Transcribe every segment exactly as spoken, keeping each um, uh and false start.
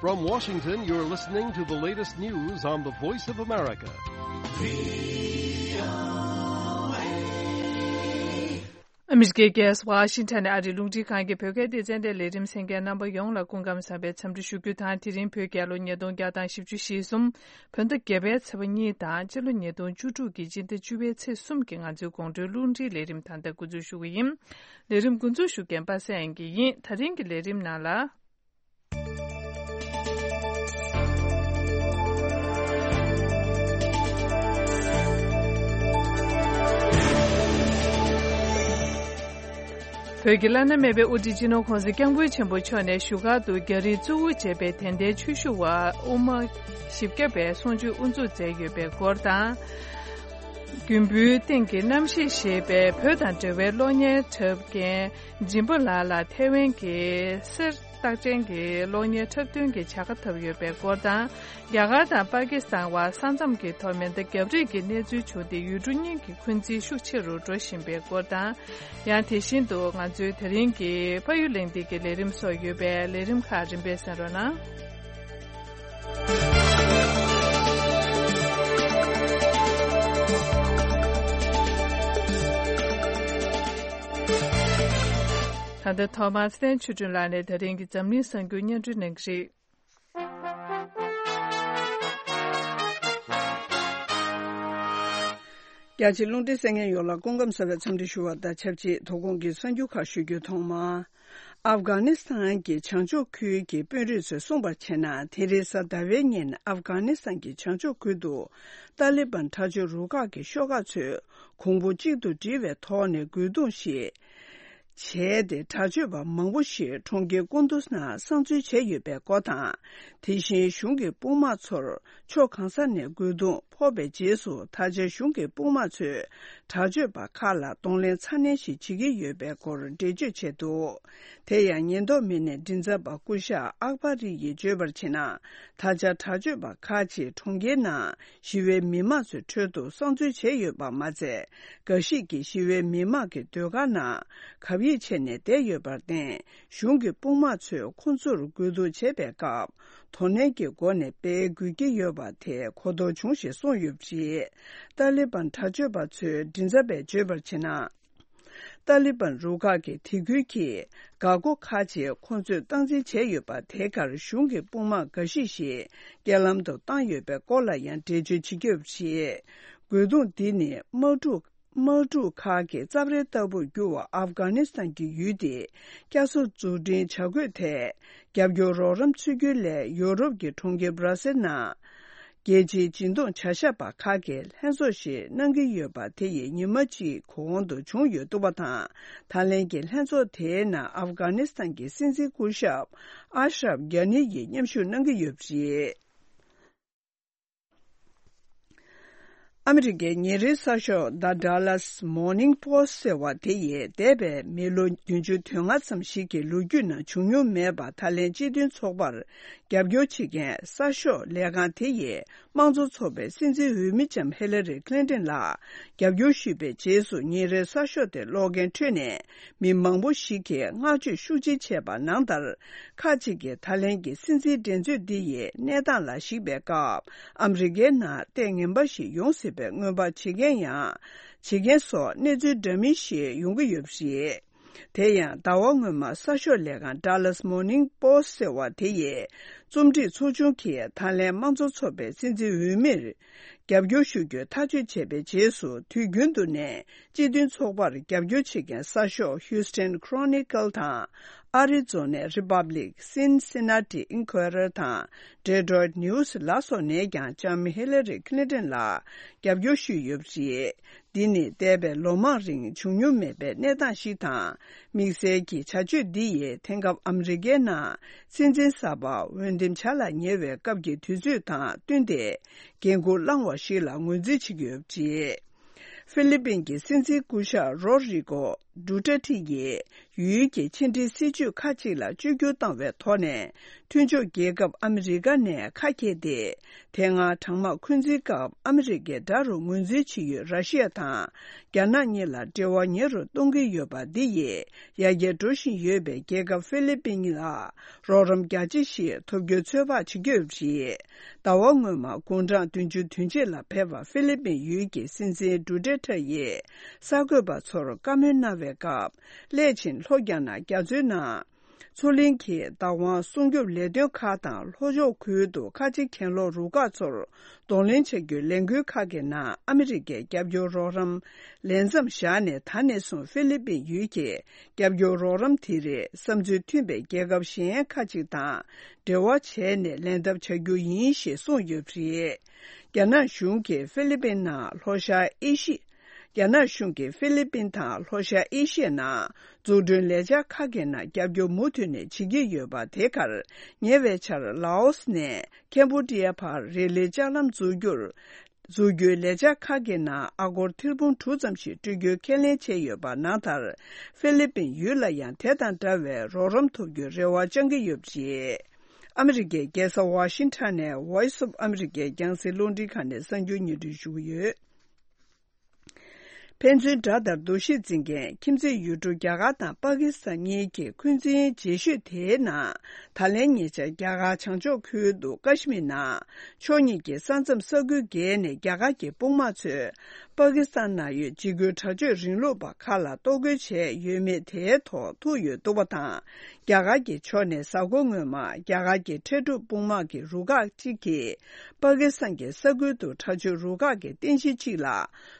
From Washington, you're listening to the latest news on the Voice of America. ཨ་མི་རི་ཀའི་རྒྱལ་ས་ཝ་ཤིང་ཊོན་ནས་ཨ་རིའི་རླུང་འཕྲིན་ཁང་གི་བོད་སྐད་སྡེ་ཚན་དེ་ལས་རིམ་གསན་མཁན་རྣམ་པ་ཡོངས་ལ་སྐུ་ཁམས་བཟང་བའི་འཚམས་འདྲི་ཞུ་རྒྱུ་དང་། དེ་རིང་བོད་རྒྱལ་ལོ་ཉིས་སྟོང་བརྒྱ་དང་བཞི་བཅུ་ཞེ་གསུམ། བོད་ཟླ་བརྒྱད་པའི་ཚེས་པ་གཉིས་དང་། སྤྱི་ལོ་ཉིས་སྟོང་བཅུ་དྲུག་གི་སྤྱི་ཟླ་བཅུ་པའི་ཚེས་གསུམ་གྱི་ང་ཚོའི་དགོང་དྲོའི་རླུང་འཕྲིན་ལས་རིམ་ད་ལྟ་འགོ་འཛུགས་ཞུ་གི་ཡིན། ལས་རིམ་འགོ་འཛུགས་ཞུ་མཁན་པ་སངས་དབྱངས་སྐྱིད་ཡིན། ད་རིང་གི་ལས་རིམ་ནང་ལ། བོད་ཀྱི་བླ་ན་མེད་པའི་དབུ་ཁྲིད་སྤྱི་ནོར་༸གོང་ས་༸སྐྱབས་མགོན་ཆེན་པོ་མཆོག་ནས་བཞུགས་སྒར་དུ་རྒྱ་རིགས་གཙོ་བོ་བྱས་པའི་དད་ལྡན་ཆོས་ཞུ་བ་དབུ་མ་བཞི་བརྒྱ་པའི་གསུང་ཆོས་དབུ་འཛུགས་མཛད་ཡོད་པའི་སྐོར་དང་། རྒྱུན་བུའི་སྟེང་གི་རྣམ་ཤེས་ཞེས་པའི་བོད་དང་འབྲེལ་བའི་གློག་བརྙན་འཁྲབ་མཁན་སྦྱིན་པ་ལགས་ལ་ཐའེ་ཝན་གྱི་གསེར་རྟགས་ཅན་གྱི་གློག་བརྙན་འཁྲབ་སྟོན་གྱི་བྱ་དགའ་ཐོབ་ཡོད་པའི་སྐོར་དང་། རྒྱ་གར་དང་པ་ཀི་སི་ཐན་བར་ས་མཚམས་ཀྱི་ཐོག་མེ་མདའ་བརྒྱབ་རེས་ཀྱི་གནས་ཚུལ་བྱུང་སྟེ། ཡུལ་གྲུ་གཉིས་ཀྱི་འཁོན་འཛིན་ཤུགས་ཆེ་རུ་འགྲོ་བཞིན་པའི་སྐོར་དང་། ཡང་དེ་བཞིན་དུ་ང་ཚོའི་དེ་རིང་གི་ཕ་ཡུལ་གླེང་སྟེགས་ཀྱི་ལས་རིམ་སོགས་ཡོད་པས། ལས་རིམ་ཁག་རིམ་པས་གསན་རོགས་གནང་། ད་ལྟ་ཐོག་མར་བསྟན་ཆོས་སྒྲོན་ལགས་ནས་ད་རིང་གི་འཛམ་གླིང་གསར་འགྱུར་སྙན་སྒྲོན་གནང་གི་རེད། རྒྱ་ཆེའི་རླུང་འཕྲིན་གསན་མཁན་ཡོངས་ལ་སྐུ་ཁམས་བཟང་བའི་འཚམས་འདྲི་ཞུ་བ་དང་ཆབས་ཅིག་དོ་དགོང་གི་གསར་འགྱུར་ཁག་ཞུ་རྒྱུ། ཐོག་མར། ཨབ་གྷ་ནི་སི་ཐན་གྱི་བྱང་ཕྱོགས་ཁུལ་གྱི་དཔོན་རིགས་ཚོས་གསུངས་པར་བྱས་ན། དེ་རིང་གཟའ་ཟླ་བའི་ཉིན་ཨབ་གྷ་ནི་སི་ཐན་གྱི་བྱང་ཕྱོགས་ཁུལ་དུ་ཏཱ་ལི་བན་དྲག་སྤྱོད་རུ་ཁག་གི་ཤོག་ཁག་ཚོས་གོང་བུ་གཅིག་ཏུ་བསྒྲིལ་བའི་ཐོག་ནས་རྒོལ་རྡུང་ཞིག་བྱས་ཏེ། དྲག་སྤྱོད་པ་མང་པོ་ཞིག་གྲོང་ཁྱེར་ཀུན་ཏུ་ནང་གསང་འཛུལ་བྱས་ཡོད་པའི་སྐོར་དང་། དེ་བཞིན་གཞུང་གི་དཔུང་དམག་ཚོར་ཕྱོགས་གང་ས་ནས་རྒོལ་རྡུང་ཕོག་པའི་རྗེས་སུ། ད་ཆ་གཞུང་གི་དཔུང་དམག་ཚོས་དྲག་སྤྱོད་པ་ཁག་ལ་གདོང་ལེན་ཚ་ནན་ཞིག་བྱེད་ཀྱི་ཡོད་པའི་སྐོར་འགྲེལ་བརྗོད་བྱས་འདུག་དེ་ཡང་ཉེན་རྟོག་མི་སྣའི་མགྲིན་ཚབ་པ་སྐུ་ཞབས་ཨག་པ་རི་ཡིས་བརྗོད་པར་བྱས་ན། ད་ཆ་དྲག་སྤྱོད་པ་ཁག་ཅིག་གྲོང་ཁྱེར་ནང་ཞི་བའི་མི་མང་ཚོའི་ཁྲོད་དུ་གསང་འཛུལ་བྱས་ཡོད་པ་མ་ཚད། འགའ་ཞིག་གིས་ཞི་བའི་མི་མང་གི་སྡོད་སྒར་ནང་གབ་ཡིབ་བྱས་ནས་བསྡད་ཡོད་པར་བརྟེན། གཞུང་གི་དཔུང་དམག་ཚོས་ཁོང་ཚོར་རྒོལ་རྡུང་བྱེད་པའི་སྐབས། དོ་ནན་གྱི་སྒོ་ནས་སྤེལ་དགོས་ཀྱི་ཡོད་པ་དེ་གོ་རྟོགས་བྱུང་ཞེས་གསུངས་ཡོད་པ་རེད། ཏཱ་ལི་བན་དྲག་སྤྱོད་པ་ཚོའི་མགྲིན་ཚབ་པས་བརྗོད་པར་བྱས་ན། ཏཱ་ལི་བན་རུ་ཁག་གིས་དེ་ཁུལ་གྱི་འགག་སྒོ་ཁག་ཅིག་ཁོང་ཚོས་སྟངས་འཛིན་བྱས་ཡོད་པ། དེ་གར་གཞུང་གི་དཔུང་དམག་འགའ་ཞིག་ཞིག་རྐྱེན་ལམ་དུ་བཏང་ཡོད་པའི་སྐོར་ལ་ཡང་འགྲེལ་བརྗོད་བྱེད་ཀྱི་ཡོད་པ་རེད། རྒོལ་རྡུང་འདི་ནི་དམག་འཁྲུག་དམག་འཁྲུག་ཁག་གི་རྩབ་རལ་ལྟ་བུར་གྱུར་བ་ཨབ་གྷ་ནི་སི་ཐན་གྱི་ཡུལ་དེ་བསྐྱར་གསོ་འཛུགས་སྐྲུན་བྱ་དགོས་ཐད། རྒྱབ་སྐྱོར་རོགས་རམ་འཚོལ་རྒྱུའི་སླད་ཡོ་རོབ་ཀྱི་གྲོང་ཁྱེར་སྦྲ་སེལ་ནང་རྒྱལ་སྤྱིའི་སྦྱིན་གཏོང་བྱ་གཞག་པ་ཁག་གིས་ལྷན་ཚོགས་ཤིག་གནང་གི་ཡོད་པ་དེ་ཡི་ཉི་མ་གཅིག་གོང་དུ་བྱུང་ཡོད་འདུག་པ་དང་། ད་ལན་གྱི་ལྷན་ཚོགས་དེའི་ནང་ཨབ་གྷ་ནི་སི་ཐན་གྱི་སྲིད་འཛིན་སྐུ་ཞབས་ཨ་ཤྲབ་གྷ་ནི་ཡིས་མཉམ་ཞུགས་གནང་གི་ཡོད་པ་རེད། ཨ་མི་རི་ཀའི་ཉིན་རེའི་གསར་ཤོག་The Dallas Morning Post ཟེར་བ་དེ་ཡིས་འདས་པའི་མི་ལོ་བདུན་ཅུ་དོན་ལྔ་ཙམ་ཞིག་གི་ལོ་རྒྱུས་ནང་བྱུང་མྱོང་མེད་པ། ད་ལན་སྤྱི་མཐུན་ཚོགས་པར་རྒྱབ་སྐྱོར་བྱེད་མཁན་གསར་ཤོག་ལས་ཁང་དེ་ཡིས་དམངས་གཙོ་ཚོགས་པའི་སྲིད་འཛིན་འོས་མི་ལྕམ་ཧི་ལ་རི་ཁི་ལིན་ཏོན་ལ་རྒྱབ་སྐྱོར་ཞུས་པའི་རྗེས་སུ། ཉིན་རེའི་གསར་ཤོག་དེ་ཀློག་མཁན་ཁྲོད་ནས་མི་མང་པོ་ཞིག་གིས་བསྔགས་བརྗོད་ཤུགས་ཆེ་བྱས་པ་ནང་ལྟར། ཁག་ཅིག་གིས་ད་ལན་གྱི་སྲིད་འཛིན་འགྲན་རྩོད་འདི་ཡི་གནས་སྟངས་ལ་གཞིགས་པའི་སྐབས། ཨ་མི་རི་ཀའི་ནང་ལྟས་ངན་པ་ཞིག་ཡོང་སྲིད་པའི་སྔོན་དཔག་བྱེད་མཁན་ཡང་། བྱེད་མཁན་སོགས་གནས་ཚུལ་འདྲ་མིན་ཞིག་ཡོང་གི་ཡོད་པ་རེད། དེ་ཡང་ཟླ་བ་སྔོན་མ་གསར་ཤོག་ལས་ཁང་Dallas Morning Post ཟེར་བ་དེ་ཡིས་རྩོམ་སྒྲིག་ཚོགས་ཆུང་གིས་ད་ལན་དམངས་གཙོ་ཚོགས་པའི་སྲིད་འཛིན་འོས་མིར་རྒྱབ་སྐྱོར་ཞུ་རྒྱུ་ཐག་གཅོད་བྱས་པའི་རྗེས་སུ། དུས་རྒྱུན་དུ་ནས་སྤྱི་མཐུན་ཚོགས་པར་རྒྱབ་སྐྱོར་བྱེད་མཁན་གསར་ཤོག་Houston Chronicle དང་། Arizona Republic, Cincinnati Enquirer དང་Detroit News ལ་སོགས་ནས་ཀྱང་ལྕམ་ཧི་ལ་རི་ཁི་ལིན་ཏོན་ལ་རྒྱབ་སྐྱོར་ཞུས་ཡོད་པ་རེད། འདི་ནི་འདས་པའི་ལོ་མང་རིང་བྱུང་མྱོང་མེད་པའི་གནས་སྟངས་ཤིག་དང་། དམིགས་བསལ་གྱི་བྱ་སྤྱོད་འདི་ཡིས་དེང་སྐབས་ཨ་མི་རི་ཀའི་ནང་སྲིད་འཛིན་གསར་པ་འོས་འདེམས་བྱ་ལ་ཉེ་བའི་སྐབས་ཀྱི་དུས་ཚོད་དང་བསྟུན་ཏེ་འགན་འཁུར་བླངས་བ་ཞིག་ལ་ངོས་འཛིན་བྱེད་ཀྱི་ཡོད་པ་རེད། ཧྥི་ལི་པིན་གྱི་སྲིད་འཛིན་སྐུ་ཞབས་རོ་རི་གོ་ཌུ་ཏེར་ཏི་ཡིས་ ཡུལ་གྱི་ཕྱི་འབྲེལ་སྲིད་ཇུས་ཁག་ཅིག་ལ་བཅོས་བསྒྱུར་བཏང་བའི་ཐོག་ནས། མཐུན་ཕྱོགས་རྒྱལ་ཁབ་ཨ་མི་རི་ཀ་ནས་ཁ་གྱེས་ཏེ། དེ་སྔ་གྲང་དམག་འཁོན་འཛིན་སྐབས་ཨ་མི་རི་ཀའི་དགྲ་རུ་ངོས་འཛིན་བྱེད་ཡུལ་ར་ཤི་ཡ་དང་། རྒྱ་ནག་གཉིས་ལ་འབྲེལ་བ་ཉེ་རུ་གཏོང་གི་ཡོད་པ་འདི་ཡིས། ཡར་རྒྱས་འགྲོ་བཞིན་ཡོད་པའི་རྒྱལ་ཁབ་ཧྥི་ལི་པིན་ལ། རོགས་རམ་རྒྱ་ཆེ་ཞིག་ཐོབ་རྒྱུའི་ཚོད་དཔག་བྱེད་ཀྱི་ཡོད་པ་རེད། ཟླ་བ་སྔོན་མ་དགུང་གྲངས་བདུན་ཅུ་དོན་གཅིག་ལ་ཕེབས་པ་ཧྥི་ལི་པིན་ཡུལ་གྱི་སྲིད་འཛིན་ཌུ་ཏྲེ་ཏྲེ་ཡིས་གསར་འགོད་པ་ཚོར་བཀའ་མོལ་གནང་བའི་སྐབས། སླད་ཕྱིན་ལྷོ་རྒྱ་ནག་རྒྱ་མཚོའི་ནང་། མཚོ་གླིང་གི་བདག་དབང་སྲུང་སྐྱོབ་ལས་དོན་ཁག་དང་། ལྷོ་ཕྱོགས་ཁུལ་དུ་ཁ་ཆེ་གྱེན་ལོག་རུ་ཁག་ཚོར་གདོང་ལེན་བྱ་རྒྱུའི་ལས་འགུལ་ཁག་གི་ནང་ཨ་མི་རི་ཀའི་རྒྱབ་སྐྱོར་རོགས་རམ་ལས་མཚམས་བཞག་ནས། ད་ནས་བཟུང་ཧྥི་ལི་པིན་ཡུལ་གྱི་རྒྱབ་སྐྱོར་རོགས་རམ་དེ་རིགས་བསམ་ཚུལ་མཐུན་པའི་རྒྱལ་ཁབ་གཞན་ཁག་ཅིག་དང་འབྲེལ་བ་བྱས་ནས་ལེན་ཐབས་བྱ་རྒྱུ་ཡིན་ཞེས་གསུངས་ཡོད་པ་རེད། རྒྱ་ནག་གཞུང་གིས་ཧྥི་ལི་པིན་ནང་ལྷོ་ཤར་ཨེ་ཤི། རྒྱ་ནག་གཞུང་གིས་ཧྥི་ལི་པིན་དང་ལྷོ་ཤར་ཨེ་ཤི་ཡའི་ནང་འཛུགས་སྐྲུན་ལས་འཆར་ཁག་གི་ནང་རྒྱབ་སྐྱོར་མུ་མཐུད་ནས་བྱེད་ཀྱི་ཡོད་པ། དེ་གར་ཉེ་བའི་ཆར་ལའོ་སི་ནས་ཁེམ་བྷོ་ཌི་ཡ་བར་རི་ལི་ལྕགས་ལམ་འཛུགས་རྒྱུར། འཛུགས་རྒྱུའི་ལས་འཆར་ཁག་གི་ནང་ཨ་སྒོར་ཐེར་འབུམ་དྲུག་ཙམ་ཞིག་སྤྲོད་རྒྱུའི་ཁས་ལེན་བྱས་ཡོད་པ། ནང་ལྟར་ཧྥི་ལི་པིན་ཡུལ་ལ་ཡང་དེ་དང་འདྲ་བའི་རོགས་རམ་ཐོབ་རྒྱུའི་རེ་བ་བཅང་གི་ཡོད་པ་རེད། ཨ་མི་རི་ཀའི་རྒྱལ་ས་ཝ་ཤིང་ཊོན་ནས་Voice of America རྒྱང་སྲིང་རླུང་འཕྲིན་ཁང་ནས་གསར་འགྱུར་སྙན་སྒྲོན་ཞུ་གི་ཡོད། ཕན་ཚུན་དགྲ་ལྟར་འདུ་ཤེས་འཛིན་མཁན་ཁྱིམ་མཚེས་ཡུལ་གྲུ་རྒྱ་གར་དང་པ་ཀི་སི་ཐན་གཉིས་ཀྱི་འཁོན་འཛིན་རྗེས་ཤུལ་དེའི་ནང་། ད་ལན་ཉེ་ཆར་རྒྱ་གར་བྱང་ཕྱོགས་ཁུལ་དུ་ཀ་ཤི་མིར་ནང་ཕྱོགས་གཉིས་ཀྱི་ས་མཚམས་ས་ཁུལ་བརྒལ་ནས་རྒྱ་གར་གྱི་དཔུང་དམག་ཚོས་པ་ཀི་སི་ཐན་ནང་ཡོད་འཇིགས་སྐུལ་དྲག་སྤྱོད་རིང་ལུགས་པ་ཁག་ལ་གཏོར་རྒོལ་བྱས་ཡོད་མེད་དེའི་ཐོག་ཐུག་ཡོད་འདུག་པ་དང་། རྒྱ་གར་གྱི་ཕྱོགས་ནས་གཟའ་འཁོར་སྔོན་མ་རྒྱ་གར་གྱི་འཕྲལ་སྒྲུབ་དཔུང་དམག་གི་རུ་ཁག་ཅིག་གིས་པ་ཀི་སི་ཐན་གྱི་ས་ཁུལ་དུ་དྲག་སྤྱོད་རུ་ཁག་གི་རྟེན་གཞི་གཅིག་ལ་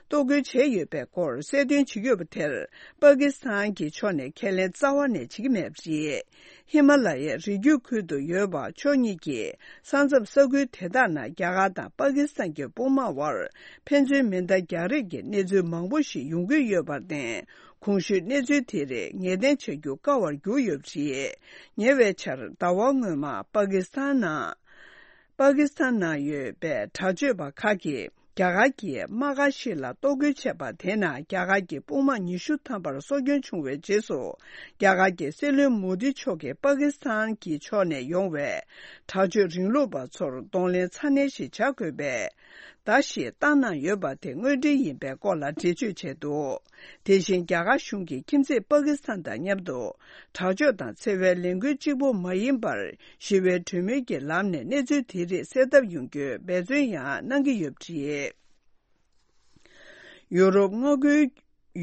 གཏོར་རྒོལ་བྱས་ཡོད་པའི་སྐོར་གསལ་སྟོན་བྱེད་ཀྱི་ཡོད་པ་དེར། པ་ཀི་སི་ཐན་གྱི་ཕྱོགས་ནས་ཁས་ལེན་རྩ་བ་ནས་བྱེད་ཀྱི་མེད་པ་རེད། ཧི་མ་ལ་ཡའི་རི་རྒྱུད་ཁུལ་དུ་ཡོད་པ་ཕྱོགས་གཉིས་ཀྱི་ས་མཚམས་ས་ཁུལ་དེ་དག་ནང་རྒྱ་གར་དང་པ་ཀི་སི་ཐན་གྱི་དཔུང་དམག་དབར་ཕན་ཚུན་མེ་མདའ་རྒྱག་རེས་ཀྱི་གནས་ཚུལ་མང་པོ་ཞིག་ཡོང་གི་ཡོད་པར་བརྟེན། གོང་ཞུས་གནས་ཚུལ་དེ་རིགས་ངེས་གཏན་བྱ་རྒྱུ་དཀའ་བར་གྱུར་ཡོད་པ་རེད། ཉེ་བའི་ཆར་ཟླ་བ་སྔོན་མ་པ་ཀི་སི་ཐན་ནང་། པ་ཀི་སི་ཐན་ནང་ཡོད་པའི་དྲག་སྤྱོད་པ་ཁག་གིས་རྒྱ་གར་གྱི་དམག་སྒར་ཞིག་ལ་གཏོར་རྒོལ་བྱས་པ། དེ་ནང་རྒྱ་གར་གྱི་དཔུང་དམག་ཉི་ཤུ་ཐམ་པར་སྲོག་སྐྱོན་བྱུང་བའི་རྗེས་སུ། རྒྱ་གར་གྱི་སྲིད་བློན་མོ་དི་མཆོག་གིས་པ་ཀི་སི་ཐན་གྱི་ཕྱོགས་ནས་ཡོང་བའི་དྲག་སྤྱོད་རིང་ལུགས་པ་ཚོར་གདོང་ལེན་ཚ་ནན་ཞིག་བྱ་དགོས་པའི་བརྡ་ཞིག་བཏང་གནང་ཡོད་པ་དེ་དངོས་འབྲེལ་ཡིན་པའི་སྐོར་ལ་འགྲེལ་བརྗོད་བྱས་འདུག་དེ་བཞིན་རྒྱ་གར་གཞུང་གིས་ཁྱིམ་མཚེས་པ་ཀི་སི་ཐན་དང་མཉམ་དུ་དྲག་སྤྱོད་དང་འཚེ་བའི་ལས་འགུལ་གཅིག་པུ་མ་ཡིན་པར། ཞི་བའི་གྲོས་མོལ་གྱི་ལམ་ནས་གནས་ཚུལ་དེ་རིགས་སེལ་ཐབས་ཡོང་རྒྱུའི་འབད་བརྩོན་ཡང་གནང་གི་ཡོད་པ་རེད། ཡུ་རོབ་མངའ་ཁུལ་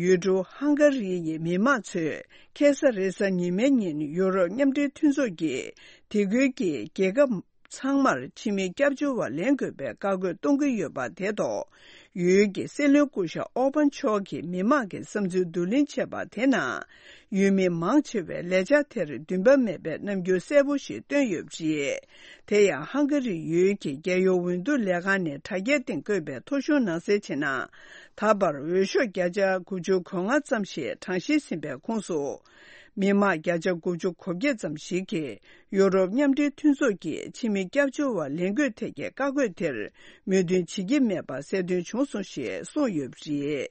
ཡུལ་གྲུ་ཧང་ག་རི་ཡི་མི་མང་ཚོས་ཁ་སང་རེས་གཟའ་ཉི་མའི་ཉིན་ཡུ་རོབ་མཉམ་འབྲེལ་མཐུན་ཚོགས་ཀྱིས་དེ་ཁུལ་གྱི་རྒྱལ་ཁབ་ཚང་མར་ཕྱི་མི་སྐྱབས་བཅོལ་བ་ལེན་དགོས་པའི་བཀའ་བཀོད་གཏོང་གི་ཡོད་པ་དེ་ཐོག་ཡུལ་གྱི་སྲིད་བློན་སྐུ་ཞབས་ཨོ་པན་མཆོག་གིས་མི་མང་གི་བསམ་ཚུལ་བསྡུ་ལེན་བྱས་པ་དེ་ནང་། ཡུལ་མི་མང་ཆེ་བས་ལས་འཆར་དེར་འདུན་པ་མེད་པའི་རྣམ་འགྱུར་གསལ་པོ་ཞིག་བཏོན་ཡོད་པ་རེད། དེ་ཡང་ཧང་ག་རི་ཡུལ་གྱི་རྒྱལ་ཡོངས་འོས་བསྡུ་ལས་ཁང་ནས་དྲ་རྒྱའི་སྟེང་བཀོད་པའི་ཐོ་གཞུང་ནང་གསལ་བྱས་ན། ད་བར་འོས་ཤོག་བརྒྱ་ཆ་དགུ་བཅུ་གོ་ལྔ་ཙམ་ཞིག་གྲངས་བཤེར་ཟིན་པའི་ཁོངས་སུ། མི་མང་བརྒྱ་ཆ་དགུ་བཅུ་གོ་བརྒྱད་ཙམ་ཞིག་གིས་ཡུ་རོབ་མཉམ་འབྲེལ་མཐུན་ཚོགས་ཀྱིས་ཕྱི་མི་སྐྱབས་བཅོལ་བ་ལེན་དགོས་ཐད་ཀྱི་བཀའ་བཀོད་དེར་མོས་མཐུན་བྱེད་ཀྱི་མེད་པ་གསལ་སྟོན་བྱུང་སོང་ཞེས་གསུངས་ཡོད་པ་རེད།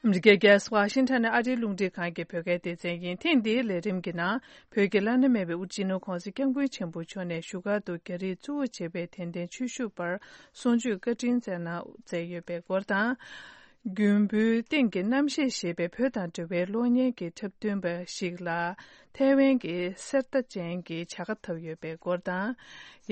ཨ་མི་རི་ཀའི་རྒྱལ་ས་ཝ་ཤིང་ཊོན་ནས་ཨ་རིའི་རླུང་འཕྲིན་ཁང་གི་བོད་སྐད་སྡེ་ཚན་ཡིན། ཐེངས་འདིའི་ལས་རིམ་གྱི་ནང་། བོད་ཀྱི་བླ་ན་མེད་པའི་དབུ་སྤྱི་ནོར་གོང་ས་སྐྱབས་མགོན་ཆེན་པོ་མཆོག་ནས་བཞུགས་སྒར་དུ་རྒྱ་རིགས་གཙོ་བོ་བྱས་པའི་དད་ལྡན་ཆོས་ཞུ་བར་གསུང་ཆོས་བཀའ་དྲིན་སྩལ་གནང་མཛད་ཡོད་པའི་སྐོར་དང་། མགོན་པོའི་སྟེང་གི་རྣམ་བཤད་ཞེས་པའི་བོད་དང་འབྲེལ་བའི་གློག་བརྙན་གྱི་འཁྲབ་སྟོན་པ་ཞིག་ལ་ཐའེ་ཝན་གྱི་གསེར་རྟ་ཅན་གྱི་བྱ་དགའ་ཐོབ་ཡོད་པའི་སྐོར་དང་།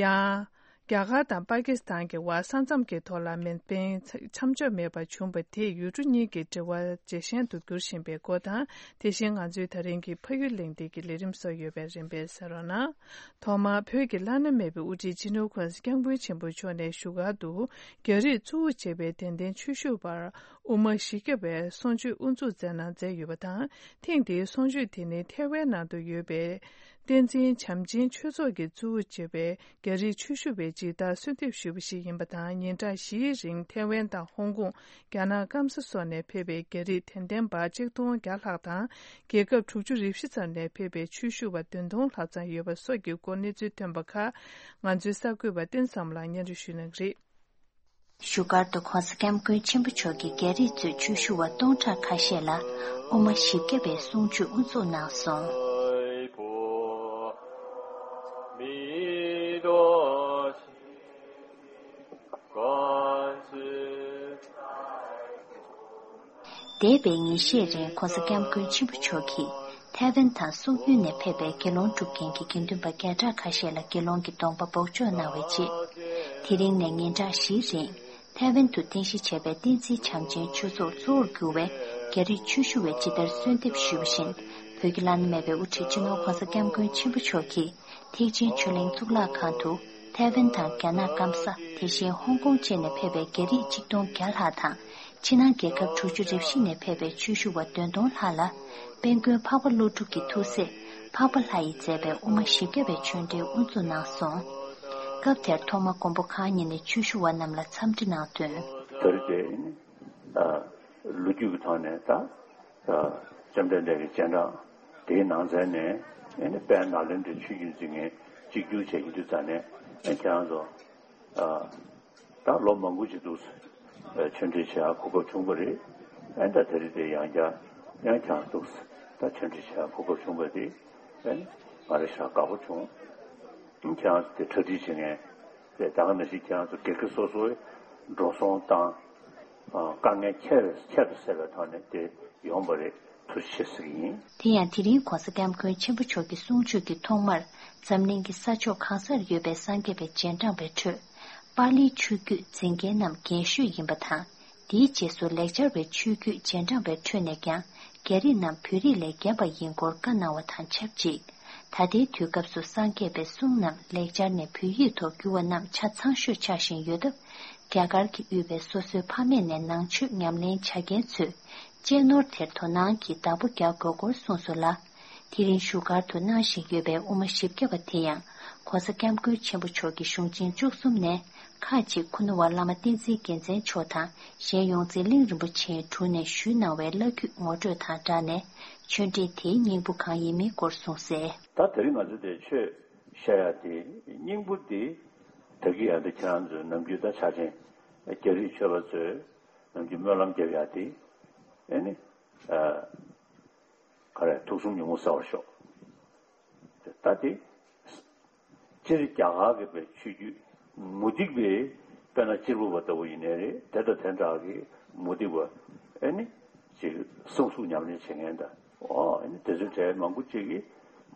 ཡང་། རྒྱ་གར་དང་པ་ཀི་སི་ཐན་གྱི་བར་ས་མཚམས་ཀྱི་ཐོག་ལ་མེ་འཕེན་མཚམས་འཇོག་མེད་པར་བྱུང་བ་དེས་ཡུལ་གྲུ་གཉིས་ཀྱི་འབྲེལ་བ་ཇེ་ཞན་དུ་འགྱུར་བཞིན་པའི་སྐོར་དང་། དེ་བཞིན་ང་ཚོའི་ད་རིང་གི་ཕ་ཡུལ་གླེང་སྟེགས་ཀྱི་ལས་རིམ་སོགས་ཡོད་པས་རིམ་པས་གསན་རོགས་གནང་། ཐོག་མར་བོད་ཀྱི་བླ་ན་མེད་པའི་དབུ་ཁྲིད་སྤྱི་ནོར་གོང་ས་སྐྱབས་མགོན་ཆེན་པོ་མཆོག་ནས་བཞུགས་སྒར་དུ་རྒྱ་རིགས་གཙོ་བོ་བྱས་པའི་དད་ལྡན་ཆོས་ཞུ་བར་དབུ་མ་བཞི་བརྒྱ་བའི་གསུང་ཆོས་དབུ་འཛུགས་མཛད་གནང་མཛད་ཡོད་པ་དང་། ཐེངས་འདིའི་གསུང་ཆོས་དེ་ནི་ཐའེ་ཝན་ནང་དུ་ཡོད་པའི་བསྟན་འཛིན་བྱམས་ཆེན་ཆོས་ཚོགས་ཀྱིས་གཙོ་བོ་བྱས་པའི་རྒྱ་རིགས་ཆོས་ཞུ་བའི་སྦྱིན་བདག་གསོལ་འདེབས་ཞུས་པ་ཞིག་ཡིན་པ་དང་། ཉིན་གྲངས་བཞིའི་རིང་ཐའེ་ཝན་དང་ཧོང་ཀོང་། རྒྱ་ནག་སྐམ་ས་སོགས་ནས་ཕེབས་པའི་རྒྱ་རིགས་དད་ལྡན་པ་གཅིག་སྟོང་བརྒྱ་ལྷག་དང་། རྒྱལ་ཁབ་དྲུག་ཅུ་རེ་བཞི་ཙམ་ནས་ཕེབས་པའི་ཆོས་ཞུ་བ་བདུན་སྟོང་ལྷག་ཙམ་ཡོད་པ་སོགས་ཀྱི་སྐོར་གནས་ཚུལ་ཐོན་པ་ཁག་ང་ཚོའི་གསར་འགོད་པ་བསྟན་བཟང་ལགས་སྙན་སྒྲོན་ཞུ་གནང་གི་རེད། བཞུགས་སྒར་དུ་༸གོང་ས་༸སྐྱབས་མགོན་ཆེན་པོ་མཆོག་གིས་རྒྱ་རིགས་གཙོས་ཆོས་ཞུ་བ་སྟོང་ཕྲག་ཁ་ཤས་ལ་དབུ་མ་བཞི་བརྒྱ་པའི་གསུང་ཆོས་དབུ་འཛུགས་གནང་སོང་། འདས་པའི་ཉིན་ཤས་རིང་༸གོང་ས་༸སྐྱབས་མགོན་ཆེན་པོ་མཆོག་གིས་ཐའེ་ཝན་དང་སོག་ཡུལ་ནས་ཕེབས་པའི་དགེ་སློང་སྒྲུབ་མཁན་གྱི་དགེ་འདུན་པ་བརྒྱ་ཕྲག་ཁ་ཤས་ལ་དགེ་སློང་གི་སྡོམ་པ་འབོགས་འཇོག་གནང་བའི་རྗེས། དེ་རིང་ནས་ཉིན་གྲངས་བཞིའི་རིང་ཐའེ་ཝན་དུ་རྟེན་གཞི་བྱས་པའི་བསྟན་འཛིན་བྱམས་ཆེན་ཆོས་ཚོགས་གཙོ་བོར་གྱུར་བའི་རྒྱ་རིགས་ཆོས་ཞུ་བས་ཇི་ལྟར་གསོལ་འདེབས་ཞུས་པ་བཞིན། བོད་ཀྱི་བླ་ན་མེད་པའི་དབུ་ཁྲིད་སྤྱི་ནོར་༸གོང་ས་༸སྐྱབས་མགོན་ཆེན་པོ་མཆོག་གིས་ཐེག་ཆེན་ཆོས་གླིང་གཙུག་ལག་ཁང་དུ་ཐའེ་ཝན་དང་རྒྱ་ནག་སྐམ་ས། དེ་བཞིན་ཧོང་ཀོང་བཅས་ནས་ཕེབས་པའི་རྒྱ་རིགས་གཅིག་སྟོང་བརྒྱ་ལྷག་དང་། ཕྱི་ནང་རྒྱལ་ཁབ་དྲུག་ཅུ་རེ་བཞི་ནས་ཕེབས་པའི་ཆོས་ཞུ་བ་བདུན་སྟོང་ལྷག་ལ། དཔལ་མགོན་འཕགས་པ་ཀླུ་སྒྲུབ་ཀྱི་ཐུགས་སྲས་འཕགས་པ་ལྷ་ཡིས་མཛད་པའི་དབུ་མ་བཞི་བརྒྱ་པའི་ཆོས་འབྲེལ་དབུ་འཛུགས་གནང་སོང་། སྐབས་དེར་ཐོག་མ་མགོན་པོ་གང་ཉིད་ནས་ཆོས་ཞུ་བ་རྣམས་ལ་འཚམས་འདྲི་གནང་དོན། དེར་བརྟེན། ལོ་རྒྱུས་ཀྱི་ཐོག་ནས་ད། བཅོམ་ལྡན་འདས་ཀྱི་སྤྱན་དྲངས་དེའི་ནང་ཚན་ནས་ཨེ་ནི་དཔལ་ནཱ་ལེནྡྲའི་ཆོས་བརྒྱུད་འཛིན་མཁན་གཅིག་གྱུར་བྱེད་ཀྱི་འདུག་ཙང་ནས་ཨེ་ཁྱེད་རང་ཚོ། ད་ལོ་མང་པོ་ཞིག་འདུག་ཆོས་འབྲེལ་བྱེད་ཡག་གོ་སྐབས་བྱུང་བ་རེད། ཨེ་ད་དེ་རིང་དེ་ཡང་བསྐྱར་ཡང་ཁྱེད་རང་འདུག་ད་ཆོས་འབྲེལ་བྱེད་ཡག་གོ་སྐབས་བྱུང་བ་དེ་ཨེ་ང་རེ་ཞག་དགའ་པོ་བྱུང་། ཁྱེད་རང་ཚོ་དེ་གྲ་སྒྲིག་བྱེད་མཁན་དེ་ད་ག་ནང་བཞིན་ཁྱེད་རང་ཚོ་སྒེར་གྱི་སོ་སོའི་འགྲོ་སོང་དང་། དཀའ་ངལ་ཁྱད་ཁྱད་དུ་བསད་པའི་ཐོག་ནས་དེ་ཡོང་བ་རེད། ཐུགས་རྗེ་ཆེ་ཟེར་གྱི་ཡིན། དེ་ཡང་དེ་རིང་༸གོང་ས་༸སྐྱབས་མགོན་ཆེན་པོ་མཆོག་གི་གསུང་ཆོས་ཀྱི་ཐོག་མར་འཛམ་གླིང་གི་ས་ཕྱོགས་གང་སར་ཡོད་པའི་སངས་རྒྱས་པའི་རྗེས་འབྲང་པའི་ཁྲོད། པཱ་ལིའི་ཆོས་བརྒྱུད་འཛིན་མཁན་རྣམས་རྒན་ཤོས་ཡིན་པ་དང་། དེའི་རྗེས་སུ་ལེགས་སྦྱར་བའི་ཆོས་བརྒྱུད་རྗེས་འབྲང་པའི་ཁྲོད་ནས་ཀྱང་རྒྱ་རིགས་རྣམས་བོད་རིགས་ལས་རྒན་པ་ཡིན་སྐོར་བཀའ་གནང་བ་དང་ཆབས་ཅིག་ད་ལྟའི་དུས་སྐབས་སུ་སངས་རྒྱས་པའི་གསུང་རྣམས་ལེགས་སྦྱར་ནས་བོད་ཡིག་ཐོག་བསྒྱུར་བ་རྣམས་ཆ་ཚང་ཤོས་ཆགས་བཞིན་ཡོད་སྟབས། རྒྱ་གར་གྱིས་དབུས་པའི་སོ་སོའི་ཕ་མེས་ནས་ནང་ཆོས་ཉམས་ལེན་བྱ་མཁན་ཚོས་གཅེས་ནོར་དེར་དོ་སྣང་གིས་བདག་པོ་རྒྱག་དགོས་སྐོར་གསུངས་སོང་ལ། དེ་རིང་བཞུགས་སྒར་དུ་གནང་བཞིན་ཡོད་པའི་དབུ་མ་བཞི་བརྒྱ་པ་དེ་ཡང་༸གོང་ས་༸སྐྱབས་མགོན་ཆེན་པོ་མཆོག་གི་གཞུང་ཆེན་བཅུ་གསུམ་ནས་ཁག་ཅིག་ཁུ་ནུ་བ་བླ་མ་བསྟན་འཛིན་རྒྱལ་མཚན་མཆོག་དང་། གཞན་ཡོངས་འཛིན་གླིང་རིན་པོ་ཆེའི་དྲུང་ནས་ཞུས་གནང་བའི་བླ་བརྒྱུད་ངོ་སྤྲོད་དང་སྦྲགས་ནས་ཆོས་འབྲེལ་དེའི་སྙིང་པོ་གང་ཡིན་མིན་སྐོར་གསུངས་གསལ། ད་དེ་རིང་ང་ཚོ་དེ་ཆོས་བཤད་ཡ་དེ་སྙིང་པོ་དེ་ད་གི་ཡ་དེ་ཁྱེད་རང་ཚོའི་ནམ་རྒྱུན་ད་ཆ་ཆེན་རྒྱ་རིགས་ཆོས་པ་ཚོས་ནམ་རྒྱུན་སྨོན་ལམ་རྒྱབ་ཡ་དེ་ཨེ་ནི་ག་རེ་ཐུགས་གསུམ་ཉོན་མོངས་སེལ་བར་ཤོག་ད་དེ། སྤྱིར་རྒྱ་གར་གྱི་པའི་ཆོས་བརྒྱུད་མུ་སྟེགས་པའི་དཔེར་ན་གཅེར་བུ་པ་ལྟ་བུ་ཡིན་ནའི་རེད། དེ་དང་དེ་འདྲ་གི་མུ་སྟེགས་པ་ཨེ་ནི་ཅིག་གསང་གསུམ་ཉམས་ལེན་བྱེད་མཁན་དང་ཨོ་ཨེ་ནི་དེ་ཚོའི་གྲས་མང་པོ་ཅིག་གིས་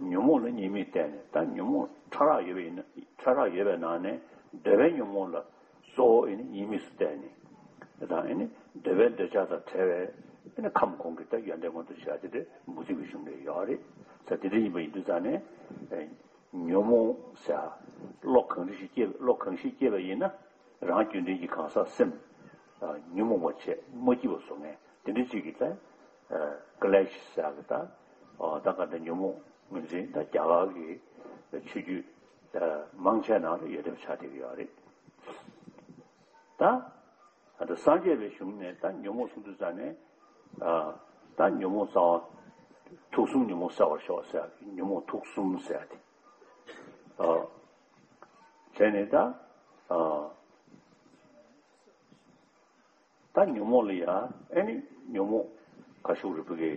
ཉོན་མོངས་ལ་གཉིས་མེད་བསྟན་ནས། ད་ཉོན་མོངས་ཕྲ་རགས་ཡོད་པ་ཡིན་ན་ཕྲ་རགས་ཡོད་པའི་ནང་ནས་འདོད་པའི་ཉོན་མོངས་ལ་གཙོ་བོ་ཨེ་ནི་གཉིས་མེད་སུ་བསྟན་ནས་དང་ཨེ་ནི་འདོད་པའི་འདོད་ཆགས་དང་བྲལ་བའི་ཨེ་ནི་ཁམས་གོང་གི་ད་ཡོན་ཏན་མངོན་དུ་བྱ་དེ་དེ་མུ་སྟེགས་པའི་གཞུང་ལས་ཡོད་རེད། ས་དེ་འདྲ་ཡིན་པ་ཡིན་དུས་ཙང་ནས། ཉོན་མོངས་ཟེར་བློ་གང་རིགས་ཤིག་སྐྱེས་བློ་གང་ཞིག་སྐྱེས་པ་ཡིན་ན་རང་རྒྱུད་ལྡན་གྱི་གང་ཟག་སེམས་ཉོན་མོངས་པ་བྱས་མ་སྐྱིད་པ་བཟོ་མཁན་དེ་འདྲ་ཅིག་གི་ད་ཀ་ལེ་ཤི་ཟེར་གི་ད་ད་ག་ད་ཉོན་མོངས་ངོས་འཛིན་ད་རྒྱ་གར་གྱི་ཆོས་བརྒྱུད་མང་ཆེ་ནང་ལ་ཡོད་དེ་ཆགས་བསྡད་ཀྱི་ཡོད་རེད། ད། ད་སངས་རྒྱས་པའི་གཞུང་ནས་ད་ཉོན་མོངས་གསུམ་དུ་བྱས་ནས། ད་ཉོན་མོངས་རྩ་བ། ཐུགས་གསུམ་ཉོན་མོངས་སེལ་བར་ཤོག་ཟེར་ཡག་གི་ཉོན་མོངས་ཐུགས་གསུམ་ཟེར་ཡག་དེ། བྱས་ནས་ད། ད་ཉོན་མོངས་ལ་ཡ་ཨེ་ནི་ཉོན་མོངས་ཁ་ཤུགས་རིག་པ་གི།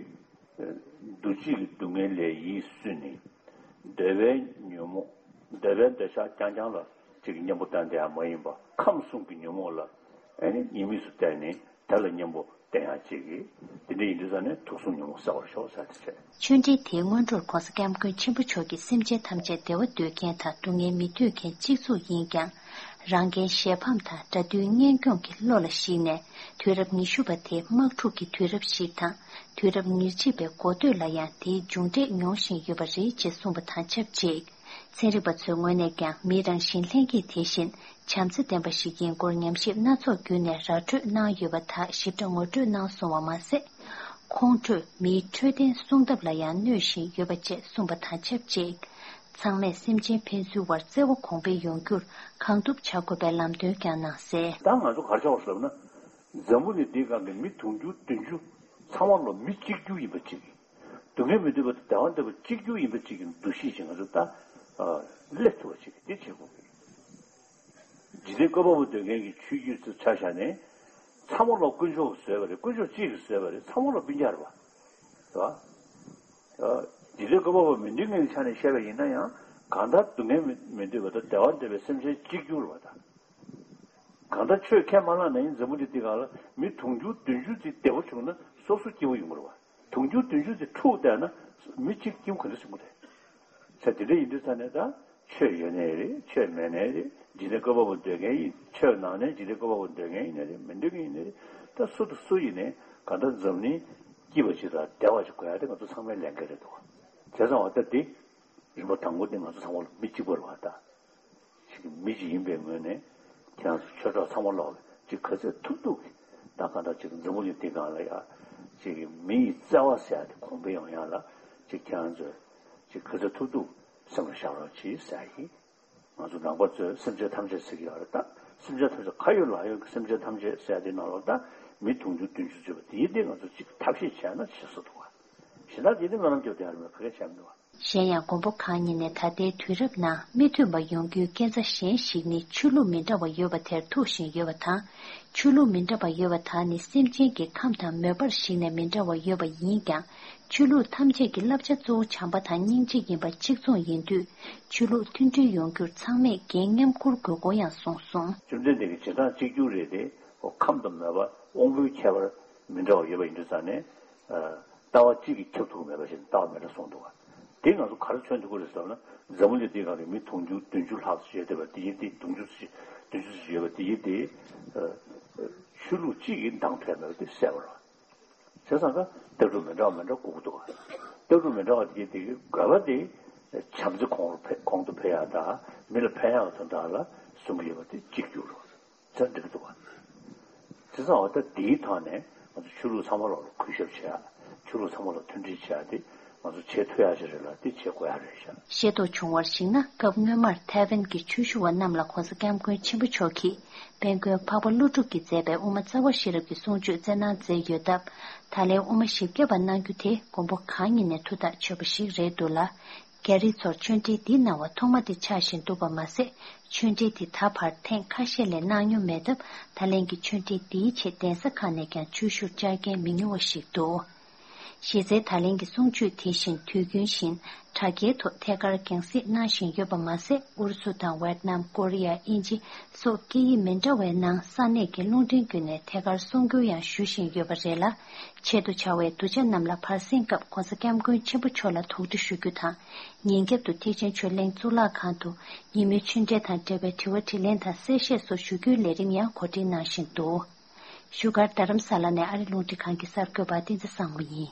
འདུ་བྱེད་ཀྱི་སྡུག་བསྔལ་ལས་ཡིད་བསུས་ནས། འདོད་པའི་ཉོན་མོངས། འདོད་པའི་འདོད་ཆགས་རྐྱང་རྐྱང་ལ་ཅིག་གཉེན་པོ་བསྟེན་བསྡད་ཡ་མ་ཡིན་པ་ཁམས་གསུམ་གྱི་ཉོན་མོངས་ལ་ཨེ་ནི་གཉིས་མེད་སུ་བསྟེན་ནས་དེ་ལ་གཉེན་པོ་བསྟེན་ཡ་ཅིག་གིས་དེ་འདྲ་ཡིན་དུས་ཙང་ནས་ཐུགས་གསུམ་ཉོན་མོངས་སེལ་བར་ཤོག་ཟེར་དེ་བྱས། ཆོས་འབྲེལ་དེའི་སྔོན་འགྲོར་༸གོང་ས་༸སྐྱབས་མགོན་ཆེན་པོ་མཆོག་གིས་སེམས་ཅན་ཐམས་ཅད་བདེ་བ་འདོད་མཁན་དང་སྡུག་བསྔལ་མི་འདོད་མཁན་གཅིག་མཚུངས་ཡིན་ཀྱང་། རང་རྒྱལ་གཞན་ཕམ་དང་དགྲ་འདུལ་གཉེན་སྐྱོང་གི་བློ་ལ་གཞིགས་ནས། དུས་རབས་ཉི་ཤུ་པ་དེ་དམག་འཁྲུག་གི་དུས་རབས་ཤིག་དང་། དུས་རབས་ཉེར་གཅིག་པའི་འགོ་སྟོད་ལ་ཡང་དེའི་མཇུག་འབྲས་མྱོང་བཞིན་ཡོད་པ་རེད་ཅེས་གསུངས་པ་དང་ཆབས་ཅིག་ཚན་རིག་པ་ཚོའི་ངོས་ནས་ཀྱང་མིའི་རང་བཞིན་ལྷན་སྐྱེས་དེ་བཞིན་བྱམས་བརྩེ་ལྡན་པ་ཞིག་ཡིན་སྐོར་ཉམས་ཞིབ་སྣ་ཚོགས་བརྒྱུད་ནས་ར་སྤྲོད་གནང་ཡོད་པ་དག་ཞིབ་ཕྲ་ངོ་སྤྲོད་གནང་སོང་བ་མ་ཟད། ཁོང་ཁྲོས་མིའི་འཕྲོད་བསྟེན་སྲུང་ཐབས་ལ་ཡང་གནོད་བཞིན་ཡོད་པ་བཅས་གསུངས་པ་དང་ཆབས་ཅིག་ཚང་མས་སེམས་ཅན་ཕན་ཚུན་བར་བརྩེ་བ་གོང་འཕེལ་ཡོང་རྒྱུར་གང་ཐུབ་བྱ་དགོས་པའི་ལམ་སྟོན་ཀྱང་གནང་གསལ། ད་ང་ཚོ་ག་རེ་བྱ་བ་ཟེར་ན། འཛམ་བུ་གླིང་འདིའི་སྒང་གི་མི་དུང་ཕྱུར་བདུན་ཅུ་ཚང་མ་ལོ་མི་གཅིག་གྱུར་ཡིན་པ་གཅིག་སྡུག་བསྔལ་མི་འདོད་པ་དང་བདེ་བ་འདོད་པ་གཅིག་གྱུར་ཡིན་པ་གཅིག་གི་འདུ་ཤེས་ཅིག་ང་ཚོ་ད་སླེབས་ཐུབ་པ་ཅིག་འདི་བྱེད་དགོས་ཀྱི། འཇིག་རྟེན་བཀོད་པ་པོ་འདོད་མཁན་གྱི་ཆོས་བརྒྱུད་ཚོ་ཆ་བཞག་ནས། ཚང་མ་ལོག་དཀོན་མཆོག་གིས་བཟོས་པ་རེད། དཀོན་མཆོག་གཅིག་གིས་བཟོས་པ་རེད། ཚང་མ་ལོག་སྤུན་ཀྱག་རེད་པ། རེད་པ། འཇིག་རྟེན་བཀོད་པ་པོ་མི་འདོད་མཁན་གྱི་ཆ་ནས་བཤད་པ་ཡིན་ན་ཡང་། གང་ལྟར་སྡུག་བསྔལ་མི་མི་འདོད་པ་དང་བདེ་བ་འདོད་པའི་སེམས་ཅན་གཅིག་གྱུར་རེད་པ་ད། གང་ལྟར་ཆོས་ཁས་མ་བླངས་ན་ཡང་འཛམ་བུ་གླིང་འདི་སྒང་ལ་མི་དུང་ཕྱུར་བདུན་ཅུ་ཙམ་བདེ་པོ་བྱུང་ན་སོ་སོ་སྐྱིད་པོ་ཡོང་གི་རེད་པ། དུང་ཕྱུར་བདུན་ཅུ་ཙམ་འཁྲུག་བསྡད་ན་མི་གཅིག་སྐྱིད་པོ་ག་འདྲ་བྱུང་གི་རེད། ས་དེ་འདྲ་ཡིན་དུས་ཙ་ནས་ད་ཆོས་ཡོད་ནའི་རེད། ཆོས་མེད་ནའི་རེད། འཇིག་རྟེན་བཀོད་པ་པོ་འདོད་མཁན་ཡིན། ཆོས་ནང་ནས་འཇིག་རྟེན་བཀོད་པ་པོ་འདོད་མཁན་ཡིན་ནའི་རེད། མི་འདོད་མཁན་ཡིན་ནའི་རེད། ད་སུ་དང་སུ་ཡིན་ནའི་གང་ལྟར་འཛམ་གླིང་སྐྱིད་པ་ཅིག་དང་བདེ་བ་ཅིག་དགོས་ཡ་དེ་ང་ཚོ་ཚང་མའི་ལས་འགན་རེད་འདུག། བྱས་ཙང་འོ་ད་འདི་རིམ་པ་དང་པོ་དེ་ང་ཚོ་ཚང་མ་ལ་མི་གཅིག་པ་རེད་པ་ད། ཅིག་མི་ཅིག་ཡིན་པའི་ངོས་ནས་ཁྱེད་རང་ཚོ་ཆོས་གྲོགས་ཚང་མ་ལོག་ཅིག་ག་ཚོད་ཐུབ་ཐུབ་ཀྱིས་ད་གང་ལྟར་ཅིག་འཛམ་བུ་གླིང་འདི་སྒང་ལ་ཡ་ཅིག་མི་ཡི་བརྩེ་བ་ཟེར་ཡ་དེ་གོང་འཕེལ་ཡོང་ཡ་ལ་ཅིག་ཁྱེད་རང་ཚོས་ཅིག་ག་ཚོད་ཐུབ་ཐུབ་སེམས་ལ་བཞག་རོགས་གྱིས་ཟེར་ཡ་ཡིན། ང་ཚོ་ནང་པ་ཚོས་སེམས་ཅན་ཐམས་ཅད་ཟེར་གྱི་ཡོད་རེད་ད། སེམས་ཅན་ཐམས་ཅད་ཁ་ཡོད་ལག་ཡོད་ཀྱི་སེམས་ཅན་ཐམས་ཅད་ཟེར་ཡ་དེ་ནང་ལོགས་ད་མི་དུང་ཕྱུར་བདུན་ཅུ་ཚུད་པ་དེ་ཡིན་ཏེ་ང་ཚོ་ཅིག་ཐབས་ཤེས་བྱས་ན་བྱེད་སྲོལ་འདུག་བ། གཞན་དག་དེ་ནི་སྨོན་ལམ་རྒྱབ་དེ་ཡང་མེད། ག་གེ་བྱས་མི་འདུག་བ། གཞན་ཡང་མགོན་པོ་གང་ཉིད་ནས་ད་ལྟའི་དུས་རབས་ནང་མི་མཐུན་པ་ཡོང་རྒྱུའི་རྐྱེན་རྩ་གཞན་ཞིག་ནི་ཆོས་ལུགས་མི་འདྲ་བ་ཡོད་པ་དེར་ཐུག་བཞིན་ཡོད་པ་དང་། ཆོས་ལུགས་མི་འདྲ་བ་ཡོད་པ་དག་ནི་སེམས་ཅན་གྱི་ཁམས་དང་མོས་པར་གཞིགས་ནས་མི་འདྲ་བ་ཡོད་པ་ཡིན་ཀྱང་། ཆོས་ལུགས་ཐམས་ཅད་ཀྱི་བསླབ་བྱ་གཙོ་བོ་བྱམས་པ་དང་སྙིང་རྗེ་ཡིན་པ་གཅིག་མཚུངས་ཡིན་དུས། ཆོས་ལུགས་མཐུན་སྒྲིལ་ཡོང་རྒྱུར་ཚང་མས་འགན་མཉམ་འཁུར་དགོས་སྐོར་ཡང་གསུངས་སོང་། བཅོམ་ལྡན་འདས་ཀྱི་བྱེད་སྟངས་གཅིག་གྱུར་རེད་དེ། ཁམས་དང་མོས་པ་དབང་པོའི་ཁྱད་པར་མི་འདྲ་བ་ཡོད་པ་ཡིན་དུས་ཙང་ནས། ལྟ་བ་གཅིག་གིས་ཁྱབ་ཐུབ་མེད་པ་ཞིག་ལྟ་བ་མི་འདྲ་གསུངས་འདུག་བ། དེ་ང་ཚོ་ག་རེ་མཚོན་ཐུབ་ཀྱི་རེད་ཟེར་ན། འཛམ་བུ་གླིང་འདི་སྒང་ལ་མི་དུང་ཕྱུར་བདུན་ཅུ་ལྷག་ཙམ་ཡོད་བསྡད་པ་དེ་ཡིན་ཏེ། དུང་ཕྱུར་ཙམ་བདུན་ཅུ་ཙམ་ཡོད་པ་དེ་ཡིན་ཏེ། ཆོས་ལུགས་གཅིག་གིས་འདང་ཐོན་མེད་པ་དེ་གསལ་པོ་རེད། བྱས་ཙང་ཀ་ལྟ་གྲུབ་མི་འདྲ་བ་མི་འདྲ་དགོས་ཀྱི་འདུག་བ། ལྟ་གྲུབ་མི་འདྲ་བ་དེ་ཡིན་དེ་དགོས་པ་དེ་བྱམས་བརྩེ་གོང་རུ་འཕེལ་གོང་དུ་འཕེལ་ཡག་དང་མི་ལ་ཕན་ཡག་དོན་དག་ལ་གསུང་གི་ཡོད་པ་དེ་གཅིག་གྱུར་རེད། ཚར་འགྲིག་གི་འདུག་བ། དེ་ཙང་འོ་ད་དེའི་ཐོག་ནས་ང་ཚོ་ཆོས་ལུགས་ཚང་མ་ལོག་ལ་གུས་ཞབས་བྱེད་ཡ། ཆོས་ལུགས་ཚང་མ་ལོག་མཐུན་སྒྲིལ་བྱེད་ཡ་དེ་ང་ཚོ་བྱེད་ཐུབ་ཡ་ཞིག་རེད་ལ། དེ་བྱེད་དགོས་ཡ་རེད་ཤག། ཤེས་རྟོགས་བྱུང་བར་གཞིགས་ན། སྐབས་སྔོན་མར་ཐའེ་ཝན་གྱི་ཆོས་ཞུ་བ་རྣམས་ལ་༸གོང་ས་༸སྐྱབས་མགོན་ཆེན་པོ་མཆོག་གིས་དཔལ་མགོན་འཕགས་པ་ཀླུ་སྒྲུབ་ཀྱིས་མཛད་པའི་དབུ་མ་རྩ་བ་ཤེས་རབ་ཀྱི་གསུང་ཆོས་སྩལ་གནང་མཛད་ཡོད་སྟབས། ད་ལན་དབུ་མ་བཞི་བརྒྱ་པ་གནང་རྒྱུ་དེ་མགོན་པོ་གང་ཉིད་ནས་ཐུགས་ཐག་ཆོད་པ་ཞིག་རེད་འདུག་ལ། རྒྱ་རིགས་ཚོར་ཆོས་འབྲེལ་འདི་གནང་བ་ཐོག་མ་དེ་ཆགས་བཞིན་འདུག་པ་མ་ཟད། ཆོས་འབྲེལ་དེ་ད་བར་ཐེངས་ཁ་ཤས་ལས་གནང་མྱོང་མེད་སྟབས། ད་ལན་གྱི་ཆོས་འབྲེལ་འདིའི་ཆེད་གདན་ས་ཁག་ནས་ཀྱང་ཆོས་ཞུར་བཅར་མཁན་མི་ཉུང་བ་ཞིག་འདུག། གཞི་རྩའི་ད་ལན་གྱི་གསུང་ཆོས་དེ་བཞིན་དུས་རྒྱུན་བཞིན་དྲ་རྒྱའི་ཐོག་ཐད་ཀར་རྒྱང་སྲིང་གནང་བཞིན་ཡོད་པ་མ་ཟད། ཨུ་རུ་སུ་དང་ཝེད་ནམ། ཀོ་རི་ཡ། དབྱིན་ཇི་སོགས་སྐད་ཡིག་མི་འདྲ་བའི་ནང་ས་གནས་ཀྱི་རླུང་འཕྲིན་བརྒྱུད་ནས་ཐད་ཀར་གསུང་བསྒྱུར་ཡང་ཞུ་བཞིན་ཡོད་པ་རེད་ལ། ཆེད་དུ་བཅར་བའི་གདུལ་བྱ་རྣམས་ལ་བར་གསེང་སྐབས་༸གོང་ས་༸སྐྱབས་མགོན་ཆེན་པོ་མཆོག་ལ་དོགས་འདྲི་ཞུ་རྒྱུ་དང་། ཉིན་རྒྱབ་ཏུ་ཐེག་ཆེན་ཆོས་གླིང་གཙུག་ལག་ཁང་དུ་ཉིན་མོའི་ཆོས་འབྲེལ་དང་འབྲེལ་བའི་དྲི་བ་དྲིས་ལན་དང་གསལ་བཤད་སོགས་ཞུ་རྒྱུའི་ལས་རིམ་ཡང་གོ་སྒྲིག་གནང་བཞིན་འདུག། བཞུགས་སྒར་རྡ་རམ་ས་ལ་ནས་ཨ་རི་རླུང་འཕྲིན་ཁང་གི་གསར་འགོད་པ་བསྟན་འཛིན་བཟང་མོ་ཡིན།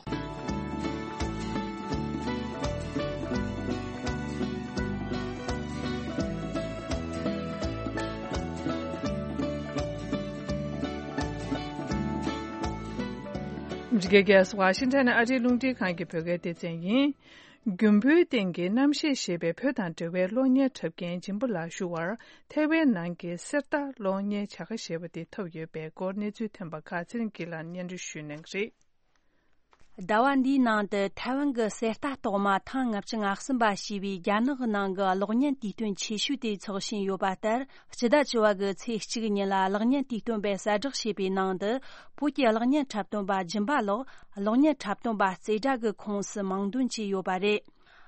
འདི་ག་གལ་སྲིད་ཝ་ཤིང་ཊོན་ཨ་རིའི་རླུང་འཕྲིན་ཁང་གི་བོད་སྐད་སྡེ་ཚན་ཡིན། རྒྱུན་བུའི་སྟེང་གི་རྣམ་ཤེས་ཞེས་པའི་བོད་དང་འབྲེལ་བའི་གློག་བརྙན་འཁྲབ་མཁན་སྦྱིན་པ་ལགས་ཞུ་བར་ཐའེ་ཝན་ནང་གི་གསེར་རྟ་གློག་བརྙན་བྱ་དགའ་ཞེས་པ་དེ་ཐོབ་ཡོད་པའི་སྐོར་གནས་ཚུལ་ཐོན་པ་ཁག་ཚེ་རིང་སྐྱིད་ལགས་སྙན་སྒྲོན་ཞུ་གནང་གི་རེད། ཟླ་བ་འདིའི་ནང་དུ་ཐའེ་ཝན་གྱི་གསེར་རྟ་རྟགས་མ་ཐེངས་ལྔ་བཅུ་ང་གསུམ་པ་ཞེས་པའི་རྒྱ་ནག་གི་ནང་གི་གློག་བརྙན་དུས་སྟོན་ཆེ་ཤོས་དེ་འཚོགས་བཞིན་ཡོད་པ་ལྟར། སྤྱི་ཟླ་བཅུ་བ་གི་ཚེས་གཅིག་ཉིན་ལ་གློག་བརྙན་དུས་སྟོན་པས་གསལ་བསྒྲགས་བྱས་པའི་ནང་དུ། བོད་ཀྱི་གློག་བརྙན་འཁྲབ་སྟོན་པ་སྦྱིན་པ་ལགས་གློག་བརྙན་འཁྲབ་སྟོན་པ་རྩེ་གྲས་ཀྱི་ཁོངས་སུ་མིང་འདོན་བྱས་ཡོད་པ་རེད།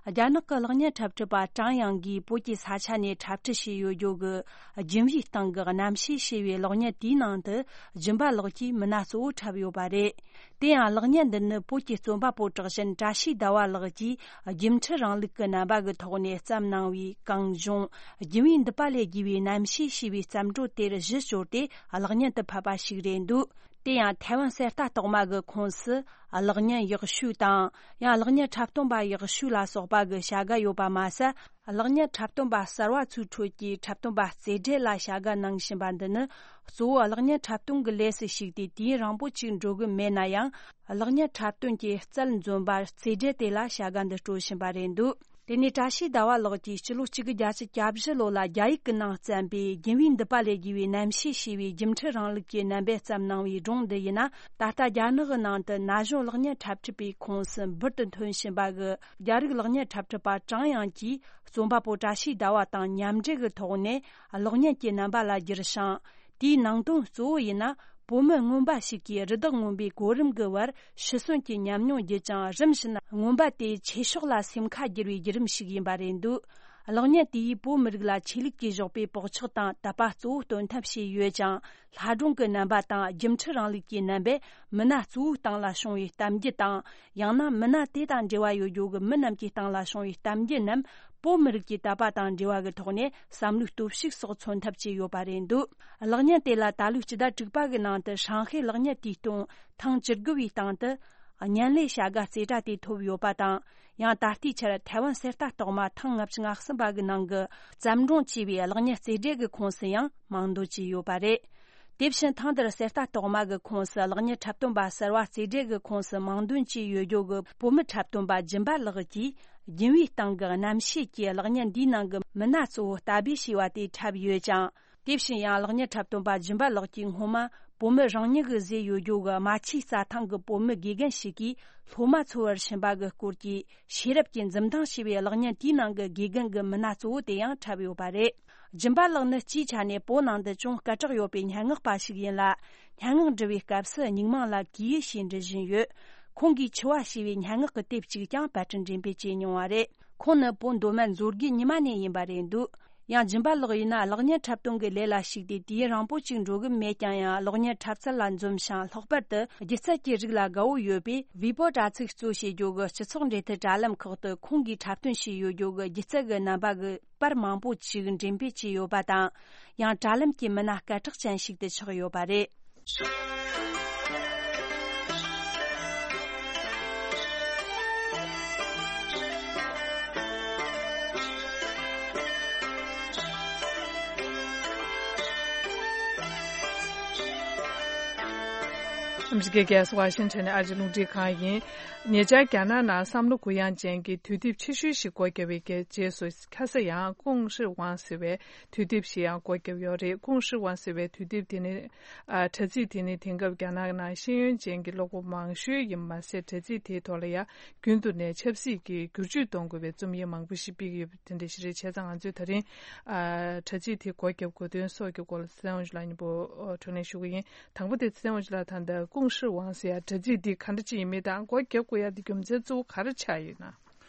རྒྱ་ནག་གི་གློག་བརྙན་འཁྲབ་ཁྲིད་པ་ཀྲང་ཡང་གིས་བོད་ཀྱི་ས་ཆ་ནས་འཁྲབ་ཁྲིད་བྱས་ཡོད་རྒྱུ་གི་རྒྱུན་བཞིའི་སྟེང་གི་རྣམ་ཤེས་ཞེས་པའི་གློག་བརྙན་དེའི་ནང་དུ་སྦྱིན་པ་ལགས་ཀྱིས་མི་སྣ་གཙོ་བོ་འཁྲབ་ཡོད་པ་རེད། དེ་ཡང་གློག་བརྙན་འདི་ནི་བོད་ཀྱི་རྩོམ་པ་པོ་གྲགས་ཅན་བཀྲ་ཤིས་ཟླ་བ་ལགས་ཀྱིས་རྒྱུན་མཐུད་རིང་ལུགས་ཀྱི་རྣམ་པ་གི་ཐོག་ནས་བརྩམས་གནང་བའི་གངས་ལྗོངས་རྒྱུན་བཞིའི་མདུད་པ་ལས་བརྒྱུས་པའི་རྣམ་ཤེས་ཞེས་པའི་བརྩམས་སྒྲུང་དེར་གཞི་བཅོལ་ཏེ་གློག་བརྙན་དུ་ཕབ་པ་ཞིག་རེད་འདུག། དེ་ཡང་ཐའེ་ཝན་གསེར་རྟ་རྟགས་མ་གི་ཁོངས་སུ་གློག་བརྙན་ཡག་ཤོས་དང་ཡང་གློག་བརྙན་འཁྲབ་སྟོན་པ་ཡག་ཤོས་ལ་སོགས་པ་གི་བྱ་དགའ་ཡོད་པ་མ་ཟད། གློག་བརྙན་འཁྲབ་སྟོན་པ་གསར་བ་ཚོའི་ཁྲོད་ཀྱི་འཁྲབ་སྟོན་པ་རྩེ་གྲས་ལ་བྱ་དགའ་གནང་བཞིན་པ་འདི་ནི་གཙོ་བོ་གློག་བརྙན་འཁྲབ་སྟོན་གྱི་ལས་སུ་ཞུགས་ཏེ་དུས་ཡུན་རིང་པོ་ཅིག་འགྲོ་གི་མེད་ན་ཡང་། གློག་བརྙན་འཁྲབ་སྟོན་གྱི་རྩལ་འཛོམས་པར་རྩེ་གྲས་དེ་ལ་བྱ་དགའ་འདི་སྤྲོད་བཞིན་པ་རེད་འདུག། དེ་ནས་བཀྲ་ཤིས་ཟླ་བ་ལགས་ཀྱིས་སྤྱི་ལོ་གཅིག་དགུ་བརྒྱད་ཅུ་གྱ་བཞི་ལོ་ལ་རྒྱ་ཡིག་གི་ནང་བརྩམས་པའི་རྒྱུན་བསྡུས་འདི་པ་ལས་བརྒྱུད་པའི་རྣམ་བཤད་ཞེས་པའི་རྒྱུན་མཐུད་རིང་ལུགས་ཀྱི་རྣམ་པས་བརྩམས་གནང་བའི་སྒྲུང་འདི་ཡིན་ན། ད་ལྟ་རྒྱ་ནག་གི་ནང་དུ་ན་གཞོན་གློག་བརྙན་འཁྲབ་ཁྲིད་པའི་ཁོངས་སུ་འབུར་དུ་ཐོན་བཞིན་པ་གི་རྒྱ་རིགས་གློག་བརྙན་འཁྲབ་ཁྲིད་པ་ཀྲང་དབྱང་གིས་རྩོམ་པ་པོ་བཀྲ་ཤིས་ཟླ་བ་དང་མཉམ་འབྲེལ་གྱི་ཐོག་ནས་གློག་བརྙན་གྱི་རྣམ་པ་ལ་བསྒྱུར་ཞིང་། དེའི་ནང་དོན་གཙོ་བོ་ཡིན་ན། བོད་མི་རྔོན་པ་ཞིག་གིས་རི་དྭགས་རྔོན་པའི་གོ་རིམ་གྱི་བར་ཤི་གསོན་གྱི་ཉམས་མྱོང་བརྒྱུད་ཅིང་། རིམ་བཞིན་རྔོན་པ་དེའི་ཆོས་ཕྱོགས་ལ་སེམས་ཁ་བསྒྱུར་བའི་བརྒྱུད་རིམ་ཞིག་ཡིན་པ་རེད་འདུག་གློག་བརྙན་དེ་ཡིས་བོད་མི་རིགས་ལ་ཆོས་ལུགས་ཀྱིས་བཞག་པའི་བག་ཆགས་དང་དད་པ་གཙོ་བོ་སྟོན་ཐབས་བྱས་ཡོད་ཅིང་། ལྷ་སྒྲུང་གི་རྣམ་པ་དང་རྒྱུན་མཐུད་རིང་ལུགས་ཀྱི་རྣམ་པས་མི་སྣ་གཙོ་བོའི་སྟེང་ལ་བྱུང་བའི་གཏམ་རྒྱུད་དང་། ཡང་ན་མི་སྣ་དེ་དང་འབྲེལ་བ་ཡོད་རྒྱུ་གི་མི་རྣམས་ཀྱི་སྟེང་ལ་བྱུང་བའི་གཏམ་རྒྱུད་རྣམས། བོད་མི་རིགས་ཀྱི་དད་པ་དང་འབྲེལ་བ་གི་ཐོག་ནས་བསམ་བློའི་སྟོབས་ཤུགས་སོགས་མཚོན་ཐབས་བྱས་ཡོད་པ་རེད་འདུག་གློག་བརྙན་དེ་ལ་ད་ལོའི་སྤྱི་ཟླ་དྲུག་པ་གི་ནང་དུ་ཧྲང་ཧའེ་གློག་བརྙན་དུས་སྟོན་ཐེངས་བཅུ་དགུ་བའི་སྟེང་དུ་བརྙན་ལས་བྱ་དགའ་རྩེ་གྲ་དེ་ཐོབ་ཡོད་པ་དང་། ཡང་ད་ལྟའི་ཆར་ཐའེ་ཝན་གསེར་རྟ་རྟགས་མ་ཐེངས་ལྔ་བཅུ་ང་གསུམ་པ་གི་ནང་གི་བརྩམས་སྒྲུང་ཅེས་པའི་གློག་བརྙན་རྩེ་གྲས་ཀྱི་ཁོངས་སུ་ཡང་མིང་འདོན་བྱས་ཡོད་པ་རེད། དེ་བཞིན་ཐེངས་འདིར་གསེར་རྟ་རྟགས་མ་གི་ཁོངས་སུ་གློག་བརྙན་འཁྲབ་སྟོན་པ་གསར་བ་རྩེ་གྲས་ཀྱི་ཁོངས་སུ་མིང་འདོན་བྱས་ཡོད་རྒྱུ་གི་བོད་མི་འཁྲབ་སྟོན་པ་སྦྱིན་པ་ལགས་ཀྱིས་རྒྱུན་བསྡུས་སྟེང་གི་རྣམ་བཤད་ཀྱི་གློག་བརྙན་འདིའི་ནང་གི་མི་སྣ་གཙོ་བོ་ལྟ་སྦས་བྱས་པ་དེ་འཁྲབ་ཡོད་ཅིང་། དེ་བཞིན་ཡང་གློག་བརྙན་འཁྲབ་སྟོན་པ་སྦྱིན་པ་ལགས་ཀྱིས་སྔོན་མ་བོད་མི་རང་ཉིད་ཀྱིས་བཟོས་ཡོད་རྒྱུ་གི་རྨ་ཆུའི་རྩྭ་ཐང་གི་བོད་མི་དགེ་རྒན་ཞིག་གིས་སློབ་མ་འཚོལ་བར་ཕྱིན་པ་གི་སྐོར་གྱི་ཤེས་རབ་ཀྱི་འཛུམ་མདངས་ཞེས་པའི་གློག་བརྙན་དེའི་ནང་གི་དགེ་རྒན་གྱི་མི་སྣ་གཙོ་བོ་དེ་ཡང་འཁྲབ་ཡོད་པ་རེད། སྦྱིན་པ་ལགས་ནི་སྤྱིའི་ཆ་ནས་བོད་ནང་དུ་ཅུང་སྐད་གྲགས་ཡོད་པའི་སྙན་ངག་པ་ཞིག་ཡིན་ལ། སྙན་ངག་འབྲི་བའི་སྐབས་སུ་སྙིང་མིང་ལ་གུ་ཡུ་ཞེས་འབྲི་བཞིན་ཡོད། ཁོང་གིས་འཆི་བ་ཞེས་པའི་སྙན་ངག་གི་དེབ་ཅིག་ཀྱང་པར་སྐྲུན་འགྲེམས་སྤེལ་བྱས་མྱོང་བ་རེད། ཁོང་ནི་བོད་མདོ་སྨད་མཛོད་དགེ་ཉི་མ་ནས་ཡིན་པ་རེད་འདུག་ཡང་སྦྱིན་པ་ལགས་ཡིན་ན་གློག་བརྙན་འཁྲབ་སྟོན་གྱི་ལས་ལ་ཞུགས་ཏེ་དུས་ཡུན་རིང་པོ་ཅིག་འགྲོ་གི་མེད་ཀྱང་ཡང་གློག་བརྙན་འཁྲབ་ཚད་ལ་འཛོམས་ཤིང་ལྷག་པར་དུ་སྒྱུ་རྩལ་གྱི་རིགས་ལ་དགའ་བོ་ཡོད་པས་བི་པོ་དྲ་ཚིགས་གཙོ་བྱེད་རྒྱུ་གི་སྤྱི་ཚོགས་འབྲེལ་མཐུད་དྲ་ལམ་ཁག་ཏུ་ཁོང་གིས་འཁྲབ་སྟོན་བྱས་ཡོད་རྒྱུ་གི་སྒྱུ་རྩལ་གྱི་རྣམ་པ་གི་པར་མང་པོ་ཞིག་འགྲེམས་སྤེལ་བྱས་ཡོད་པ་དང་། ཡང་དྲ་ལམ་གྱི་མི་སྣ་སྐད་གྲགས་ཅན་ཞིག་ཏུ་ཆགས་ཡོད་པ་རེད། ཨ་མི་རི་ཀའི་རྒྱལ་ས་ཝ་ཤིང་ཊོན་ནས་ཨ་རིའི་རླུང་འཕྲིན་ཁང་ཡིན། ཉེ་ཆར་རྒྱ་ནག་ནང་བསམ་བློ་གུ་ཡངས་ཅན་གྱི་དུས་དེབ་ཆེ་ཤོས་ཤིག་སྒོ་བརྒྱབ་པའི་རྗེས་སུ། ཁ་སང་ཡང་ཀུང་ཧྲི་ཝང་ཟེར་བའི་དུས་དེབ་ཞིག་ཡང་སྒོ་བརྒྱབ་ཡོད་རེད། ཀུང་ཧྲི་ཝང་ཟེར་བའི་དུས་དེབ་དེ་ནི། ཨ། དྲ་ཚིགས་དེ་ནི་དེང་སྐབས་རྒྱ་ནག་ནང་ཤེས་ཡོན་ཅན་གྱི་ཀློག་པ་མང་ཤོས་ཡིན་མ་ཟད། དྲ་ཚིགས་དེའི་ཐོག་ལ་ཡང་རྒྱུན་དུ་ནས་ཆབ་སྲིད་ཀྱི་བསྒྱུར་བཅོས་གཏོང་དགོས་པའི་རྩོམ་ཡིག་མང་པོ་ཞིག་སྤེལ་གྱི་ཡོད་པ་དེ་འདྲ་ཞིག་རེད། བྱས་ཙང་ང་ཚོས་ད་རིང་། ཨ། དྲ་ཚིགས་དེ་སྒོ་བརྒྱབ་དགོས་དོན་སོགས་ཀྱི་སྐོར་ལ་ཚེ་དབང་ཕྱུག་ལགས་མཉམ་པོ་བགྲོ་གླེང་ཞུ་གི་ཡིན། དང་པོ་དེ་ཚེ་དབང་ཕྱུག་ལགས། ད་ལྟ་ཀུང་ཧྲི་ཝང་ཟེར་ཡ་དྲ་ཚིགས་འདི་ག་འདྲ་ཅིག་ཡིན་མིན་དང་སྒོ་བརྒྱབ་དགོས་ཡ་འདི་རྒྱུ་མཚན་གཙོ་བོ་ག་རེ་ཆགས་ཡོད་ན།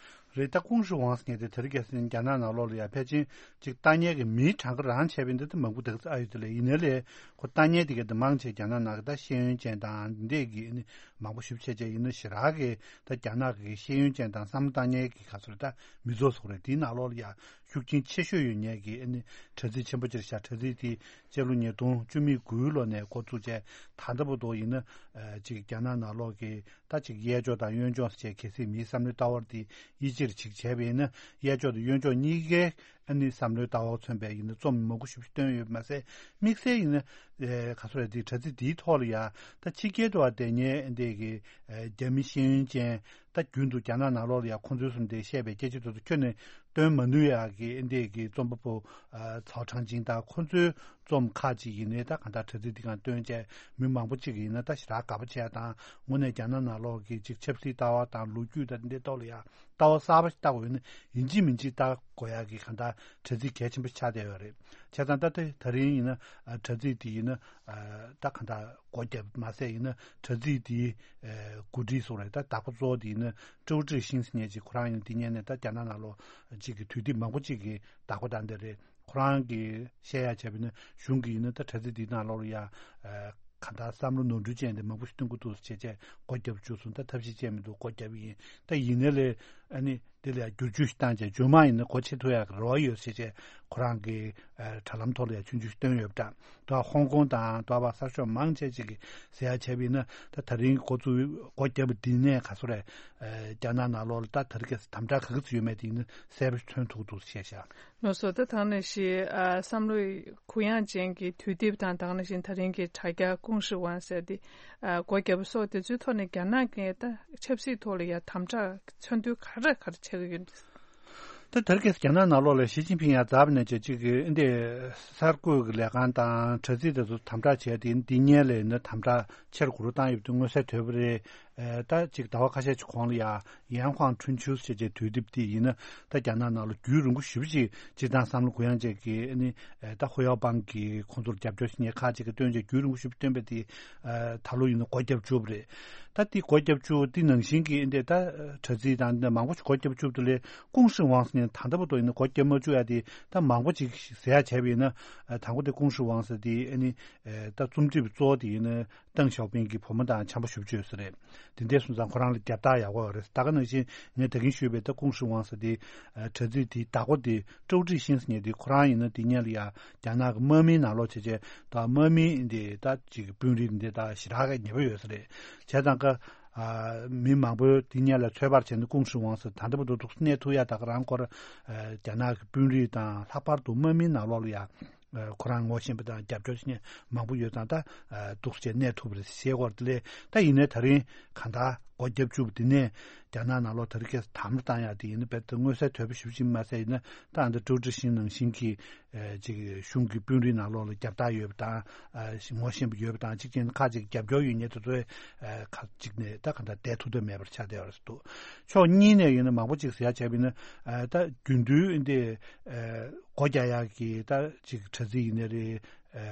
རེད། ད་ཀུང་ཧྲི་ཝང་ཟེར་མཁན་དེ་དེ་རིང་ཁ་སང་རྒྱ་ནག་ནང་ལོགས་ལ་ཡ་ཕལ་ཆེར་ཅིག་ལྟ་མཁན་གྱི་མིའི་གྲངས་ཀ་རང་བྱས་པའི་འདི་ད་མང་པོ་དེ་ག་ཚོད་ཨ་ཡོད་དེ་ལས་ཡིན་ནའི་ལས་ཁོ་ལྟ་མཁན་དེ་ག་དེ་མང་ཆེ་རྒྱ་ནག་ནང་གི་ད་ཤེས་ཡོན་ཅན་དང་འདི་འདྲས་ཀྱི་ཨ་ནི་མང་པོ་ཞེ་པོ་ཅིག་ཡིན་ན་ཞེ་དྲག་གི་ད་རྒྱ་ནག་གི་ཤེས་ཡོན་ཅན་དང་བསམ་བློ་བཏང་མཁན་གྱི་ག་ཚོད་རེད། ད་མི་ཚོགས་སུ་རེད། དེའི་ནང་ལོགས་ལ་ཡ་ཤུགས་རྐྱེན་ཆེ་ཤོས་ཡོད་མཁན་གྱི་ཨ་ནི་དྲ་ཚིགས་ཆེན་པོ་ཅིག་རེད་ཤག་དྲ་ཚིགས་དེ་སྤྱི་ལོ་ཉིས་སྟོང་བཅུ་མེད་དགུའི་ལོ་ནས་འགོ་བཙུགས་བྱས་ད་ལྟ་བར་དུ་ཡིན་ན་ཨ་ཅིག་རྒྱ་ནག་ནང་ལོགས་ཀྱི་ད་ཅིག་གཡས་ཕྱོགས་དང་གཡོན་ཕྱོགས་ཟེར་བྱས་གལ་སྲིད་མིའི་བསམ་བློའི་ལྟ་བ་དེ་དབྱེ་འབྱེད་ཅིག་བྱས་པ་ཡིན་ན་གཡས་ཕྱོགས་དང་གཡོན་ཕྱོགས་གཉིས་ཀའི་ཨ་ནི་བསམ་བློའི་ལྟ་བ་མཚོན་པའི་ཡིན་ན་རྩོམ་མང་པོ་ཞིག་བཏོན་ཡོད་པ་མ་ཟད། དམིགས་བསལ་ཡིན་ན་ཨེ་ག་ཚོད་རེད། དེ་དྲ་ཚིགས་དེའི་ཐོག་ལ་ཡ་ད་ཕྱི་རྒྱལ་དུ་བ་དེ་ཉེ་འདས་ཀྱི་ཨེ་རྒྱ་མི་ཤེས་ཡོན་ཅན་ད་རྒྱུན་དུ་རྒྱ་ནག་ནང་ལོགས་ལ་ཡ་ཁོང་ཚོའི་གསུམ་དེ་བཤད་པའི་སྐད་ཆ་དེ་ཚོ་ཁྱོན་ནས་སྟོན་མ་ནུས་ཡ་གི་འདས་ཀྱི་རྩོམ་པ་པོ་ཨ་ཚའོ་ཁྲང་ཅིང་དང་ཁོང་ཚོའི་རྩོམ་ཁག་ཅིག་ཡིན་ནའི་ད་གང་ལྟར་དྲ་ཚིགས་འདི་གང་སྟོན་བྱས་མི་མང་པོ་ཅིག་ཡིན་ན་ད་ཞེ་དྲག་དགའ་པོ་བྱས་དང་དངོས་གནས་རྒྱ་ནག་ནང་ལོགས་ཀྱི་ཅིག་ཆབ་སྲིད་ལྟ་བ་དང་ལོ་རྒྱུས་དང་འདི་འདྲའི་ཐོག་ལ་ཡ་ལྟ་བ་གསར་པ་ཞིག་ལྟ་དགོས་ཡིན་ན་ཡིན་གཅིག་མིན་གཅིག་ལྟ་དགོས་ཡ་གི་གང་ལྟར་དྲ་ཚིགས་གལ་ཆེན་པོ་ཆགས་བསྡད་ཡོད་རེད། བྱས་ཙང་ད་ལྟ་དེ་ད་རིང་ཡིན་ན་ཨ་དྲ་ཚིགས་འདི་ཡིན་ན་ཨ་ད་གང་ལྟར་སྒོ་བརྒྱབ་མ་ཟད་ཡིན་ན་དྲ་ཚིགས་འདིའི་ཨ་འགོ་ཁྲིད་སོགས་རེད། ད་བདག་པོ་གཙོ་བོ་འདི་ཡིན་ན་ཀྲོའུ་ཀྲི་ཤིང་ཟེར་མཁན་ཅིག་ཁོ་རང་ཡིན་ན་འདི་སྔོན་ནས་ད་རྒྱ་ནག་ནང་ལོགས་ཅིག་གི་དུས་དེབ་མང་པོ་ཅིག་གི་བདག་པོ་དང་འདི་རེད། ཁོ་རང་གིས་བཤད་ཡ་བྱས་པ་ཡིན་ན་གཞུང་གིས་ཡིན་ན་ད་དྲ་ཚིགས་འདིའི་ནང་ལོགས་ལ་ཡ་ཨ་གང་ལྟར་བསམ་བློ་ནོར་འཁྲུལ་ཅན་དེ་མང་པོ་ཞིག་སྟོན་གྱི་འདུག་ཟེར་བྱས་བྱས་སྒོ་བརྒྱབ་བཅུག་སོང་། ད་ཐབས་ཤེས་བྱས་མི་འདུག་སྒོ་བརྒྱབ་ཡིན། ད་ཡིན་ནའི་ལས་ཨ་ནི་དེ་ལ་ཡ་བསྒྱུར་བཅོས་ཤིག་བཏང་བྱས་རྗེས་མ་ཡིན་ན་སྒོ་ཕྱེ་ཐུབ་ཡག་གི་རེ་བ་ཡོད་ཟེར་བྱས་ཁོ་རང་གིས་ཨ་དྲ་ལམ་ཐོག་ལ་ཡ་ཆུང་ཆུང་ཞིག་བཏོན་ཡོད་པ་འདྲ། ད་ཧོང་ཀོང་དང་ད་བར་གསར་ཤོག་མང་ཆེ་ཅིག་གིས་ཟེར་ཡ་བྱས་པ་ཡིན་ན་ད་ད་རིང་འགོ་ཚུགས་སྒོ་བརྒྱབ་པ་འདི་ནས་ག་ཚོད་རེད། ཨ་རྒྱ་ནག་ནང་ལོགས་ལ་ད་ད་རེས་ཀྱི་དམ་དྲག་ག་གི་ཚོད་ཡོད་མེད་དེ་ཡིན་ན་གསལ་པོ་མཚོན་ཐུབ་འདུག་བཤད་བཞག་ལགས་སོ། ད་ཐང་ནས་ཤི་ཨ་བསམ་བློའི་གུ་ཡངས་ཅན་གྱི་དུས་དེབ་དང་དེ་ནང་བཞིན་ད་རིང་གི་དྲ་རྒྱ་ཀུང་ཧྲི་ཝང་ཟེར་དེ་ཨ་སྒོ་བརྒྱབ་པ་སོགས་དེ་ཚོའི་ཐོག་ནས་རྒྱ་ནག་གི་ད་ཆབ་སྲིད་ཐོག་ལ་ཡ་དམ་དྲག་མཚོན་དོན་ག་རེ་ག་རེ་ཆགས་ཀྱི་ཡོད་འདུག་ད་དེ་རིང་ཁ་སང་རྒྱ་ནག་ནང་ལོགས་ལ་ཞི་ཅིན་ཕིང་ཡར་འཛེགས་པ་ནས་བྱས་ཅིག་གི་འདི་གསར་འགོད་ཀྱི་ལས་ཁང་དང་དྲ་ཚིགས་དེ་ཚོ་དམ་དྲག་བྱས་ཏེ་འདི་སྔོན་ལ་ཡིན་ན་དམ་དྲག་ཆེ་རུ་འགྲོ་བཏང་ཡོད་པ་དེ་མངོན་གསལ་དོད་པ་རེད། ཨེ་ད་ཅིག་ཟླ་བ་ཁ་ཤས་ཅིག་གོང་ལ་ཡ་ཡན་ཧུང་ཁྲུན་ཆུས་ཞེས་བྱས་དུས་དེབ་དེ་ཡིན་ན་ད་རྒྱ་ནག་ནང་ལ་རྒྱུན་རིང་པོ་ཞེ་པོ་ཅིག་སྤྱིར་བཏང་བསམ་བློ་གུ་ཡངས་བཅས་ཀྱིས་ཨ་ནི་ཨེ་ད་ཧུ་ཡའོ་པང་གིས་ཁོང་ཚོར་རྒྱབ་སྐྱོར་ཞིག་ངས་ཁག་ཅིག་གིས་བཏོན་བྱས་རྒྱུན་རིང་པོ་ཞེ་པོ་བཏོན་པ་དེ་ཨེ་ད་ལོ་ཡིན་ན་སྒོ་བརྒྱབ་བཅུག་པ་རེད། ད་དེ་སྒོ་བརྒྱབ་བཅུག་དེ་ནང་བཞིན་གྱི་ཨེ་འདི་ད་དྲ་ཚིགས་དང་འདི་མང་པོ་ཞིག་སྒོ་བརྒྱབ་བཅུག་དེ་ལས་ཀུང་ཧྲི་ཝང་ཟེར་ནས་ད་ལྟ་བར་དུ་ཡིན་ན་སྒོ་བརྒྱབ་མ་བཅུག་ཡ་དེ་ད་མང་པོ་ཅིག་ཟེར་ཡ་བྱས་པ་ཡིན་ན་ཨེ་དང་པོ་དེ་ཀུང་ཧྲི་ཝང་ཟེར་དེ་ཨ་ནི་ཨེ་ད་རྩོམ་སྒྲིག་པའི་གཙོ་བོ་དེ་ཡིན་ན། ཏེང་ཞའོ་ཕིང་གི་བུ་མོ་དང་འཆམ་པོ་ཞེ་པོ་ཅིག་ཡོད་ས་རེད། དེ་འདྲ་སོང་ཙང་ཁོ་རང་ལ་རྒྱབ་རྟགས་ཡག་པོ་ཡོད་རེད། ད་ག་ནང་བཞིན་ངས་ད་གིན་ཞུས་པའི་ད་ཀུང་ཧྲི་ཝང་ཟེར་དེ་ཨ་དྲ་ཚིགས་དེའི་བདག་པོ་དེ་ཀྲོའུ་ཀྲི་ཤིན་ཟེར་མཁན་དེ་ཁོ་རང་ཡིན་ན་དེ་སྔོན་ལ་ཡ་རྒྱ་ནག་གི་དམག་མིའི་ནང་ལོགས་བྱས་བྱས་ད་དམག་མིའི་འདི་ད་ཅིག་དཔོན་རིགས་འདི་ད་ཞེ་དྲག་གི་ཉེ་པོ་ཡོད་ས་རེད། བྱས་ཙང་ཀ་ཨ་མི་མང་པོས་དེ་སྔོན་ལ་ཚོད་དཔག་བྱས་ན་ཀུང་ཧྲི་ཝང་ཟེར་ད་ལྟ་བར་དུ་འདུག་གནས་ཐུབ་ཡ་ད་ག་རང་སྐོར་ཨ་རྒྱ་ནག་གི་དཔོན་རིགས་དང་ལྷག་པར་དུ་དམག་མིའི་ནང་ལོགས་ལ་ཡ། ཁོ་རང་ངོ་ཤེས་པ་དང་རྒྱབ་སྐྱོར་བྱེད་མཁན་མང་པོ་ཡོད་ཙང་ད་འདུག་སེ་གནས་ཐུབ་པ་རེད་ཞེས་སྐོར་དེ་ལས་ད་ཡིན་ནའི་ད་རིང་གང་ལྟར་སྒོ་བརྒྱབ་བཅུག་པ་དེ་ནས་རྒྱ་ནག་ནང་ལོགས་ད་རིང་ཁ་སང་དམ་བློ་བཏང་ཡག་དེ་ཡིན་ན་རྦད་དེ་མངོན་གསལ་དོད་པོ་ཞེ་པོ་ཅིག་མ་ཟད་ཡིན་ན་ད་ཨ་འདི་ཀྲོའུ་ཀྲི་ཤིན་ནང་བཞིན་གྱི་ཅིག་གཞུང་གི་དཔོན་རིགས་ནང་ལོགས་ལ་རྒྱབ་རྟགས་ཡོད་པ་དང་ངོ་ཤེས་པ་ཡོད་པ་དང་གཅིག་བྱས་ན་ཁག་ཅིག་རྒྱབ་སྐྱོར་ཡོད་མཁན་དེ་ཚོའི་ཁག་ཅིག་ནས་ད་གང་ལྟར་བསྡད་ཐུབ་ཐབས་མེད་པར་ཆགས་བསྡད་ཡོད་རེད་འདུག་ཕྱོགས་གཉིས་ནས་ཡིན་ན་མང་པོ་ཅིག་ཟེར་ཡག་བྱས་པ་ཡིན་ན་ད་རྒྱུན་དུ་འདི། སྒོ་རྒྱག་ཡག་གི་ད་ཅིག་དྲ་ཚིགས་ཡིན་ནའི་རེད། ཨ་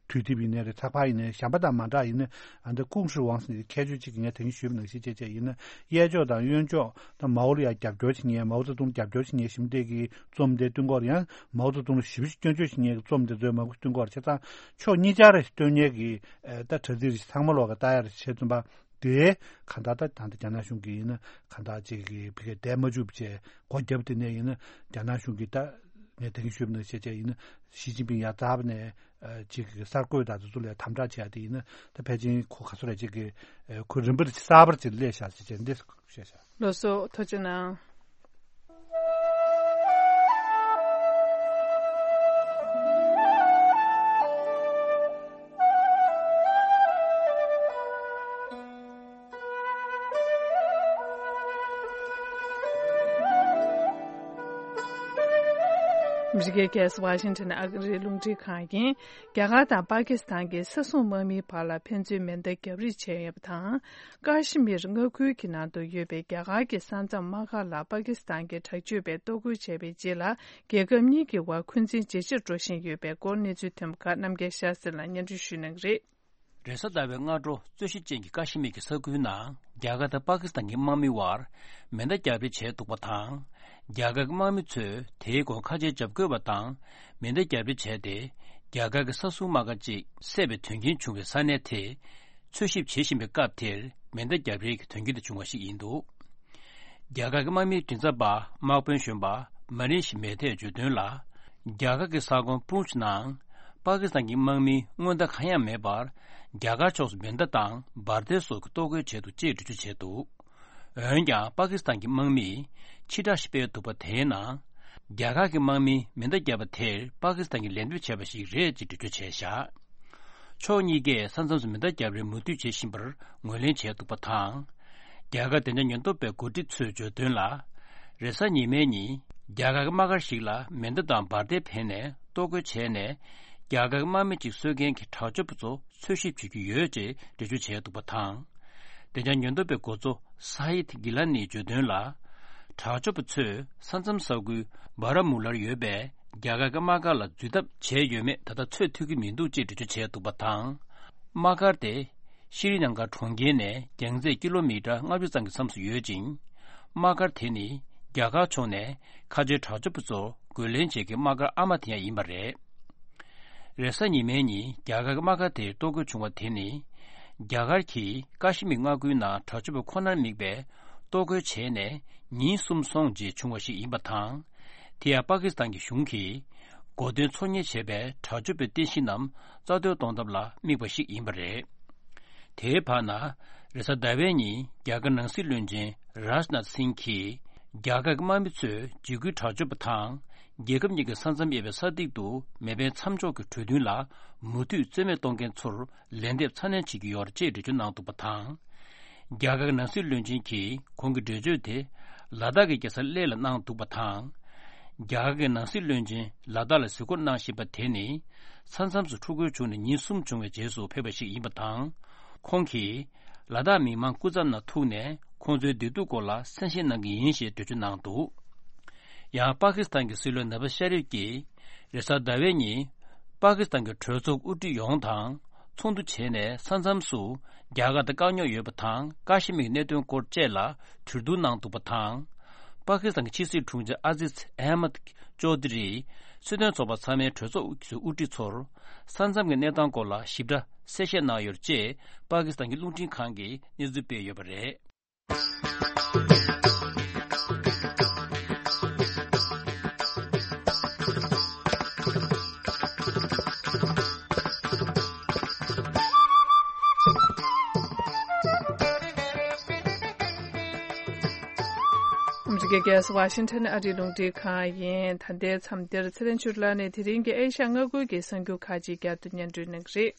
དུས་དེབ་ཡིན་ནའི་རེད། ཚགས་པར་ཡིན་ནའི་གཞན་པ་དང་མ་འདྲ་ཡིན་ན་ཨ་འདི་ཀུང་ཧྲི་ཝང་ཟེར་ནས་ཁྱད་ཆོས་གཅིག་ངས་ད་གིན་ཞུས་པ་ནང་བཞིན་བྱས་བྱས་ཡིན་ན་གཡས་ཕྱོགས་དང་གཡོན་ཕྱོགས་ད་མའོ་ལ་ཡང་རྒྱབ་སྐྱོར་བྱེད་མཁན་མའོ་ཙེ་ཏུང་རྒྱབ་སྐྱོར་བྱེད་མཁན་ཞིག་འདི་གི་རྩོམ་དེ་བཏོན་སྐོར་ཡང་མའོ་ཙེ་ཏུང་ལ་ཞེ་པོ་ཅིག་སྐྱོན་བརྗོད་བྱེད་མཁན་གྱི་རྩོམ་དེ་ཚོའི་མང་པོ་བཏོན་སྐོར་བྱས་ཙང་ཕྱོགས་གཉིས་ཆར་བཏོན་མཁན་གྱི་ད་དྲ་ཚིགས་ཚང་མ་ལོག་གི་ལྟ་ཡག་བྱས་ཙམ་པ། དེ་གང་ལྟར་ད་ད་ལྟ་རྒྱ་ནག་གཞུང་གིས་ཡིན་ན་གང་ལྟར་ཅིག་གི་བི་ཀའི་བསྡད་མ་བཅུག་པ་བྱས་སྒོ་བརྒྱབ་དེ་ནས་ཡིན་ན་རྒྱ་ནག་གཞུང་གིས་ད་ངས་ད་གིན་ཞུས་པ་ནང་བཞིན་བྱས་བྱས་ཡིན་ན་ཞི་ཅིན་ཕིང་ཡར་འཛེགས་པ་ནས་ཅིག་གི་གསར་འགོད་དང་དེ་ཚོ་ལ་དམ་དྲག་བྱས་ཏེ་ཡིན་ན་ད་ཕལ་ཆེར་ཁོ་ག་ཚོད་རེད་ཅིག་གི་ཁོ་རིམ་པར་གསར་པར་ཅིག་སླེབས་ཤག་ཅེས་བྱས་འདི་བཤད་ཤག་ལགས་སོ། ཐུགས་རྗེ་གནང་། ཨ་མི་རི་ཀའི་རྒྱལ་ས་ཝ་ཤིང་ཊོན་ཨ་རིའི་རླུང་འཕྲིན་ཁང་ཡིན། རྒྱ་གར་དང་པ་ཀི་སི་ཐན་གྱི་ས་སྲུང་དམག་མིའི་བར་ལ་ཕན་ཚུན་མེ་མདའ་བརྒྱབ་རེས་བྱས་ཡོད་པ་དང་། ཀ་ཤི་མིར་མངའ་ཁུལ་གྱི་ནང་དུ་ཡོད་པའི་རྒྱ་གར་གྱི་ས་མཚམས་དམག་སྒར་ལ་པ་ཀི་སི་ཐན་གྱི་དྲག་སྤྱོད་པས་གཏོར་རྒོལ་བྱས་པའི་རྗེས་ལ། རྒྱལ་ཁབ་གཉིས་ཀྱི་དབར་འཁོན་འཛིན་ཇེ་ཆེར་འགྲོ་བཞིན་ཡོད་པའི་སྐོར་གནས་ཚུལ་ཐོན་པ་ཁག་རྣམ་རྒྱལ་ཤར་སེ་ལགས་སྙན་སྒྲོན་ཞུ་གནང་གི་རེད། རེས་གཟའ་ཟླ་བའི་སྔ་དྲོ་རྩོད་གཞི་ཅན་གྱི་ཀ་ཤི་མིར་གྱི་ས་ཁུལ་ནང་རྒྱ་གར་དང་པ་ཀི་སི་ཐན་གྱི་དམག་མི་དབར་མེ་མདའ་བརྒྱབ་རེས་བྱས་འདུག་པ་དང་། རྒྱ་གར་གྱི་དམག་མི་ཚོས་དེའི་སྐོར་ཁ་ཆེའི་འཇབ་རྒོལ་བ་དང་མེ་མདའ་བརྒྱབ་རེས་བྱས་ཏེ། རྒྱ་གར་གྱི་ས་སྲུང་དམག་སྒར་ཅིག་བསད་པའི་དོན་རྐྱེན་བྱུང་བའི་ས་གནས་དེ། འཚོལ་ཞིབ་བྱེད་བཞིན་པའི་སྐབས་དེར་མེ་མདའ་བརྒྱབ་རེས་ཀྱི་དོན་རྐྱེན་དེ་བྱུང་བ་ཞིག་ཡིན་འདུག་རྒྱ་གར་གྱི་དམག་མིའི་མགྲིན་ཚབ་པ་དམག་དཔོན་གཞོན་པ་མ་རིན་ཤི་མེ་ཐེས་བརྗོད་དོན་ལ། རྒྱ་གར་གྱི་ས་ཁོངས་པུན་ཆི་ནང་པ་ཀི་སི་ཐན་གྱི་དམག་མིས་སྔོན་བརྡ་གང་ཡང་མེད་པར་རྒྱ་གར་ཕྱོགས་སུ་མེ་མདའ་དང་འབར་མདེལ་སོགས་ཀྱི་གཏོར་རྒོལ་བྱས་འདུག་ཅེས་འགྲེལ་བརྗོད་བྱས་འདུག་འོན་ཀྱང་པ་ཀི་སི་ཐན་གྱི་དམག་མིས་ཕྱིར་བསྒྲགས་ཤིག་སྤེལ་འདུག་པ། དེའི་ནང་རྒྱ་གར་གྱི་དམག་མིས་མེ་མདའ་བརྒྱབ་པ་དེར་པ་ཀི་སི་ཐན་གྱིས་ལན་འདེབས་བྱས་པ་ཞིག་རེད་ཅེས་འགྲེལ་བརྗོད་བྱས་བཞག་ཕྱོགས་གཉིས་ཀས་ས་མཚམས་སུ་མེ་མདའ་བརྒྱབ་རེས་མུ་མཐུད་བྱེད་བཞིན་པར་ངོས་ལེན་བྱས་འདུག་པ་དང་། རྒྱ་གར་བདེ་འཇགས་ཉེན་རྟོག་པའི་འགོ་ཁྲིད་ཚོས་བརྗོད་དོན་ལ། རེས་གཟའ་ཉི་མའི་ཉིན་རྒྱ་གར་གྱི་དམག་སྒར་ཞིག་ལ་མེ་མདའ་དང་འབར་མདེལ་འཕེན་ནས་གཏོར་རྒོལ་བྱས་ནས། རྒྱ་གར་གྱི་དམག་མི་གཅིག་གསོད་མཁན་གྱི་དྲག་སྤྱོད་པ་ཚོ་འཚོལ་ཞིབ་བྱེད་ཀྱི་ཡོད་ཅེས་འགྲེལ་བརྗོད་བྱས་འདུག་པ་དང་། བདེ་འཇགས་ཉེན་རྟོག་པའི་འགོ་གཙོ་ས་ཧིད་གྷི་ལ་ནིས་བརྗོད་དོན་ལ། དྲག་སྤྱོད་པ་ཚོས་ས་མཚམས་ས་ཁུལ་སྦ་ར་མུ་ལར་ཡོད་པའི་རྒྱ་གར་གྱི་དམག་སྒར་ལ་འཛུལ་ཐབས་བྱས་ཡོད་མེད་ད་ལྟ་ཚོད་ཐིག་གི་མི་འདུག་ཅེས་འགྲེལ་བརྗོད་བྱས་འདུག་པ་དང་། དམག་སྒར་དེ་ཤྲི་ནང་གར་གྲོང་ཁྱེར་ནས་རྒྱང་ཚད་ཀི་ལོ་མི་ཊར་ལྔ་བཅུ་ཙམ་གྱི་མཚམས་སུ་ཡོད་ཅིང་། དམག་སྒར་དེ་ནི་རྒྱ་གར་ཕྱོགས་ནས་ཁ་ཆེའི་དྲག་སྤྱོད་པ་ཚོ་རྒོལ་ལན་བྱེད་མཁན་དམག་སྒར་ཨ་མ་དེ་ཡང་ཡིན་པ་རེད། རེས་གཟའ་ཉི་མའི་ཉིན་རྒྱ་གར་གྱི་དམག་སྒར་དེར་གཏོར་རྒོལ་བྱུང་བ་དེ་ནི། རྒྱ་གར་གྱིས་ཀ་ཤི་མིར་མངའ་ཁུལ་ནང་དྲག་སྤྱོད་པ་ཁོ་ནར་དམིགས་པའི་གཏོར་རྒོལ་བྱས་ནས་ཉིན་གསུམ་སོང་རྗེས་བྱུང་བ་ཞིག་ཡིན་པ་དང་། དེ་ཡང་པ་ཀི་སི་ཐན་གྱི་གཞུང་གིས་གོ་སྟོན་འཚོལ་སྙེག་བྱས་པའི་དྲག་སྤྱོད་པའི་རྟེན་གཞི་རྣམས་རྩ་གཏོར་གཏོང་ཐབས་ལ་དམིགས་པ་ཞིག་ཡིན་པ་རེད། དེའི་བར་ན། རེས་གཟའ་ཟླ་བའི་ཉིན་རྒྱ་གར་ནང་སྲིད་བློན་ཆེན་རཱཇ་ནཱཐ་སིང་གིས། རྒྱ་གར་གྱི་དམག་མི་ཚོས་འཇིགས་སྐུལ་དྲག་སྤྱོད་པ་དང་། རྒྱལ་ཁབ་གཉིས་ཀྱི་ས་མཚམས་དབྱེ་བའི་ས་ཐིག་ཏུ་མེ་འཕེན་མཚམས་འཇོག་གི་གྲོས་མཐུན་ལ་མུ་མཐུད་རྩོད་མེད་གཏོང་མཁན་ཚོར་ལན་འདེབས་ཚ་ནན་བྱེད་ཀྱི་ཡོད་རེད་ཅེས་འགྲེལ་བརྗོད་གནང་འདུག་པ་དང་། རྒྱ་གར་གྱི་ནང་སྲིད་བློན་ཆེན་གྱིས་ཁོང་གི་འགྲེལ་བརྗོད་དེ་ལ་དྭགས་ཀྱི་རྒྱལ་ས་གླེ་ལ་གནང་འདུག་པ་དང་། རྒྱ་གར་གྱི་ནང་སྲིད་བློན་ཆེན་ལ་དྭགས་ལ་གཟིགས་སྐོར་གནང་བཞིན་པ་དེ་ནི། ས་མཚམས་སུ་འཁྲུག་རྒོལ་བྱུང་ནས་ཉིན་གསུམ་བྱུང་བའི་རྗེས་སུ་ཕེབས་པ་ཞིག་ཡིན་པ་དང་། ཁོང་གིས་ལ་དྭགས་མི་མང་སྐུ་མཚམས་ནང་ཐུག་ནས་ཁོང་ཚོའི་བདེ་སྡུག་སྐོར་ལ་གསན་བཞེས་གནང་གི་ཡིན་ཞེས་འགྲེལ་བརྗོད་གནང་འདུག། ཡང་པ་ཀི་སི་ཐན་གྱི་སྲིད་བློན་ནབ་ཤ་རིབ་ཀྱིས་རེས་གཟའ་ཟླ་བའི་ཉིན། པ་ཀི་སི་ཐན་གྱི་གྲོས་ཚོགས་དབུ་ཁྲིད་ཡོངས་དང་ཚོགས་འདུ་བྱས་ནས་ས་མཚམས་སུ་རྒྱ་གར་དང་དཀའ་རྙོག་ཡོད་པ་དང་ཀ་ཤི་མིར་གནད་དོན་སྐོར་བཅས་ལ་གྲོས་བསྡུར་གནང་འདུག་པ་དང་། པ་ཀི་སི་ཐན་གྱི་ཕྱི་སྲིད་དྲུང་ཆེ་ཨ་ཟིཛ་ཨ་མད་ཅོ་དི་རིས་སྲིད་དོན་ཚོགས་པ་ཚང་མའི་གྲོས་ཚོགས་ཀྱི་དབུ་ཁྲིད་ཚོར་ས་མཚམས་ཀྱི་གནས་སྟངས་སྐོར་ལ་ཞིབ་ཕྲ་གསལ་བཤད་གནང་ཡོད་ཅེས་པ་ཀི་སི་ཐན་གྱི་རླུང་འཕྲིན་ཁང་གིས་གནས་ཚུལ་སྤེལ་ཡོད་པ་རེད། ཨ་མི་རི་ཀའི་རྒྱལ་ས་ཝ་ཤིང་ཊོན་ཨ་རིའི་རླུང་འཕྲིན་ཁང་ཡིན། ད་ལྟའི་མཚམས་འདིར་ཚེ་རིང་ཆོས་གྲུབ་ལགས་ནས་དེ་རིང་གི་ཨེ་ཤ་ཡ་མངའ་ཁུལ་གྱི་གསར་འགྱུར་ཁག་ཅིག་བསྐྱར་དུ་སྙན་སྒྲོན་གནང་གི་རེད།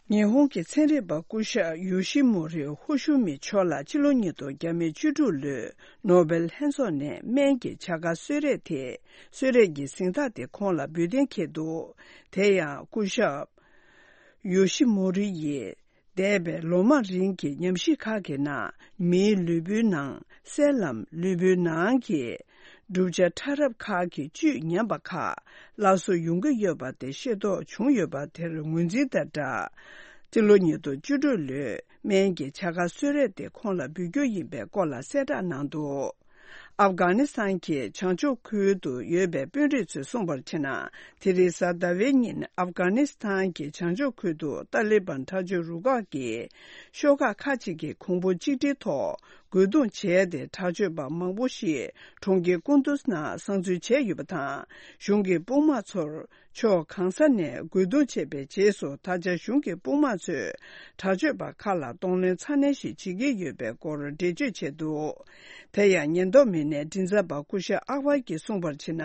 ཉི་ཧོང་གི་ཚན་རིག་པ་སྐུ་ཞབས་ཡོ་ཤི་མོ་རི་ཧོ་ཤུ་མི་མཆོག་ལ་ཕྱི་ལོ་ཉིས་སྟོང་བརྒྱ་མེད་བཅུ་དྲུག་ལོའི་ནོ་བེལ་ལྷན་ཚོགས་ནས་སྨན་གྱི་བྱ་དགའ་གསོལ་རས་དེ། གསོལ་རས་ཀྱི་གཟེངས་རྟགས་དེ་ཁོང་ལ་འབུལ་གཏན་འཁེལ་འདུག། དེ་ཡང་སྐུ་ཞབས་ཡོ་ཤི་མོ་རི་ཡིས་འདས་པའི་ལོ་མང་རིང་གི་ཉམས་ཞིབ་ཁག་གི་ནང་མིའི་ལུས་པོའི་ནང་སེལ་ལམ་ལུས་པོའི་ནང་གི་གྲུབ་ཆ་ཕྲ་རབ་ཁག་གི་བཅུད་ཉམས་པ་ཁག་སླར་གསོ་ཡོང་གི་ཡོད་པ་དེ་ཤེས་རྟོགས་བྱུང་ཡོད་པ་དེར་ངོས་འཛིན་དང་སྦྲགས། སྤྱི་ལོ་ཉིས་སྟོང་བཅུ་དྲུག་ལོའི་སྨན་གྱི་བྱ་དགའ་གསོལ་རས་དེ་ཁོང་ལ་འབུལ་རྒྱུ་ཡིན་པའི་སྐོར་ལ་གསལ་བསྒྲགས་གནང་འདུག། ཨབ་གྷ་ནི་སི་ཐན་གྱི་བྱང་ཕྱོགས་ཁུལ་དུ་ཡོད་པའི་དཔོན་རིགས་ཚོས་གསུངས་པར་བྱས་ན། དེ་རིང་གཟའ་ཟླ་བའི་ཉིན་ཨབ་གྷ་ནི་སི་ཐན་གྱི་བྱང་ཕྱོགས་ཁུལ་དུ་ཏཱ་ལི་བན་དྲག་སྤྱོད་རུ་ཁག་གིས་ཤོག་ཁག་ཁག་ཅིག་གི་གོང་བུ་གཅིག་སྒྲིལ་ཐོག་རྒོལ་རྡུང་བྱས་ཏེ། དྲག་སྤྱོད་པ་མང་པོ་ཞིག་གྲོང་ཁྱེར་ཀུན་ཏུས་ནང་གསང་འཛུལ་བྱས་ཡོད་པ་དང་། གཞུང་གི་དཔུང་དམག་ཚོར་ཕྱོགས་གང་ས་ནས་རྒོལ་རྡུང་བྱས་པའི་རྗེས་སུ། ད་ཆ་གཞུང་གི་དཔུང་དམག་ཚོས་དྲག་སྤྱོད་པ་ཁག་ལ་གདོང་ལེན་ཚ་ནན་ཞིག་བྱེད་ཀྱི་ཡོད་པའི་སྐོར་འགྲེལ་བརྗོད་བྱས་འདུག། དེ་ཡང་ཉེན་རྟོག་མི་སྣའི་མགྲིན་ཚབ་པ་སྐུ་ཞབས་ཨག་བར་གྱིས་གསུངས་པར་བྱས་ན།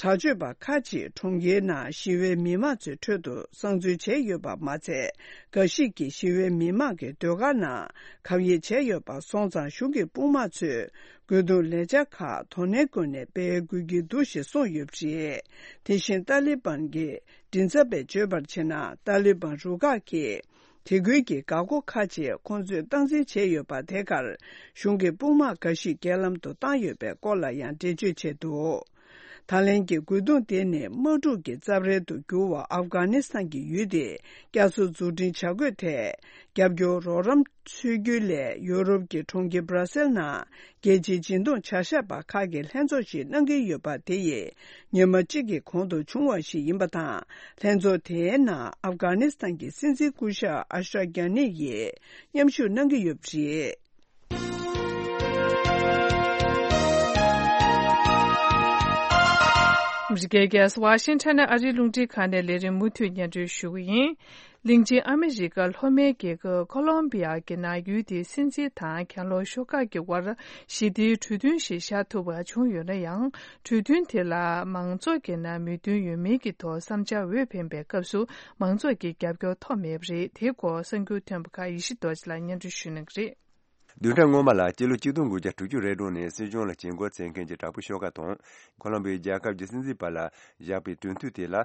དྲག་སྤྱོད་པ་ཁག་ཅིག་གྲོང་ཁྱེར་ནང་ཞི་བའི་མི་མང་ཚོའི་ཁྲོད་དུ་གསང་འཛུལ་བྱས་ཡོད་པ་མ་ཚད། འགའ་ཞིག་གིས་ཞི་བའི་མི་མང་གི་སྡོད་སྒར་ནང་གབ་ཡིབ་བྱས་ཡོད་པ་སོང་ཙང་། གཞུང་གི་དཔུང་དམག་ཚོས་རྒོལ་རྡུང་ལས་འཆར་ཁག་དོ་ནན་སྒོ་ནས་སྤེལ་དགོས་ཀྱི་འདུག་ཞེས་གསུངས་ཡོད་པ་རེད། དེ་བཞིན་ཏཱ་ལི་བན་གྱི་མགྲིན་ཚབ་པས་བརྗོད་པར་བྱས་ན། ཏཱ་ལི་བན་རུ་ཁག་གིས་དེ་ཁུལ་གྱི་འགག་སྒོ་ཁག་ཅིག་ཁོང་ཚོས་སྟངས་འཛིན་བྱས་ཡོད་པ་དེ་གར་གཞུང་གི་དཔུང་དམག་འགའ་ཞིག་རྐྱེན་ལམ་དུ་བཏང་ཡོད་པའི་སྐོར་ལ་ཡང་འགྲེལ་བརྗོད་བྱས་འདུག། ད་ལན་གྱི་རྒོལ་རྡུང་དེ་ནི་དམག་འཁྲུག་གི་རྩབ་ཧྲལ་དུ་གྱུར་བ་ཨབ་གྷ་ནི་སི་ཐན་གྱི་ཡུལ་དེ་བསྐྱར་གསོ་འཛུགས་སྐྲུན་བྱ་དགོས་ཐད་རྒྱབ་སྐྱོར་རོགས་རམ་འཚོལ་རྒྱུའི་སླད། ཡོ་རོབ་ཀྱི་གྲོང་ཁྱེར་སྦྲ་སེལ་ནང་རྒྱལ་སྤྱིའི་འཇིང་སྡོང་བྱ་གཞག་པ་ཁག་གི་ལྷན་ཚོགས་ཤིག་གནང་གི་ཡོད་པ་དེ་ཡི་ཉི་མ་གཅིག་གི་གོང་དུ་བྱུང་བ་ཞིག་ཡིན་པ་དང་། ལྷན་ཚོགས་དེའི་ནང་ཨབ་གྷ་ནི་སི་ཐན་གྱི་སྲིད་འཛིན་སྐུ་ཞབས་ཨ་ཤ་རབ་གྷ་ནི་ཡིས་མཉམ་ཞུགས་གནང་གི་ཡོད་པ་རེད། ཨ་མི་རི་ཀའི་རྒྱལ་ས་ཝ་ཤིང་ཊོན་ནས་ཨ་རིའི་རླུང་འཕྲིན་ཁང་ནས་ལས་རིམ་མུ་མཐུད་སྙན་སྒྲོན་ཞུ་གི་ཡིན། གླིང་ཆེན་ཨ་མི་རི་ཀ་ལྷོ་མའི་རྒྱལ་ཁབ་ཁོ་ལོམ་བི་ཡ་གི་ནང་ཡུལ་དེའི་སྲིད་འཛིན་དང་གྱེན་ལོག་ཤོག་ཁག་གི་དབར་ཞི་བདེའི་གྲོས་མཐུན་ཞིག་བཞག་ཐུབ་པ་བྱུང་ཡོད་ན་ཡང་། གྲོས་མཐུན་དེ་ལ་མང་ཚོགས་ཀྱི་ནང་མོས་མཐུན་ཡོད་མེད་ཀྱི་ཐོག་བསམ་འཆར་འོས་འཕེན་པའི་སྐབས་སུ་མང་ཚོགས་ཀྱི་རྒྱབ་སྐྱོར་ཐོབ་མེད་པ་རེད། དེའི་སྐོར་གསར་འགྱུར་ཐོན་པ་ཁག་ཡེ་ཤེས་རྡོ་རྗེ་ལགས་སྙན་སྒྲོན་ཞུ་གནང་གི་རེད། བདུན་ཕྲག་སྔོན་མ་ལ་སྤྱི་ལོ་ཆིག་སྟོང་དགུ་བརྒྱ་དྲུག་ཅུ་རེ་དྲུག་ནས་སྲིད་གཞུང་ལ་བྱེད་འགོ་བཙུགས་མཁན་གྱི་དྲག་པོའི་ཤོག་ཁག་དང་ཁོ་ལོམ་བི་ཡའི་རྒྱལ་ཁབ་ཀྱི་སྲིད་འཛིན་བར་ལ་བཞག་པའི་གྲོས་མཐུན་དེ་ལ་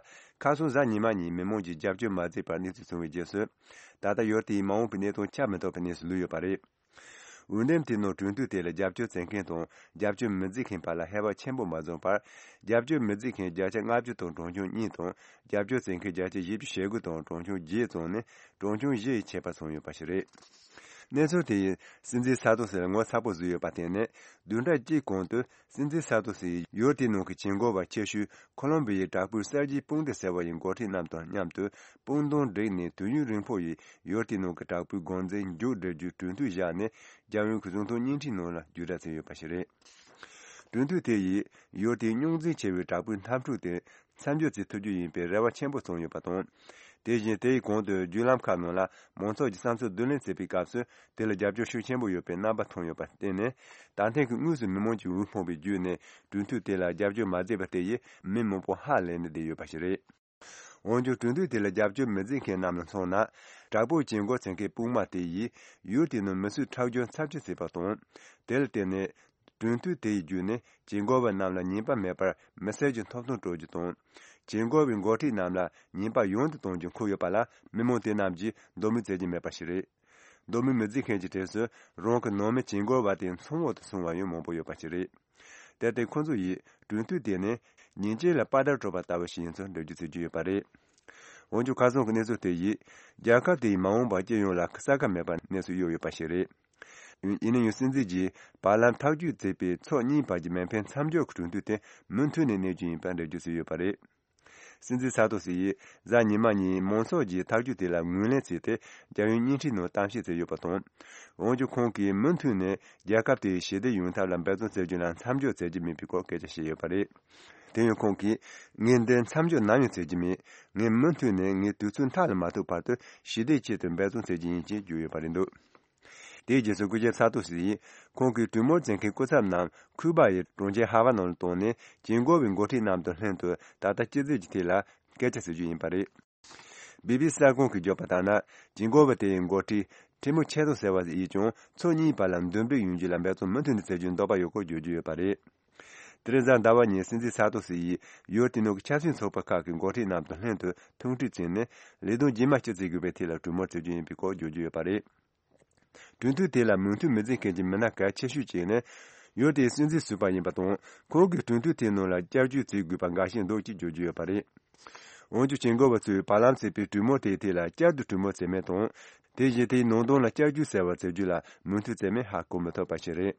ཁ་སང་གཟའ་ཉི་མ་ཉིན་མི་མང་གིས་རྒྱབ་སྐྱོར་མ་བྱས་པར་གནས་ཚུལ་བྱུང་བའི་རྗེས་སུ། ད་ལྟ་ཡུལ་དེའི་མ་འོངས་པའི་གནས་སྟངས་ཆ་མི་ཚང་བའི་གནས་སུ་ལུས་ཡོད་པ་རེད། འོན་ཏེ་དེ་ནང་གྲོས་མཐུན་དེ་ལ་རྒྱབ་སྐྱོར་བྱེད་མཁན་དང་རྒྱབ་སྐྱོར་མི་བྱེད་མཁན་བར་ལ་ཧེ་བག་ཆེན་པོ་མ་བྱུང་བར། རྒྱབ་སྐྱོར་མི་བྱེད་མཁན་བརྒྱ་ཆ་ལྔ་བཅུ་དང་གྲངས་ཆུང་གཉིས་དང་། རྒྱབ་སྐྱོར་བྱེད་མཁན་བརྒྱ་ཆ་བཞི་བཅུ་ཞེ་དགུ་དང་གྲངས་ཆུང་བརྒྱད་ཙམ་ནི་གྲངས་ཆུང་བཞི་ཡི་ཁྱད་པར་བྱུང་ཡོད་པ་ཞིག་རེད། གནས་ཚུལ་དེ་ཡིས་སྲིད་འཛིན་སཱ་ཏོ་སི་ལ་ངོ་ཚ་པོ་བཟོས་ཡོད་པ་བརྟེན་ནས། བདུན་ཕྲག་གཅིག་གོང་དུ་སྲིད་འཛིན་སཱ་ཏོ་སི་ཡིས་ཡུལ་དེའི་ནང་གི་བྱེད་སྒོ་བ་ཆེ་ཤོས་ཁོ་ལོམ་བི་ཡའི་དྲག་པོའི་གསར་བརྗེའི་དཔུང་སྡེ་ཟེར་བ་ཡི་འགོ་ཁྲིད་རྣམས་དང་མཉམ་དུ་དཔུང་གདོང་བསྒྲིགས་ནས། དུས་ཡུན་རིང་པོ་ཡི་ཡུལ་དེའི་ནང་གི་དྲག་པོའི་དགོངས་འཛིན་མཇུག་སྒྲིལ་རྒྱུའི་གྲོས་མཐུན་བཞག་ནས། རྒྱལ་ཡོངས་ཀྱི་གཟེངས་རྟགས་བརྙན་འཕྲིན་ནང་ལ་བརྒྱུད་བསྒྲགས་བྱས་ཡོད་པ་ཞིག་རེད། གྲོས་མཐུན་དེ་ཡིས་ཡུལ་དེའི་རྙོག་འཛིང་ཆེ་བའི་དྲག་པོའི་འཐབ་འཁྲུག་དེ་མཚམས་འཇོག་བྱེད་ཐུབ་རྒྱུ་ཡིན་པའི་རེ་བ་ཆེན་པོ་བྱུང་ཡོད་པ་དང་། དེ་བཞིན་དེའི་གོང་དུ་བརྒྱུད་ལམ་ཁག་ནང་ལ་མང་ཚོགས་ཀྱི་བསམ་ཚུལ་བསྡུ་ལེན་བྱེད་པའི་སྐབས་སུ། དེ་ལ་རྒྱབ་སྐྱོར་ཤུགས་ཆེན་པོ་ཡོད་པའི་རྣམ་པ་མཐོང་ཡོད་པར་བརྟེན་ནས། ད་ཐེངས་ཀྱི་དངོས་སུ་མི་མང་གི་འོས་འཕངས་པའི་བརྒྱུད་ནས། གྲོས་མཐུན་དེ་ལ་རྒྱབ་སྐྱོར་མ་བྱས་པ་དེ་ཡིས་མི་མང་པོ་ཧ་ལས་ནས་བསྡད་ཡོད་པ་ཞིག་རེད། འོན་ཀྱང་། གྲོས་མཐུན་དེ་ལ་རྒྱབ་སྐྱོར་མི་བྱེད་མཁན་རྣམས་ལ་མཚོན་ན། དྲག་པོའི་བྱེད་སྒོ་བྱེད་མཁན་དཔུང་དམག་དེ་ཡིས་ཡུལ་དེའི་ནང་མི་གསོད་ཁྲག་སྦྱོར་ཚབས་ཆེ་བྱས་པ་དང་། དེ་ལ་བརྟེན་ནས། གྲོས་མཐུན་དེ་ཡི་བརྒྱུད་ནས་བྱེད་སྒོ་བ་རྣམས་ལ་ཉེས་པ་མེད་པར་མི་སེར་གྱི་ཐོབ་ཐང་སྤྲོད་རྒྱུ་དང་། བྱེད་སྒོ་བའི་འགོ་ཁྲིད་རྣམས་ལ་ཉེས་པ་ཡང་དུ་གཏོང་རྒྱུ་འཁོད་ཡོད་པ་ལ་མི་མང་དེ་རྣམས་ཀྱིས་འདོད་མོས་བྱེད་ཀྱི་མེད་པ་ཞིག་རེད། འདོད་མོས་མི་བྱེད་མཁན་གྱི་གྲས་སུ་རང་གི་ནང་མི་བྱེད་སྒོ་བ་དེ་ཚང་འོག་ཏུ་སོང་བ་ཡང་མང་པོ་ཡོད་པ་ཞིག་རེད། དེར་བརྟེན་ཁོང་ཚོ་ཡིས་གྲོས་མཐུན་དེ་ནི་ཉིན་བྱེད་ལ་པ་ཏར་སྤྲོད་པ་ལྟ་བུ་ཞིག་ཡིན་ཚུལ་འགྲེལ་བརྗོད་བྱེད་ཀྱི་ཡོད་པ་རེད། འོན་ཀྱང་ཁ་སང་གི་གནས་ཚུལ་དེ་ཡིས་རྒྱལ་ཁབ་དེའི་མ་འོངས་པ་སྤྱི་ཡོངས་ལ་ས་ཁ་མེད་པར་གནས་སུ་གཡོལ་ཡོད་པ་ཞིག་རེད། ཡིན་ན་ཡང་སྲིད་འཛིན་གྱིས་བར་ལམ་ཐག་གཅོད་མཛད་པའི་ཕྱོགས་གཉིས་བར་གྱི་མེ་འཕེན་མཚམས་འཇོག་གི་གྲོས་མཐུན་དེ་མུ་མཐུད་ནས་གནས་རྒྱུ་ཡིན་པར་འགྲེལ་བརྗོད་བྱས་ཡོད་པ་རེད། སྲིད་འཛིན་ས་ཏོ་སི་ཡིས་གཟའ་ཉི་མ་ཉིན་མང་ཚོགས་ཀྱིས་ཐག་གཅོད་དེ་ལ་ངོས་ལེན་བྱས་ཏེ་རྒྱལ་ཡོངས་བརྙན་འཕྲིན་ནང་གཏམ་བཤད་བྱས་ཡོད་པ་དང་། འོན་ཀྱང་ཁོང་གིས་མུ་མཐུད་ནས་རྒྱལ་ཁབ་དེའི་ཞི་བདེ་ཡོང་ཐབས་ལ་འབད་བརྩོན་བྱེད་རྒྱུ་ལ་མཚམས་འཇོག་བྱེད་ཀྱི་མེད་པའི་སྐོར་སྐད་ཆ་བཤད་ཡོད་པ་རེད། དེ་ཡང་ཁོང་གིས་ངས་འདི་མཚམས་འཇོག་ནམ་ཡང་བྱེད་ཀྱི་མེད། ངས་མུ་མཐུད་ནས་ངའི་དུས་ཚོད་མཐའ་ལ་མ་ཐུག་བར་དུ་ཞི་བདེའི་ཆེད་དུ་འབད་བརྩོན་བྱེད་ཀྱི་ཡིན་ཞེས་བརྗོད་ཡོད་པ་རེད་འདུག་དེའི་རྗེས་སུ་སྐུ་ཞབས་ས་ཏོ་སི་ཡིས་ཁོང་གིས་གྲོས་མོལ་བྱེད་མཁན་སྐུ་ཚབ་རྣམས་ཁུ་པ་ཡི་གྲོང་ཁྱེར་ཧ་ཝ་ནང་ལ་བཏང་ནས་བྱེད་སྒོ་བའི་འགོ་ཁྲིད་རྣམས་དང་ལྷན་དུ་ད་ལྟ་སྐྱིད་སྡུག་གི་ཐད་ལ་སྐད་ཆ་བྱེད་རྒྱུ་ཡིན་པ་རེད། བི་བི་སི་གསར་ཁང་གིས་བརྗོད་པ་ལྟར་ན། བྱེད་སྒོ་བ་དེ་ཡི་འགོ་ཁྲིད་ཁྲི་མོ་ཆེ་ཏོ་ཟེར་བ་ཡིས་ཀྱང་ཕྱོགས་གཉིས་བར་ལ་འདུམ་འགྲིག་ཡོང་རྒྱུ་ལ་འབད་བརྩོན་མུ་མཐུད་ནས་བྱེད་རྒྱུའི་འདོད་པ་ཡོད་སྐོར་བརྗོད་ཀྱི་ཡོད་པ་རེད། དེ་རིང་གཟའ་ཟླ་བ་ཉིན་སྲིད་འཛིན་ས་ཏོ་སི་ཡིས་ཡུལ་དེ་ནང་གི་ཆབ་སྲིད་ཚོགས་པ་ཁག་གི་འགོ་ཁྲིད་རྣམས་དང་ལྷན་དུ་ཐུག་འཕྲད་བྱས་ནས་ལས་དོན་རྗེས་མ་ཅི་བྱེད་དགོས་པའི་ཐད་ལ་གྲོས་མོལ་བྱེད་རྒྱུ་ཡིན་པའི་སྐོར་བརྗོད་ཀྱི་ཡོད་པ་རེད། གྲོས་མཐུན་དེ་ལ་མོས་མཐུན་མི་བྱེད་མཁན་གྱི་མི་སྣ་གལ་ཆེ་ཤོས་གཅིག་ནི། ཡུལ་དེའི་སྲིད་འཛིན་ཟུར་པ་ཡིན་པ་དང་། ཁོང་གིས་གྲོས་མཐུན་དེའི་ནང་ལ་བསྐྱར་བཅོས་བྱེད་དགོས་པ་འགའ་ཤས་འདུག་ཅེས་བརྗོད་ཀྱི་ཡོད་པ་རེད། འོན་ཀྱང་བྱེད་སྒོ་བ་ཚོས་བར་ལམ་ཟིན་པའི་གྲོས་མོལ་དེའི་ཐད་ལ་བསྐྱར་དུ་གྲོས་མོལ་བྱས་མེད་དང་། དེ་བཞིན་དེའི་ནང་དོན་ལ་བསྐྱར་བཅོས་ཟེར་བ་བྱེད་རྒྱུ་ལ་མོས་མཐུན་བྱས་མིན་ཧ་གོ་མི་ཐུབ་པ་ཞིག་རེད།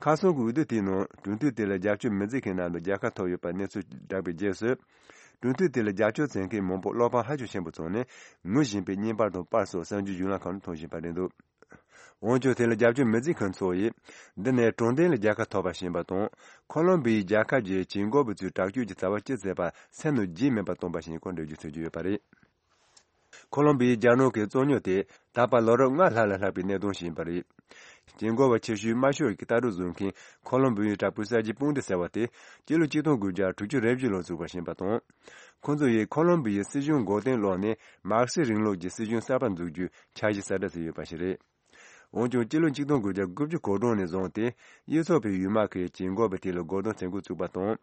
ཁ་སང་གི་འོས་བསྡུ་དེའི་ནང་གྲོས་མཐུན་དེ་ལ་རྒྱབ་སྐྱོར་མི་བྱེད་མཁན་རྣམས་ལ་རྒྱལ་ཁ་ཐོབ་ཡོད་པ་གནས་ཚུལ་བསྒྲགས་པའི་རྗེས་སུ། གྲོས་མཐུན་དེ་ལ་རྒྱབ་སྐྱོར་བྱེད་མཁན་མང་པོ་བློ་ཕམ་ཧ་ཅང་ཆེན་པོ་བྱུང་ནས་ངུ་བཞིན་པའི་བརྙན་པར་དང་པར་སོགས་གསར་འགྱུར་བརྒྱུད་ལམ་ཁག་ནང་མཐོང་བཞིན་པ་རེད་འདུག་འོན་ཀྱང་དེ་ལ་རྒྱབ་སྐྱོར་མི་བྱེད་མཁན་ཚོ་ཡིས། འདི་ནི་དྲང་བདེན་ལ་རྒྱལ་ཁ་ཐོབ་པ་ཞིག་ཡིན་པ་དང་། ཁོ་ལོམ་བི་ཡའི་རྒྱལ་ཁབ་ཀྱི་བྱེད་སྒོ་བ་ཚོས་དྲག་སྤྱོད་ཀྱི་བྱ་བ་ཅི་བྱས་པ་སེམས་ནང་བརྗེད་མེད་པར་བཏང་པ་ཞིག་ཡིན་སྐོར་འགྲེལ་བརྗོད་བྱེད་ཀྱི་ཡོད་པ་རེད། ཁོ་ལོམ་བི་ཡའི་རྒྱལ་ནང་གི་རྩོད་རྙོག་དེ་ད་བར་ལོ་རབས་ལྔ་ལྷག་ལ་ལྷག་པའི་གནད་དོན་ཞིག་ཡིན་པ་རེད། བྱེད་སྒོ་བ་ཆེ་ཤོས་དམར་ཤོག་གི་ལྟ་གྲུབ་བཟུང་མཁན་ཁོ་ལོམ་བི་ཡའི་དྲག་པོའི་གསར་བརྗེའི་དཔུང་སྡེ་ཟེར་བ་དེ་སྤྱི་ལོ་ཆིག་སྟོང་དགུ་བརྒྱ་དྲུག་ཅུ་རེ་བཞི་ལོར་བཙུགས་པ་ཞིག་ཡིན་པ་དང་། ཁོང་ཚོ་ཡིས་ཁོ་ལོམ་བི་ཡའི་སྲིད་གཞུང་མགོ་རྟིང་སློག་ནས་མར་ཁེ་སི་རིང་ལུགས་ཀྱི་སྲིད་གཞུང་གསར་པ་འཛུགས་རྒྱུའི་འཆར་གཞི་གསལ་བསྒྲགས་བྱས་ཡོད་པ་ཞིག་རེད། འོན་ཀྱང་སྤྱི་ལོ་ཆིག་སྟོང་དགུ་བརྒྱ་དགུ་བཅུ་གོ་གྲངས་ནས་བཟུང་སྟེ་གཡུ་ཚོགས་པའི་ཡུལ་དམག་གིས་བྱེད་སྒོ་བ་དེ་ལ་རྒོལ་རྡུང་བྱེད་འགོ་བཙུགས་པ་དང་།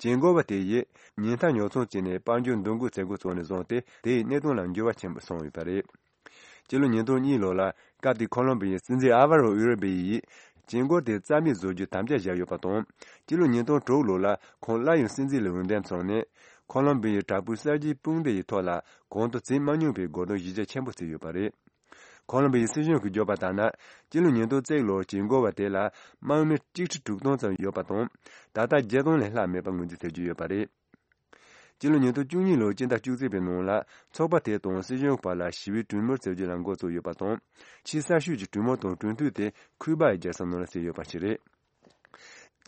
བྱེད་སྒོ་བ་དེ་ཡིས་ཉེན་རྟ་ཉོ་ཚོང་བྱས་ནས་དཔལ་འབྱོར་འདུ་འགོད་བྱེད་འགོ་བཙུགས་ནས་བཟུང་སྟེ་དེའི་གནད་དོན་ལ་འགྱུར་བ་ཆེན་པོ་སོང་ཡོད་པ་རེད། སྤྱི་ལོ་ཉིས་སྟོང་གཉིས་ལོ་ལ་སྐབས་དེའི་ཁོ་ལོམ་བི་ཡའི་སྲིད་འཛིན་ཨ་ཝ་རོ་ཨུ་རི་བེ་ཡིས་བྱེད་སྒོ་དེ་རྩ་མེད་བཟོ་རྒྱུའི་དམ་བཅའ་བཞག་ཡོད་པ་དང་། སྤྱི་ལོ་ཉིས་སྟོང་དྲུག་ལོ་ལ་ཁོང་སླར་ཡང་སྲིད་འཛིན་ལ་འོས་འདེམས་བྱུང་ནས་ཁོ་ལོམ་བི་ཡའི་དྲག་པོའི་གསར་བརྗེའི་དཔུང་སྡེ་ཡི་ཐོག་ལ་གོང་དུ་བྱེད་མ་མྱོང་པའི་རྒོལ་རྡུང་གཞི་རྒྱ་ཆེན་པོ་བྱས་ཡོད་པ་རེད། ཁོ་ལོམ་བི་ཡའི་སྲིད་གཞུང་གིས་བརྗོད་པ་ལྟར་ན། སྤྱི་ལོ་ཉིས་སྟོང་གཅིག་ལོར་བྱེད་སྒོ་བ་དེ་ལ་དམག་མི་གཅིག་ཁྲི་དྲུག་སྟོང་ཙམ་ཡོད་པ་དང་། ད་ལྟ་བརྒྱད་སྟོང་ལས་ལྷག་མེད་པ་ངོས་འཛིན་བྱེད་ཀྱི་ཡོད་པ་རེད། སྤྱི་ལོ་ཉིས་སྟོང་བཅུ་གཉིས་ལོའི་སྤྱི་ཟླ་བཅུ་གཅིག་པའི་ནང་ལ་ཚོགས་པ་དེ་དང་སྲིད་གཞུང་བར་ལ་ཞི་བའི་གྲོས་མོལ་བྱེད་རྒྱུ་ལ་འགོ་བཙུགས་ཡོད་པ་དང་། ཆེས་གསར་ཤོས་ཀྱི་གྲོས་མོལ་དང་གྲོས་མཐུན་དེ་ཁུ་པ་ཡི་རྒྱལ་ས་ནང་ལ་བྱས་ཡོད་པ་ཞིག་རེད།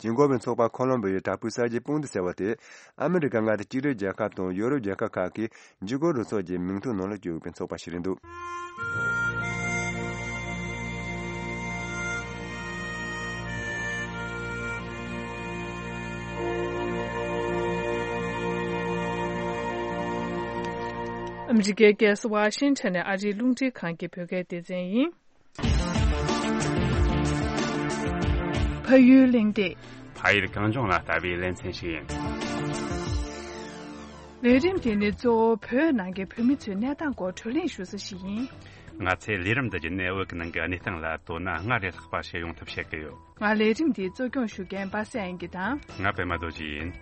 བྱེད་སྒོ་བའི་ཚོགས་པ་ཁོ་ལོམ་བི་ཡའི་དྲག་པོའི་གསར་བརྗེའི་དཔུང་སྡེ་ཟེར་བ་དེ་ཨ་མི་རི་ཀ་མངའ་སྡེ་གཅིག་སྒྲིལ་རྒྱལ་ཁབ་དང་ཡོ་རོབ་རྒྱལ་ཁབ་ཁག་གི་འཇིགས་སྐུལ་རུ་ཚོགས་ཀྱི་མིང་ཐོ་ནང་ལ་བཅུག་ཡོད་པའི་ཚོགས་པ་ཞིག་རེད་འདུག་ཨ་མི་རི་ཀའི་རྒྱལ་ས་ཝ་ཤིང་ཊོན་ནས་ཨ་རིའི་རླུང་འཕྲིན་ཁང་གི་བོད་སྐད་སྡེ་ཚན་ཡིན། ཕ་ཡུལ་གླེང་སྟེགས། ཕ་ཡུལ་གངས་ལྗོངས་ལ་ལྟ་བའི་ལེ་ཚན་ཞིག་ཡིན། ལས་རིམ་དེ་ནི་གཙོ་བོ་བོད་ནང་གི་བོད་མི་ཚོའི་གནས་སྟངས་སྐོར་བགྲོ་གླེང་ཞུ་ས་ཞིག་ཡིན། ང་ཚོས་ལས་རིམ་འདི་བརྒྱུད་ནས་བོད་ཀྱི་ནང་གི་གནས་སྟངས་ལ་དོ་སྣང་སྔར་ལས་ལྷག་པ་བྱེད་ཡོང་ཐབས་བྱེད་ཀྱི་ཡོད། ང་ལས་རིམ་འདི་གཙོ་སྐྱོང་ཞུ་མཁན་པ་སངས་དབྱངས་སྐྱིད་དང་། ང་པད་མ་རྡོ་རྗེ་ཡིན།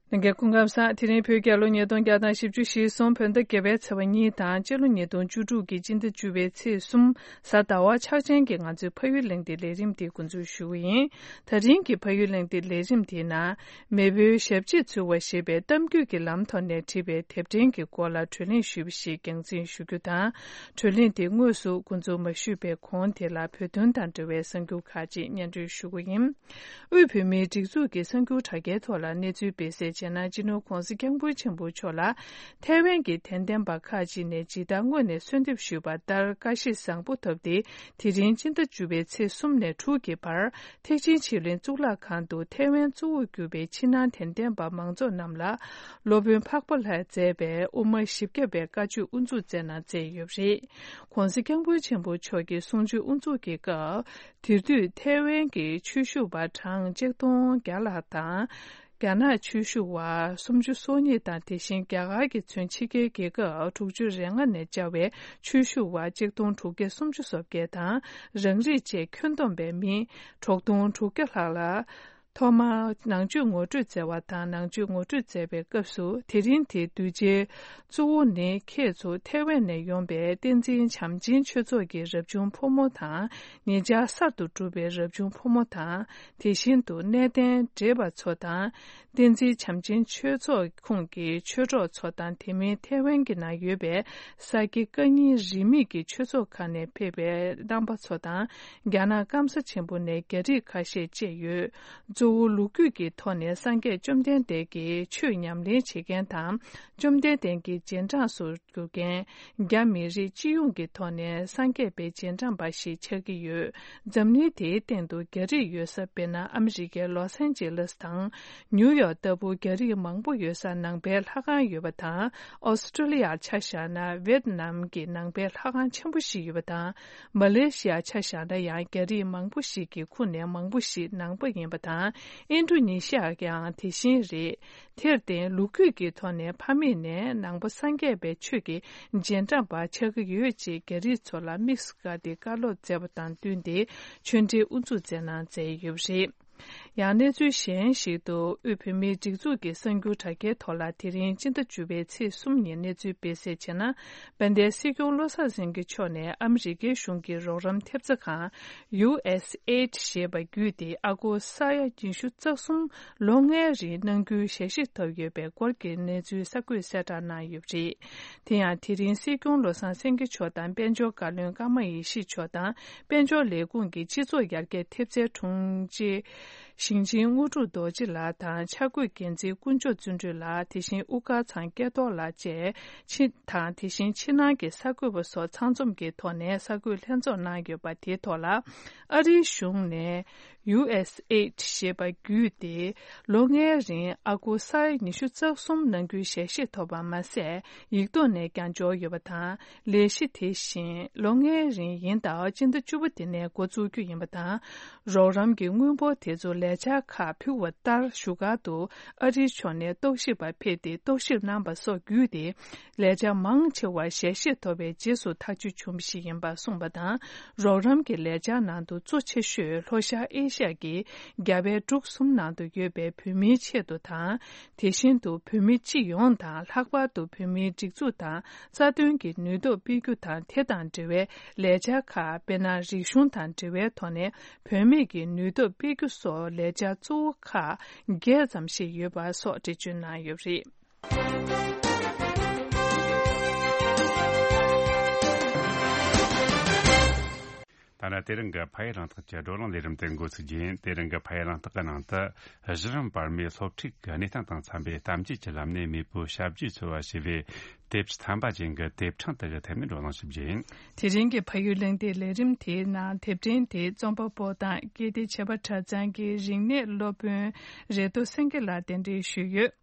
ལྷན་རྒྱས་སྐུ་ཁམས་བཟང་། དེ་རིང་བོད་རྒྱལ་ལོ་ཉིས་སྟོང་བརྒྱ་དང་བཞི་བཅུ་ཞེ་གསུམ་བོད་ཟླ་བརྒྱད་པའི་ཚེས་པ་གཉིས་དང་སྤྱི་ལོ་ཉིས་སྟོང་བཅུ་དྲུག་གི་སྤྱི་ཟླ་བཅུ་པའི་ཚེས་གསུམ་གཟའ་ཟླ་བ་ཆགས་ཅན་གྱི་ང་ཚོའི་ཕ་ཡུལ་གླེང་སྟེགས་ལས་རིམ་འདི་འགོ་འཛུགས་ཞུ་གི་ཡིན། ད་རིང་གི་ཕ་ཡུལ་གླེང་སྟེགས་ལས་རིམ་དེའི་ནང་། མེས་པོའི་ཞབས་ཕྱི་ཚུལ་བ་ཞེས་པའི་གཏམ་རྒྱུད་ཀྱི་ལམ་ཐོག་ནས་བྲིས་པའི་དེབ་ཕྲེང་གི་སྐོར་ལ་བགྲོ་གླེང་ཞུས་པ་ཞིག་རྒྱང་འཛིན་ཞུ་རྒྱུ་དང་། བགྲོ་གླེང་དེ་དངོས་སུ་འགོ་འཛུགས་མ་ཞུས་པའི་གོང་དེ་ལ་བོད་དོན་དང་འབྲེལ་བའི་གསར་འགྱུར་ཁག་ཅིག་སྙན་སྒྲོན་ཞུ་གི་ཡིན། དབུས་བོད་མིའི་སྒྲིག་འཛུགས་ཀྱི་གསར་འགྱུར་དྲ་རྒྱའི་ཐོག་ལ་གནས་ཚུལ་སྤེལ་གསལ་བྱས། ཟེར་ན། སྤྱི་ནོར་༧གོང་ས་༧སྐྱབས་མགོན་ཆེན་པོ་མཆོག་ལ་ཐའེ་ཝན་གྱི་དད་ལྡན་པ་ཁག་ཅིག་ནས་ཇི་ལྟར་སྔོན་ནས་གསོལ་འདེབས་ཞུས་པ་ལྟར་བཀྲ་ཤིས་བཟང་པོ་ཐོབ་སྟེ། དེ་རིང་སྤྱི་ཟླ་བཅུ་པའི་ཚེས་གསུམ་ནས་དྲུག་གི་བར་ཐེག་ཆེན་ཆོས་གླིང་གཙུག་ལག་ཁང་དུ་ཐའེ་ཝན་གཙོ་བོར་གྱུར་པའི་ཕྱི་ནང་དད་ལྡན་པ་མང་ཚོགས་རྣམས་ལ་སློབ་དཔོན་འཕགས་པ་ལྷས་མཛད་པའི་དབུ་མ་བཞི་བརྒྱ་པའི་བཀའ་ཆོས་དབུ་འཛུགས་མཛད་གནང་མཛད་ཡོད་པ་རེད། ༧གོང་ས་༧སྐྱབས་མགོན་ཆེན་པོ་མཆོག་གི་གསུང་ཆོས་དབུ་འཛུགས་ཀྱི་སྐབས། དེ་དུས་ཐའེ་ཝན་གྱི་ཆོས་ཞུ་བ་གྲངས་གཅིག་སྟོང་བརྒྱ་ལྷག་དང་། རྒྱ་ནག་ཆོས་ཞུ་བ་སུམ་ཅུ་སོ་གཉིས་དང་། དེ་བཞིན་རྒྱ་གར་གྱི་ཚུན་ཕྱི་རྒྱལ་རྒྱལ་ཁབ་དྲུག་ཅུ་རེ་ལྔ་ནས་བཅར་བའི་ཆོས་ཞུ་བ་གཅིག་སྟོང་དྲུག་བརྒྱ་སུམ་ཅུ་སོ་བརྒྱད་དང་། རང་རིགས་བཅས་ཁྱོན་བསྡོམས་པའི་མི་དྲུག་སྟོང་དྲུག་བརྒྱ་ལྷག་ལ། ཐོག་མར་ནང་ཆོས་ངོ་སྤྲོད་མཛད་པ་དང་། ནང་ཆོས་ངོ་སྤྲོད་མཛད་པའི་སྐབས་སུ། དེ་རིང་དེའི་གདུལ་བྱའི་གཙོ་བོ་ནི་ཁྱེད་ཚོ་ཐའེ་ཝན་ནས་ཡོང་པའི་བསྟན་འཛིན་བྱམས་ཆེན་ཆོས་ཚོགས་ཀྱི་རབ་བྱུང་ཕོ་མོ་དང་། ཉེ་ཆར་གསར་དུ་གྲུབ་པའི་རབ་བྱུང་ཕོ་མོ་དང་། དེ་བཞིན་དུ་གནས་བརྟན་བགྲེས་པ་ཚོ་དང་། བསྟན་འཛིན་བྱམས་ཆེན་ཆོས་ཚོགས་ཁོངས་ཀྱི་ཆོས་གྲོགས་ཚོ་དང་། དེ་མིན་ཐའེ་ཝན་གྱི་ནང་ཡོད་པའི་ས་དགེ་བཀའ་རྙིང་རིས་མེད་ཀྱི་ཆོས་ཚོགས་ཁག་ནས་ཕེབས་པའི་རྣམ་པ་ཚོ་དང་། རྒྱ་ནག་སྐམ་ས་ཆེན་པོ་ནས་རྒྱ་རིགས་ཁ་ཤས་བཅས་ཡོད། གཙོ་བོ་ལོ་རྒྱུས་ཀྱི་ཐོག་ནས་སངས་རྒྱས་བཅོམ་ལྡན་འདས་ཀྱི་ཆོས་ཉམས་ལེན་བྱེད་མཁན་དང་། བཅོམ་ལྡན་འདས་ཀྱི་རྗེས་འབྲང་སུ་གྱུར་མཁན། རྒྱ་མི་རིགས་སྤྱི་ཡོངས་ཀྱི་ཐོག་ནས་སངས་རྒྱས་པའི་རྗེས་འབྲང་པ་ཞིག་ཆགས་ཀྱི་ཡོད། འཛམ་གླིང་དེའི་སྟེང་དུ་རྒྱ་རིགས་ཡོད་ས། དཔེར་ན་ཨ་མི་རི་ཀའི་ལོས་ཨན་ཇི་ལེས་དང་ནིའུ་ཡོག་ལྟ་བུ་རྒྱ་རིགས་མང་པོ་ཡོད་ས་ནང་པའི་ལྷ་ཁང་ཡོད་པ་དང་། ཨོ་སི་ཀྲོ་ལི་ཡར་ཆ་བཞག་ན་ཝེ་ཏི་ནམ་གྱི་ནང་པའི་ལྷ་ཁང་ཆེན་པོ་ཞིག་ཡོད་པ་དང་། མ་ལེ་ཤི་ཡར་ཆ་བཞག་ན་ཡང་རྒྱ་རིགས་མང་པོ་ཞིག་གི་ཁོངས་ནས་མང་པོ་ཞིག་ནང་པ་ཡིན་པ་དང་། ཨིན་ཌོ་ནེ་ཤི་ཡ་ཡང་དེ་བཞིན་རེད། དེར་བརྟེན་ལོ་རྒྱུས་ཀྱི་ཐོག་ནས་ཕ་མེས་ནས་ནང་པ་སངས་རྒྱས་པའི་ཆོས་ཀྱི་རྗེས་འབྲང་པ་ཆགས་ཀྱི་ཡོད་ཅེས་རྒྱ་རིགས་ཚོ་ལ་དམིགས་སུ་བཀར་ཏེ་བཀའ་སློབ་སྩལ་བ་དང་བསྟུན་ཏེ་ཆོས་འབྲེལ་དབུ་འཛུགས་མཛད་གནང་མཛད་ཡོད་པ་རེད། ཡང་གནས་ཚུལ་གཞན་ཞིག་ཏུ། དབུས་བོད་མིའི་སྒྲིག་འཛུགས་ཀྱི་གསར་འགྱུར་དྲ་རྒྱའི་ཐོག་ལ་དེ་རིང་སྤྱི་ཟླ་བཅུ་པའི་ཚེས་གསུམ་ཉིན་གནས་ཚུལ་སྤེལ་གསལ་བྱས་ན། དཔལ་ལྡན་སྲིད་སྐྱོང་བློ་བཟང་སེང་གེ་མཆོག་ནས་ཨ་མི་རི་ཀའི་གཞུང་གི་རོགས་རམ་ཐེབས་རྩ་ཁང་ཡུ་ཨེས་ཨེ་ཌི་ཞེས་པ་བརྒྱུད་དེ་ཨ་སྒོར་ས་ཡ་ཉི་ཤུ་རྩ་གསུམ་ལོ་ལྔའི་རིང་གནང་རྒྱུའི་ཞལ་བཞེས་ཐོབ་ཡོད་པའི་སྐོར་གྱི་གནས་ཚུལ་གསར་འགོད་གསལ་བསྒྲགས་གནང་ཡོད་པ་རེད། དེ་ཡང་དེ་རིང་སྲིད་སྐྱོང་བློ་བཟང་སེང་གེ་མཆོག་དང་། དཔལ་འབྱོར་བཀའ་བློན་ཀརྨ་ཡེ་ཤེས་མཆོག་དང་། དཔལ་འབྱོར་ལས་ཁུངས་ཀྱི་སྤྱི་ཚོགས་ཡར་རྒྱས་ཐེབས་རྩའི་དྲུང་ཆེ་ཞིང་ཆེན་དངོས་གྲུབ་རྡོ་རྗེ་ལགས་དང་། འཆར་འགོད་འགན་འཛིན་དཀོན་མཆོག་བརྩོན་འགྲུས་ལགས། དེ་བཞིན་དབུ་དཀར་ཚང་སྐལ་རྡོར་ལགས་བཅས་ཕྱི་དང་། དེ་བཞིན་ཕྱི་ནང་གི་གསར་འགོད་པ་སོགས་ཚང་འཛོམས་ཀྱི་ཐོག་ནས་གསར་འགོད་ལྷན་ཚོགས་གནང་ཡོད་པ་དེའི་ཐོག་ལ། ཨ་རིའི་གཞུང་ནས་ཡུ་ཨེས་ཨེ་ཌི་ཞེས་པ་བརྒྱུད་དེ་ལོ་ལྔའི་རིང་ཨ་སྒོར་ས་ཡ་ཉི་ཤུ་རྩ་གསུམ་གནང་རྒྱུའི་ཞལ་བཞེས་ཐོབ་པ་མ་ཟད། ཡིག་ཐོག་ནས་ཀྱང་འབྱོར་ཡོད་པ་དང་། ལས་གཞི་དེ་བཞིན་ལོ་ལྔའི་རིང་ཡིན་སྟབས། སྤྱི་ཟླ་བཅུ་པ་དེ་ནས་འགོ་བཙུགས་རྒྱུ་ཡིན་པ་དང་། རོགས་རམ་གྱི་དངུལ་འབོར་དེ་ཚོ་ལས་འཆར་ཁག་ཕུལ་བ་ལྟར་བཞུགས་སྒར་དུ་ཨ་རིའི་ཕྱོགས་ནས་རྟོག་ཞིབ་པ་ཕེབས་ཏེ་རྟོག་ཞིབ་གནང་བ་སོགས་བརྒྱུད་དེ། ལས་འཆར་མང་ཆེ་བ་ཞལ་བཞེས་ཐོབ་པའི་རྗེས་སུ་ཐག་གཅོད་བྱུང་བ་ཞིག་ཡིན་པ་གསུངས་པ་དང་། རོགས་རམ་གྱི་ལས་འཆར་ནང་དུ་གཙོ་ཆེ་ཤོས་ལྷོ་ཤར་ཨེ་ཤ་ཡ་གི་རྒྱལ་བའི་འབྲུག་གསུམ་ནང་དུ་ཡོད་པའི་བོད་མིའི་ཆེད་དུ་དང་། དེ་བཞིན་དུ་བོད་མི་སྤྱི་ཡོངས་དང་། ལྷག་པར་དུ་བོད་མིའི་སྒྲིག་འཛུགས་དང་རྩ་དོན་གྱི་ནུས་སྟོབས་སྤེལ་རྒྱུ་དང་། དེ་དང་འབྲེལ་བའི་ལས་འཆར་ཁག་དཔེར་ན་རིག་གཞུང་དང་འབྲེལ་བའི་ཐོག་ནས་བུད་མེད་ཀྱི་ནུས་སྟོབས་སྤེལ་རྒྱུ་སོགས་ལས་འཆར་གཙོ་བོ་ཁག་བརྒྱད་ཙམ་ཞིག་ཡོད་པ་སོགས་འགྲེལ་བརྗོད་གནང་ཡོད་པ་རེད། ད་ནི་དེ་རིང་གི་ཕ་ཡུལ་རང་རྟགས་ཀྱི་བགྲོ་གླེང་ལས་རིམ་དེ་འགོ་ཚུགས་རྒྱུ་ཡིན། དེ་རིང་གི་ཕ་ཡུལ་རང་རྟགས་ཀྱི་ནང་དུ། གཞི་རིམ་བར་མའི་སློབ་ཁྲིད་ཀྱི་གནས་སྟངས་དང་འཚམ་པའི་གཏམ་རྒྱུད་ཀྱི་ལམ་ནས་མེས་པོའི་ཞབས་རྗེས་འཚོལ་བ་ཞེས་པའི་དེབ་ཀྱི་ཐམ་པ་ཅན་གྱི་དེབ་ཕྲེང་དག་གི་ཐད་ནས་བགྲོ་གླེང་ཞིབ་རྒྱུ་ཡིན། དེ་རིང་གི་ཕ་ཡུལ་གླེང་སྟེགས་ལས་རིམ་དེའི་ནང་དེབ་ཕྲེང་དེ་རྩོམ་པ་པོ་དང་ཀིརྟི་བྱེས་པ་གྲྭ་ཚང་གི་རིག་གནས་སློབ་དཔོན་རེ་ཏོ་སེང་གེ་ལགས་གདན་འདྲེན་ཞུས་ཡོད།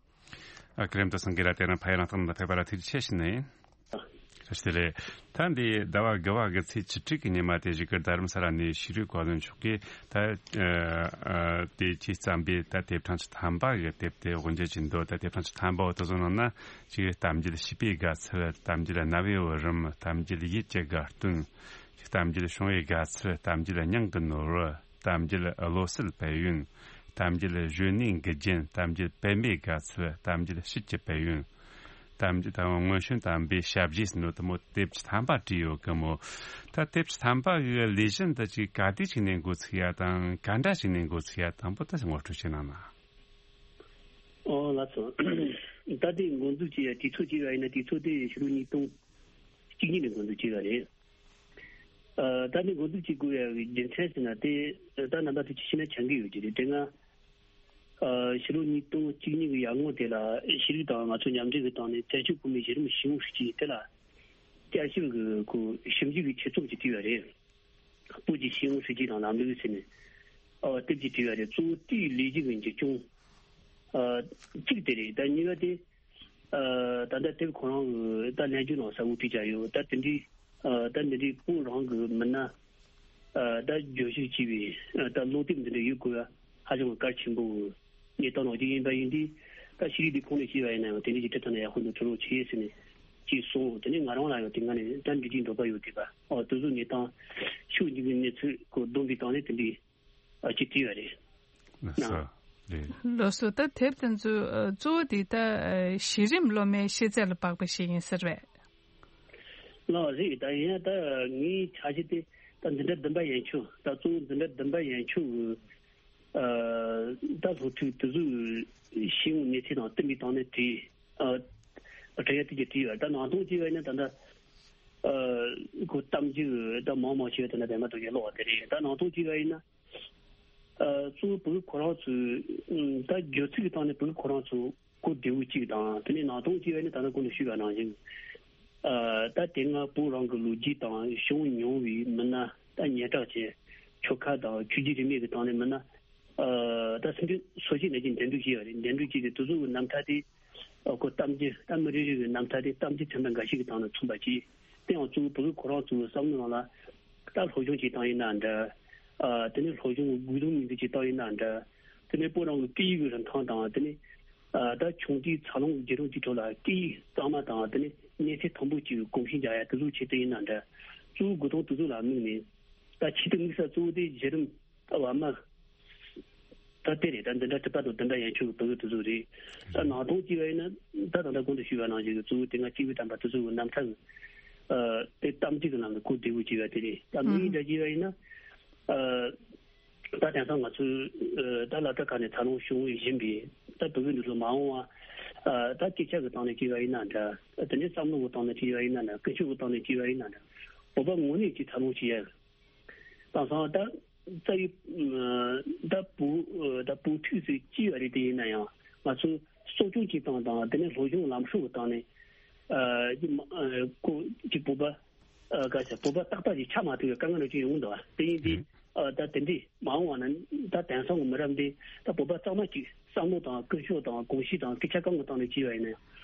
ཨ། ཀིརྟི་སེང་གེ་ལགས་དེ་རིང་ཕ་ཡུལ་རང་རྟགས་ནང་ཕེབས་པ་ལ་ཐུགས་རྗེ་ཆེ་ཞུ་ནི་ཡིན། བཀྲ་ཤིས་བདེ་ལེགས། ད་འདི་ཟླ་བ་དགུ་པ་གི་ཚེས་བཅུ་དྲུག་གི་ཉི་མ་དེ་བཞུགས་སྒར་རྡ་རམ་ས་ལ་ནས་ཕྱི་དྲིལ་བཀའ་བློན་མཆོག་གིས་ད་ཨ་ཨ་དེ་ཅིག་བརྩམས་པའི་ད་དེབ་ཕྲེང་བཅུ་ཐམ་པ་གི་དེབ་དེ་དབུ་འབྱེད་ཀྱི་འདུག་ད་དེབ་ཕྲེང་བཅུ་ཐམ་པ་འོ་དེ་ཚོ་ནང་ན་ཅིག་གཏམ་རྒྱུད་བྱིས་པའི་དགའ་ཚལ། གཏམ་རྒྱུད་རྣ་བའི་བུ་རམ། གཏམ་རྒྱུད་ཡིད་ཀྱི་དགའ་སྟོན། གཏམ་རྒྱུད་བྱུང་བའི་དགའ་ཚལ། གཏམ་རྒྱུད་སྙིང་གི་ནོར་བུ། གཏམ་རྒྱུད་བློ་གསལ་དཔལ་ཡོན། གཏམ་རྒྱུད་གཞོན་ནུའི་འགུལ་རྒྱན། གཏམ་རྒྱུད་པད་མའི་དགའ་ཚལ། གཏམ་རྒྱུད་དཔྱིད་ཀྱི་དཔལ་ཡོན། གཏམ་རྒྱུད་དང་སྔོན་བྱོན་དམ་པའི་ཞབས་རྗེས་ཟེར་ནོ་དེ་མོ་དེབ་བཅུ་ཐམ་པ་བྲིས་ཡོད་གི་མོ། ད་དེབ་བཅུ་ཐམ་པ་གི་ལས་གཞི་འདི་ཅིག་ག་དུས་ཅིག་ནས་འགོ་ཚུགས་ཡ་དང་ག་འདྲ་ཞིག་ནས་འགོ་ཚུགས་ཡ་དང་པོ་ད་ངོ་སྤྲོད་བྱེད་གནང་ན། ཨོ་ལགས་སོ། ད་དེ་འགོ་འཛུགས་བྱས་ཡ་དུས་ཚོད་ཅིག་ཡ་ཡིན་ན་དུས་ཚོད་དེ་ཕྱི་ལོ་ཉིས་སྟོང་གཅིག་གཉིས་ནས་འགོ་འཛུགས་བྱས་ཡ་རེད། ཨ། ད་ནི་འགོ་འཛུགས་བྱེད་དགོས་ཡ་གི་རྒྱུ་མཚན་ཟེར་ན་དེ་ད་རྣམ་པ་ཚོས་ཅིག་ཤེས་ན་ཆ་གི་ཡོད་ཀྱི་རེད། དེ་སྔ་ ཕྱི་ལོ་ཉིས་སྟོང་བཅུ་གཉིས་ཀྱི་ཡར་སྔོན་དེ་ལ་ཤེས་རིག་དང་ང་ཚོ་མཉམ་འབྲེལ་གྱི་སྟེང་ནས་བཙན་བྱོལ་བོད་མིའི་གཞི་རིམ་ཤེས་ཡོན་སྲིད་བྱུས་དེ་ལ་བསྐྱར་ཞིབ་ཀྱི་ཁོ་ཞིབ་འཇུག་གི་ཆེད་རྩོམ་ཅིག་བྲིས་པ་རེད། བོད་ཀྱི་ཤེས་ཡོན་སྲིད་བྱུས་དང་ལམ་ལུགས་ཟེར་ནས་ཨ་དེབ་ཅིག་བྲིས་པ་རེད། གཙོ་བོ་དེའི་ལས་གཞི་གི་འཛིན་སྐྱོང་ཨ་གཅིག་དེ་རེད། ད་གཉིས་པ་དེ། ཨ་ད་ལྟ་དེབ་ཁོ་རང་གི་ད་ལན་རྒྱུ་ནང་གསལ་བོ་བྲིས་བཞག་ཡོད། ད་དེ་འདྲའི་ཨ་ད་འདི་འདྲའི་བོད་རང་གི་མི་སྣ་ཨ་ད་བརྗོད་གཞི་བྱས་པའི་ཨ་ད་སློབ་དེབ་འདི་འདྲ་ཡོད་དགོས་པ་ཧ་ཅང་གལ་ཆེན་པོ་གནས་སྟངས་ནང་གཅིག་ཡིན་པ་ཡིན་དུས། ད་ཤེས་རིག་དེ་ཁོངས་ནས་བཤད་པ་ཡིན་ན་ཡང་དེ་འདྲའི་ཅིག་ཁྲིད་ཐུབ་ན་ཡག་པོ་འདུག་ཐུགས་རྗེ་ཆེ་ཟེར་ནས་ཅིག་གསུངས། དེ་ནས་ང་རང་ལ་ཡང་དེ་སྔ་ནས་ད་འདྲི་རྒྱུའི་འདོད་པ་ཡོད་དེ་པ། ཨོ་དེ་ཚོ་གནས་སྟངས་ཤོད་འཇུག་གི་གནས་ཚུལ་གོ་བསྡོམས་པའི་སྟེང་ནས་དེ་འདྲའི་ཨ་ཅིག་བྲིས་པ་རེད། ལགས་སོ། རེད། ལགས་སོ། ད་དེབ་དེ་ཚོ་ཨ་གཙོ་བོ་དེ་ད་ཨ་གཞི་རིམ་སློབ་མའི་ཤེས་ཚད་ལ་དཔག་པ་ཞིག་ཡིན་ཟེར་བས། ལགས་རེད། ད་ཡིན་ཡང་ད་ངའི་འཆར་གཞི་དེ་ད་འཛིན་གྲྭ་བདུན་པ་ཡན་ཆོད། ད་གཙོ་བོ་འཛིན་གྲྭ་བདུན་པ་ཡན་ཆོད་གི་ཨ་ད་སློབ་ཕྲུག་དེ་ཚོའི་ཤེས་ཡོན་གནས་ཚད་དང་བསྟུན་པའི་སྟེང་ནས་བྲིས། ཨ་བྲིས་ཡ་དེ་གྱིས་བྲིས་པ། ད་ནང་དོན་བྱས་པ་ཡིན་ན་ད་ལྟ་ཨ་ཁོ་གཏམ་རྒྱུད་ད་མང་མང་ཞིག་ད་ལྟ་བདེན་པ་དོན་གྱི་ཀློག་པ་དེ་རེད། ད་ནང་དོན་བྱས་པ་ཡིན་ན། ཨ་གཙོ་བོ་བོད་ཁོ་རང་ཚོའི་ཨ་ད་སྦྱོར་ཚིག་གི་སྟེང་ནས་བོད་ཁོ་རང་ཚོ་གོ་བདེ་བོ་གཅིག་དང་། དེ་ནས་ནང་དོན་བྱས་པ་ཡིན་ན་ད་ལྟ་གོང་དུ་ཞུས་པ་ནང་བཞིན། ཨ་ད་དེ་སྔ་བོད་རང་གི་ལོ་རྒྱུས་དང་བྱུང་མྱོང་བའི་མི་སྣ། ད་སྙན་གྲགས་ཅན་ཆོལ་ཁ་དང་ཆོས་བརྒྱུད་རིས་མེད་ཀྱི་སྟེང་ནས་མི་སྣ། ཨ་ད་སེམས་ཅན་སོ་སྐྱེ་ནང་བཞིན་འདེམས་སྒྲུག་བྱས་པ་རེད། འདེམས་སྒྲུག་བྱས་ཏེ་དེ་ཚོ་གི་རྣམ་ཐར་དེ་ཨ་ཁོ་གཏམ་རྒྱུད། ད་མི་རེ་རེ་གི་རྣམ་ཐར་དེ་གཏམ་རྒྱུད་ཚན་པ་འགའ་ཞིག་གི་སྟེང་ནས་མཚོན་པ་བྱས། དེ་ཡང་གཙོ་བོ་བོད་ཁོ་རང་ཚོའི་བསམ་བློ་ནང་ལ་ད་སློབ་སྦྱོང་བྱེད་སྟངས་ཡིན་ན་འདྲ། ཨ་དེ་ནས་སློབ་སྦྱོང་གི་དགོས་དོན་མིང་འདོན་བྱེད་སྟངས་ཡིན་ན་འདྲ། དེ་ནས་བོད་རང་གི་སྐད་ཡིག་གི་རིན་ཐང་དང་། དེ་ནས་ཨ་ད་ཆུང་དུས་འཚར་ལོངས་ཀྱི་བརྒྱུད་རིམ་གྱི་ཁྲོད་ལ་སྐད་ཡིག་གཙང་མ་དང་། དེ་ནས་གནས་ཚད་མཐོན་པོ་ཅིག་གོམས་གཤིས་འཇགས་ཡ་དེ་ཚོའི་ཆེད་དུ་ཡིན་ན་འདྲ། གཙོ་བོ་དགོས་དོན་དེ་ཚོ་ལ་དམིགས་ནས། ད་ཆེད་དུ་དམིགས་ས་གཙོ་བོ་དེ་གཞི་རིམ་ད་བར་མ། ད་དེ་རེད། ད་འཛིན་གྲྭ་དྲུག་པ་དང་བདུན་པ་ཡན་ཆོད་ཀྱི་བོད་ཡིག་དེ་ཚོ་རེད། ད་ནང་དོན་བྱས་པ་ཡིན་ན་ད་ད་ལྟ་གོང་དུ་ཞུས་པ་ནང་བཞིན་གྱི་གཙོ་བོ་དེ་སྔ་སྐྱེས་བུ་དམ་པ་དེ་ཚོ་གི་རྣམ་ཐར་གྱི་ཨ་དེ་གཏམ་རྒྱུད་ཀྱི་ནང་གི་གོ་བདེ་བོ་བྱས་པ་དེ་རེད། ད་དམིགས་ཡུལ་འདྲ་བྱས་པ་ཡིན་ན། ཨ་ད་དེང་སང་ང་ཚོའི་ཨ་ད་སློབ་གྲྭ་ཁག་ནས་འཚར་ལོངས་བྱུང་བཞིན་པའི་ད་བོད་ཡིག་འདི་ཚོ་མ་འོངས་པ་ཨ་ད་སྐད་ཆ་གི་སྟེང་ནས་བྱས་པ་ཡིན་ན་འདྲ། དེ་ནས་བསམ་བློ་གི་སྟེང་ནས་བྱས་པ་ཡིན་ན་འདྲ། ཀུན་སྤྱོད་ཀྱི་སྟེང་ནས་བྱས་པ་ཡིན་ན་འདྲ། བོད་པ་ངོས་ནས་ཀྱི་འཚར་ལོངས་བྱེད་ཡ། དེང་སང་ད་རྩ་བའི་ད་བོད་ད་བོད་ཕྲུག་ཚོས་གཅིག་ཡོད་རེད། དེ་ཡིན་ན་ཡང་ང་ཚོ་གསོ་སྐྱོང་བྱེད་སྟངས་དང་། དེ་ནས་སློབ་སྦྱོང་ལམ་སྲོལ་གྱི་སྟེང་ནས་ཨ་ཅིག་མ་ཨ་ཁོ་ཅིག་བོད་པ་ཨ་ག་ས་བོད་པ་རྟག་པ་ཞིག་ཆགས་མ་ཐུབ་པའི་དཀའ་ངལ་རེ་ཅིག་ཡོང་གི་འདུག་པ། དེ་ཡིན་དུས་ཨ་ད་དེ་འདྲས་མ་འོངས་པ་ན་ད་དེང་སང་གི་མི་རབས་འདི་ད་བོད་པ་གཙང་མ་ཅིག་བསམ་བློ་དང་ཀུན་སྤྱོད་དང་གོམས་གཤིས་དང་སྐད་ཆ་གང་གི་སྟེང་ནས་བྱས་པ་ཡིན་ན་ཡང་།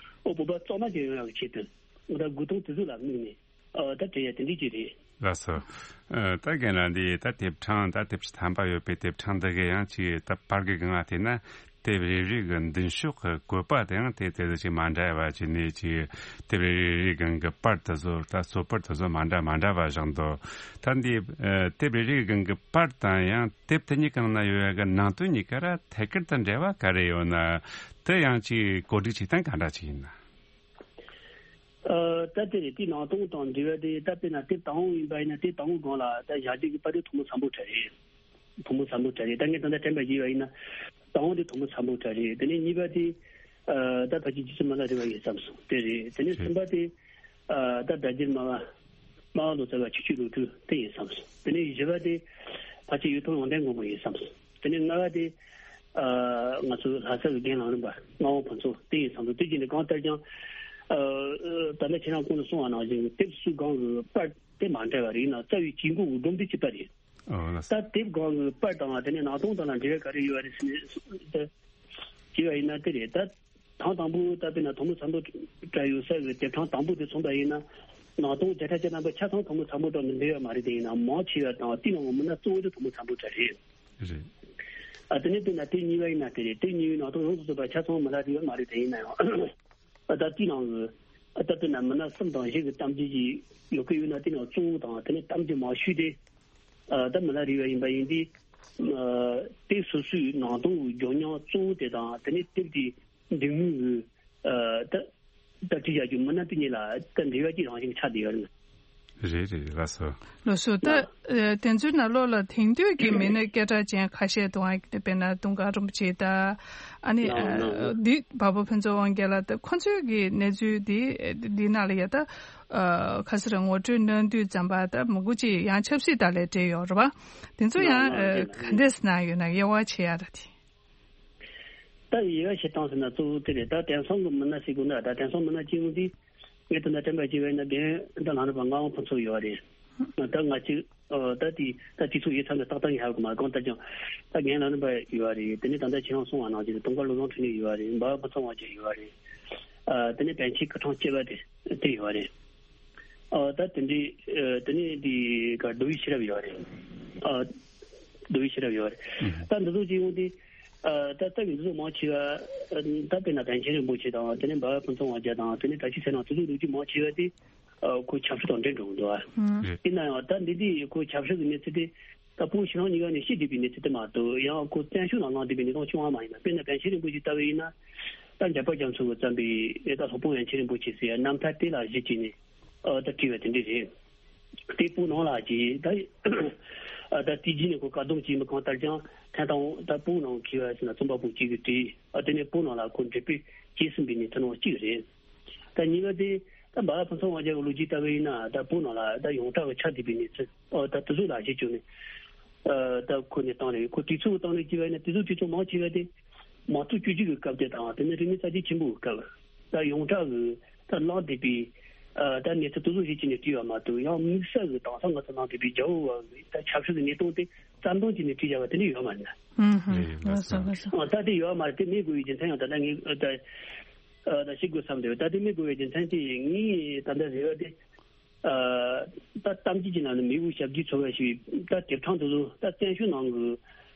ཨོ་བོད་པ་གཙང་མ་ཅིག་ཡོང་ཡག་གི་ཆེད་དུ་ཨོ་ད་དགོས་དོན་དེ་ཚོ་ལ་དམིགས་ནས། ཨ་ད་དྲན་ཡ་དེ་འདྲ་ཅིག་རེད། ལགས་སོ། ཨ་ད་རྒན་ལགས་འདི་ད་དེབ་གྲངས་ད་དེབ་ཕྲེང་ཐམ་པ་ཡོད་པའི་དེབ་གྲངས་འདི་གའི་ཡང་ཅིག་ད་པར་གི་སྒང་ལ་བལྟས་ན་དེབ་རེ་རེ་གི་མདུན་ཤོག་གི་བཀོད་པ་དེའང་དེ་དེ་ཚོ་ཅིག་མ་འདྲ་བ་བྱས་ནས། ཅིག་དེབ་རེ་རེ་རེའི་སྒང་གི་པར་དེ་ཚོ་ད་གཙོ་པར་དེ་ཚོ་མ་འདྲ་མ་འདྲ་བ་བཞག་འདུག་ད་འདི་ཨ་དེབ་རེ་རེའི་སྒང་གི་པར་དང་ཡང་དེབ་དེ་གཉིས་གང་ན་ཡོད་ཡ་གི་ནང་དོན་གཉིས་ཀ་ར་ཐད་ཀར་དུ་འབྲེལ་བ་ག་རེ་ཡོད་ན། དེ་ཡང་ཅིག་གོ་སྒྲིག་བྱེད་སྟངས་ག་འདྲ་ཅིག་ཡིན་ན། ཨ་ད་དེ་རེད། དེའི་ནང་དོན་དང་འབྲེལ་བ་དེ་ད་དཔེར་ན་དེབ་དང་པོ་ཡིན་པ་ཡིན་ན་དེབ་དང་པོའི་སྒང་ལ་ད་བཞག་རྒྱུ་གི་པར་རིས་ཐོག་མ་ཚང་པོ་གྲས་རེད། ཐོག་མ་ཚང་པོ་གྲས་རེད། ད་ངས་ད་ལྟ་དྲན་པ་བརྗེས་པ་ཡིན་ན་དང་པོ་དེ་ཐོག་མ་ཚང་པོ་གྲས་རེད། དེ་ནས་གཉིས་པ་དེ་ཨ་ད་ཕལ་ཆེར་རྗེ་བཙུན་མ་ལ་རས་པ་ཡིན་བསམ་སོང་། དེ་རེད། དེ་ནས་གསུམ་པ་དེ་ཨ་ད་སྒྲ་སྒྱུར་སྨྲ་བ་སྨྲ་བ་ལོ་ཙཱ་བ་ཆོས་སྤྱོད་ལོ་དྲུག་དེ་ཡིན་བསམ་སོང་། དེ་ནས་བཞི་པ་དེ་ཕལ་ཆེར་གཡུ་ཐོག་ཡོན་ཏན་མགོན་པོ་ཡིན་བསམ་སོང་། དེ་ནས་ལྔ་པ་དེ་ཨ་ང་ཚོ་ལྷ་ས་གི་རྒན་ལམ་རིམ་པ་ངག་དབང་ཕུན་ཚོགས་དེ་ཡིན་བསམ་སོང་། དེ་བཞིན་དུ་གང་ལྟར་ཀྱང་ཨ་ད་ལྟ་ཁྱེད་རང་གོང་དུ་གསུངས་པ་ནང་བཞིན་དེབ་སུ་སྒང་གི་པར་དེ་མ་འདྲ་བ་རེད། ཡིན་ནའང་རྩ་བའི་དཀྱིལ་འཁོར་གྱི་སྒྲོམ་དེ་གཅིག་པ་རེད། ཨོ་ལགས་སོ། ད་དེབ་སྒང་གི་པར་དང་དེ་ནས་ནང་དོན་དང་ལ་འབྲེལ་བ་ག་རེ་ཡོད་རེད་ཟེར་ནས་དེ་བྱས་པ་ཡིན་ན་དེ་རེད། ད་དང་དང་པོ་ད་དཔེར་ན་ཐོག་མ་ཚང་པོ་གྲས་ཡོད་ས་གི་དེབ་གྲངས་དང་པོ་དེ་མཚོན་པ་ཡིན་ན་ནང་དོན་བརྒྱ་ཆ་བརྒྱ་ཐམ་པ་ཆ་ཚང་ཐོག་མ་ཚང་པོ་གྲས་ནས་འདྲེས་ཡོད་མ་རེད། དེ་ཡིན་ན་མང་ཆེ་བ་དང་དེའི་ནང་གི་མི་སྣ་གཙོ་བོ་དེ་ཐོག་མ་ཚང་པོ་གྲས་རེད། རེད། ཨ་དེ་ནས་དཔེར་ན་དེབ་གཉིས་པ་ཡིན་ན་དེ་རེད། དེབ་གཉིས་པའི་ནང་དོན་ཡོངས་སུ་རྫོགས་པ་ཆ་ཚང་མི་སྣ་རེད་ཡོད་མ་རེད། དེ་ཡིན་ན་ཡང་ཨ་ད་དེའི་ནང་གི་ཨ་ད་དཔེར་ན་མི་སྣ་གསུམ་དང་བཞི་གི་གཏམ་རྒྱུད་ཅིག་ཡོད་ཀྱི་ཡོད་ན་དེའི་ནང་གཙོ་བོ་དང་དེ་ནས་གཏམ་རྒྱུད་མང་ཤོས་དེ་ཨ་ད་མི་སྣ་རེ་བ་ཡིན་པ་ཡིན་དུས། ཨ་དེ་སོ་སོའི་ནང་དོན་གྱི་ལྗོན་མཉམ་གཙོ་བོ་དེ་དང་དེ་ནས་དེབ་དེའི་འབྲི་མཁན་གྱི་ཨ་ད་ད་བྲིས་བཞག་རྒྱུ་མི་སྣ་དེ་གཉིས་ལ་ད་འབྲེལ་བ་ཅིག་རང་བཞིན་ཆགས་བསྡད་ཡོད་རེད། རེད་རེད། ལགས་སོ། ལགས་སོ། ད་ཨ་དེ་ཚོའི་ནང་ལོགས་ལ་དེང་དུས་ཀྱི་མི་སྣ་སྐད་གྲགས་ཅན་ཁ་ཤས་འདུག་ཨ། དཔེར་ན་དུང་དཀར་རིན་པོ་ཆེ་ད་ཨ་ནི་ལགས་ལགས་ལགས། འདི་འཕགས་པ་ཕུན་ཚོགས་དབང་རྒྱལ་ལགས། ད་ཁོ་ཚོའི་གི་གནས་ཚུལ་འདི་འདི་ནང་ལ་ཡ་ད་ཨ་ཁ་སང་ར་ངོ་སྤྲོད་གནང་དུས་ཙམ་པ་ད་མང་པོ་ཅིག་ཡང་ཆབ་སྲིད་དང་ལས་འབྲེལ་ཡོད་རེད་པ། དེ་ཚོ་ཡང་ལགས་ལགས། ཨ་རེད་ག་རེད། འདྲས་གནང་ཡོད་ན་དབྱེ་བ་ཕྱེ་ཡ་ར་དེ། ད་དབྱེ་བ་ཕྱེ་སྟངས་ཟེར་ན་གཙོ་བོ་དེ་རེད། ད་དེང་སང་གི་མི་སྣ་ཟེར་དགོས་ན། ད་དེང་སང་མི་སྣ་སྐྱེ་བོ་འདི་ངས་ད་ལྟ་དྲན་པ་བྱས་པ་ཡིན་ན་རྒན་ད་ལྷ་རམས་པ་ངག་དབང་ཕུན་ཚོགས་ཡོད་རེད། ད་ང་གཅིག་ཨ་ད་དེ་ད་དུས་ཚོད་ཡོད་ཚད་ནས་ཏག་ཏག་ངས་ཧ་གོ་མ། གང་ལྟར་ཀྱང་ད་རྒན་ལྷ་རམས་པ་ཡོད་རེད། དེ་ནས་ད་ལྟ་ཁྱེད་རང་གསུངས་པ་ནང་བཞིན་དུང་དཀར་བློ་བཟང་འཕྲིན་ལས་ཡོད་རེད། འབའ་ཕུན་ཚོགས་དབང་རྒྱལ་ཡོད་རེད། ཨ་དེ་ནས་པཎ་ཆེན་སྐུ་ཕྲེང་བཅུ་པ་དེ་དེ་ཡོད་རེད། ཨ་ད་དེ་འདྲའི་ཨ་དེ་ནས་དེ་ག་རྡོ་བའི་ཤེས་རབ་ཡོད་རེད། ཨ་རྡོ་བའི་ཤེས་རབ་ཡོད་རེད། ད་འདི་ཚོ་ཅིག་ཡོང་དུས། ཨ་ད་ལྟ་གི་འདི་ཚོ་མང་ཆེ་བ་ཨ་ད་དཔེར་ན་པཎ་ཆེན་རིན་པོ་ཆེ་དང་། དེ་ནས་འབའ་ཕུན་ཚོགས་དབང་རྒྱལ་དང་། དེ་ནས་ད་ཅི་ཟེར་ན་དེ་ཚོ་ལོ་རྒྱུས་མང་ཆེ་བ་དེ་ཨ་ཁོ་ཆབ་སྲིད་དང་འབྲེལ་འགྲོ་གི་འདུག་ཨ། རེད། ཡིན་ན་ཡང་ད་འདི་དེ་ཁོ་ཆབ་སྲིད་ཀྱི་གནས་ཚུལ་དེ་ད་བོད་ཕྱི་ནང་གཉིས་ཀ་ནས་ཤེས་བསྡད་པའི་གནས་ཚུལ་དེ་མ་གཏོགས། ཡང་ཁོ་བཙན་བྱོལ་ནང་ལངས་བསྡད་པའི་གནས་སྟངས་བྱུང་བ་མ་ཡིན་པ། དཔེར་ན་པཎ་ཆེན་རིན་པོ་ཆེ་ལྟ་བུ་ཡིན་ན། ད་འཇམ་དཔལ་རྒྱ་མཚོ་གིས་བརྩམས་པའི་ད་སློབ་དཔོན་པཎ་ཆེན་རིན་པོ་ཆེ་ཟེར་ཡ་རྣམ་ཐར་དེ་ལ་གཞི་བྱས་ནས་ཨ་ད་བྲིས་པ་དེ་འདྲ་རེད། དེ་བོད་ནང་ལ་གྱིས་ད་ཨ་ད་དེ་རྗེས་ནས་ཁོ་བཀག་སྡོམ་བྱས་མི་གང་ལྟར་ཀྱང་ཐེངས་དང་པོ་ད་བོད་ནང་གི་བ་ཟེར་ན་རྩོམ་པ་པོ་གཅིག་གིས་བྲིས། ཨ་དེ་ནས་བོད་ནང་ལ་ཁོ་འགྲེམས་སྤེལ་བྱས་ཟིན་པའི་གནས་ཚུལ་ནང་གཅིག་རེད། ད་གཉིས་པ་དེ་ད་འབའ་ཕུན་ཚོགས་དབང་རྒྱལ་གྱི་ལོ་རྒྱུས་ལྟ་བུ་ཡིན་ན། ད་བོད་ནང་ལ་ད་ཡོངས་གྲགས་ཀྱི་ཆགས་བསྡད་པའི་གནས་ཚུལ་ཨོ་ད་དེ་ཚོ་ལ་གཞི་བཅོལ་ནས་ཨ་ད་ཁོ་ནས་བཏང་རེད། ཁོ་དུས་ཚོད་བཏང་རེད་ཅེས་པ་ཡིན་ན། དུས་ཚོད་དུས་ཚོད་མང་ཆེ་བ་དེ་མང་གཙོ་བཅོས་བསྒྱུར་གྱི་སྐབས་དེ་དང་། དེ་ནས་རིག་གནས་གསར་བརྗེ་ཆེན་པོའི་སྐབས། ད་ཡོངས་གྲགས་ཀྱི་ད་བརླག་བསྡད་པའི་ཨ་ད་གནས་ཚུལ་དེ་ཚོ་གཞི་བྱས་ནས་བྲིས་པ་མ་གཏོགས། ཡང་དམིགས་བསལ་གྱི་དེང་སང་ང་ཚོ་ནང་བསྡད་པའི་རྒྱ་བོད་བར་གྱི་ད་ཆབ་སྲིད་ཀྱི་གནས་སྟངས་དེ་རྩ་འདོན་བྱས་ནས་བྲིས་བཞག་པ་དེ་འདྲ་ཡོད་མ་རེད་ན། ཧུམ་ཧུམ། ཨ་ལགས་སོ། ལགས་སོ། ཨ་ད་དེ་ཡོད་མ་རེད། དེ་མེད་དགོས་པའི་རྒྱུ་མཚན་ཡང་ད་ལྟ་ངས་ཨ་ད་ཨ་ད་ཤེས་དགོས་བསམ་འདུག་ད་དེ་མེད་དགོས་པའི་རྒྱུ་མཚན་དེ་ངས་ད་ལྟ་རེ་བ་དེ། ཨ་ད་གཏམ་རྒྱུད་ཀྱི་ནང་ནས་མེས་པོ་ཞབས་ཀྱུ་ཚོ་བ་ཞེས་པའི་ད་དེབ་གྲངས་དེ་ཚོ་ད་བཙན་བྱོལ་ནང་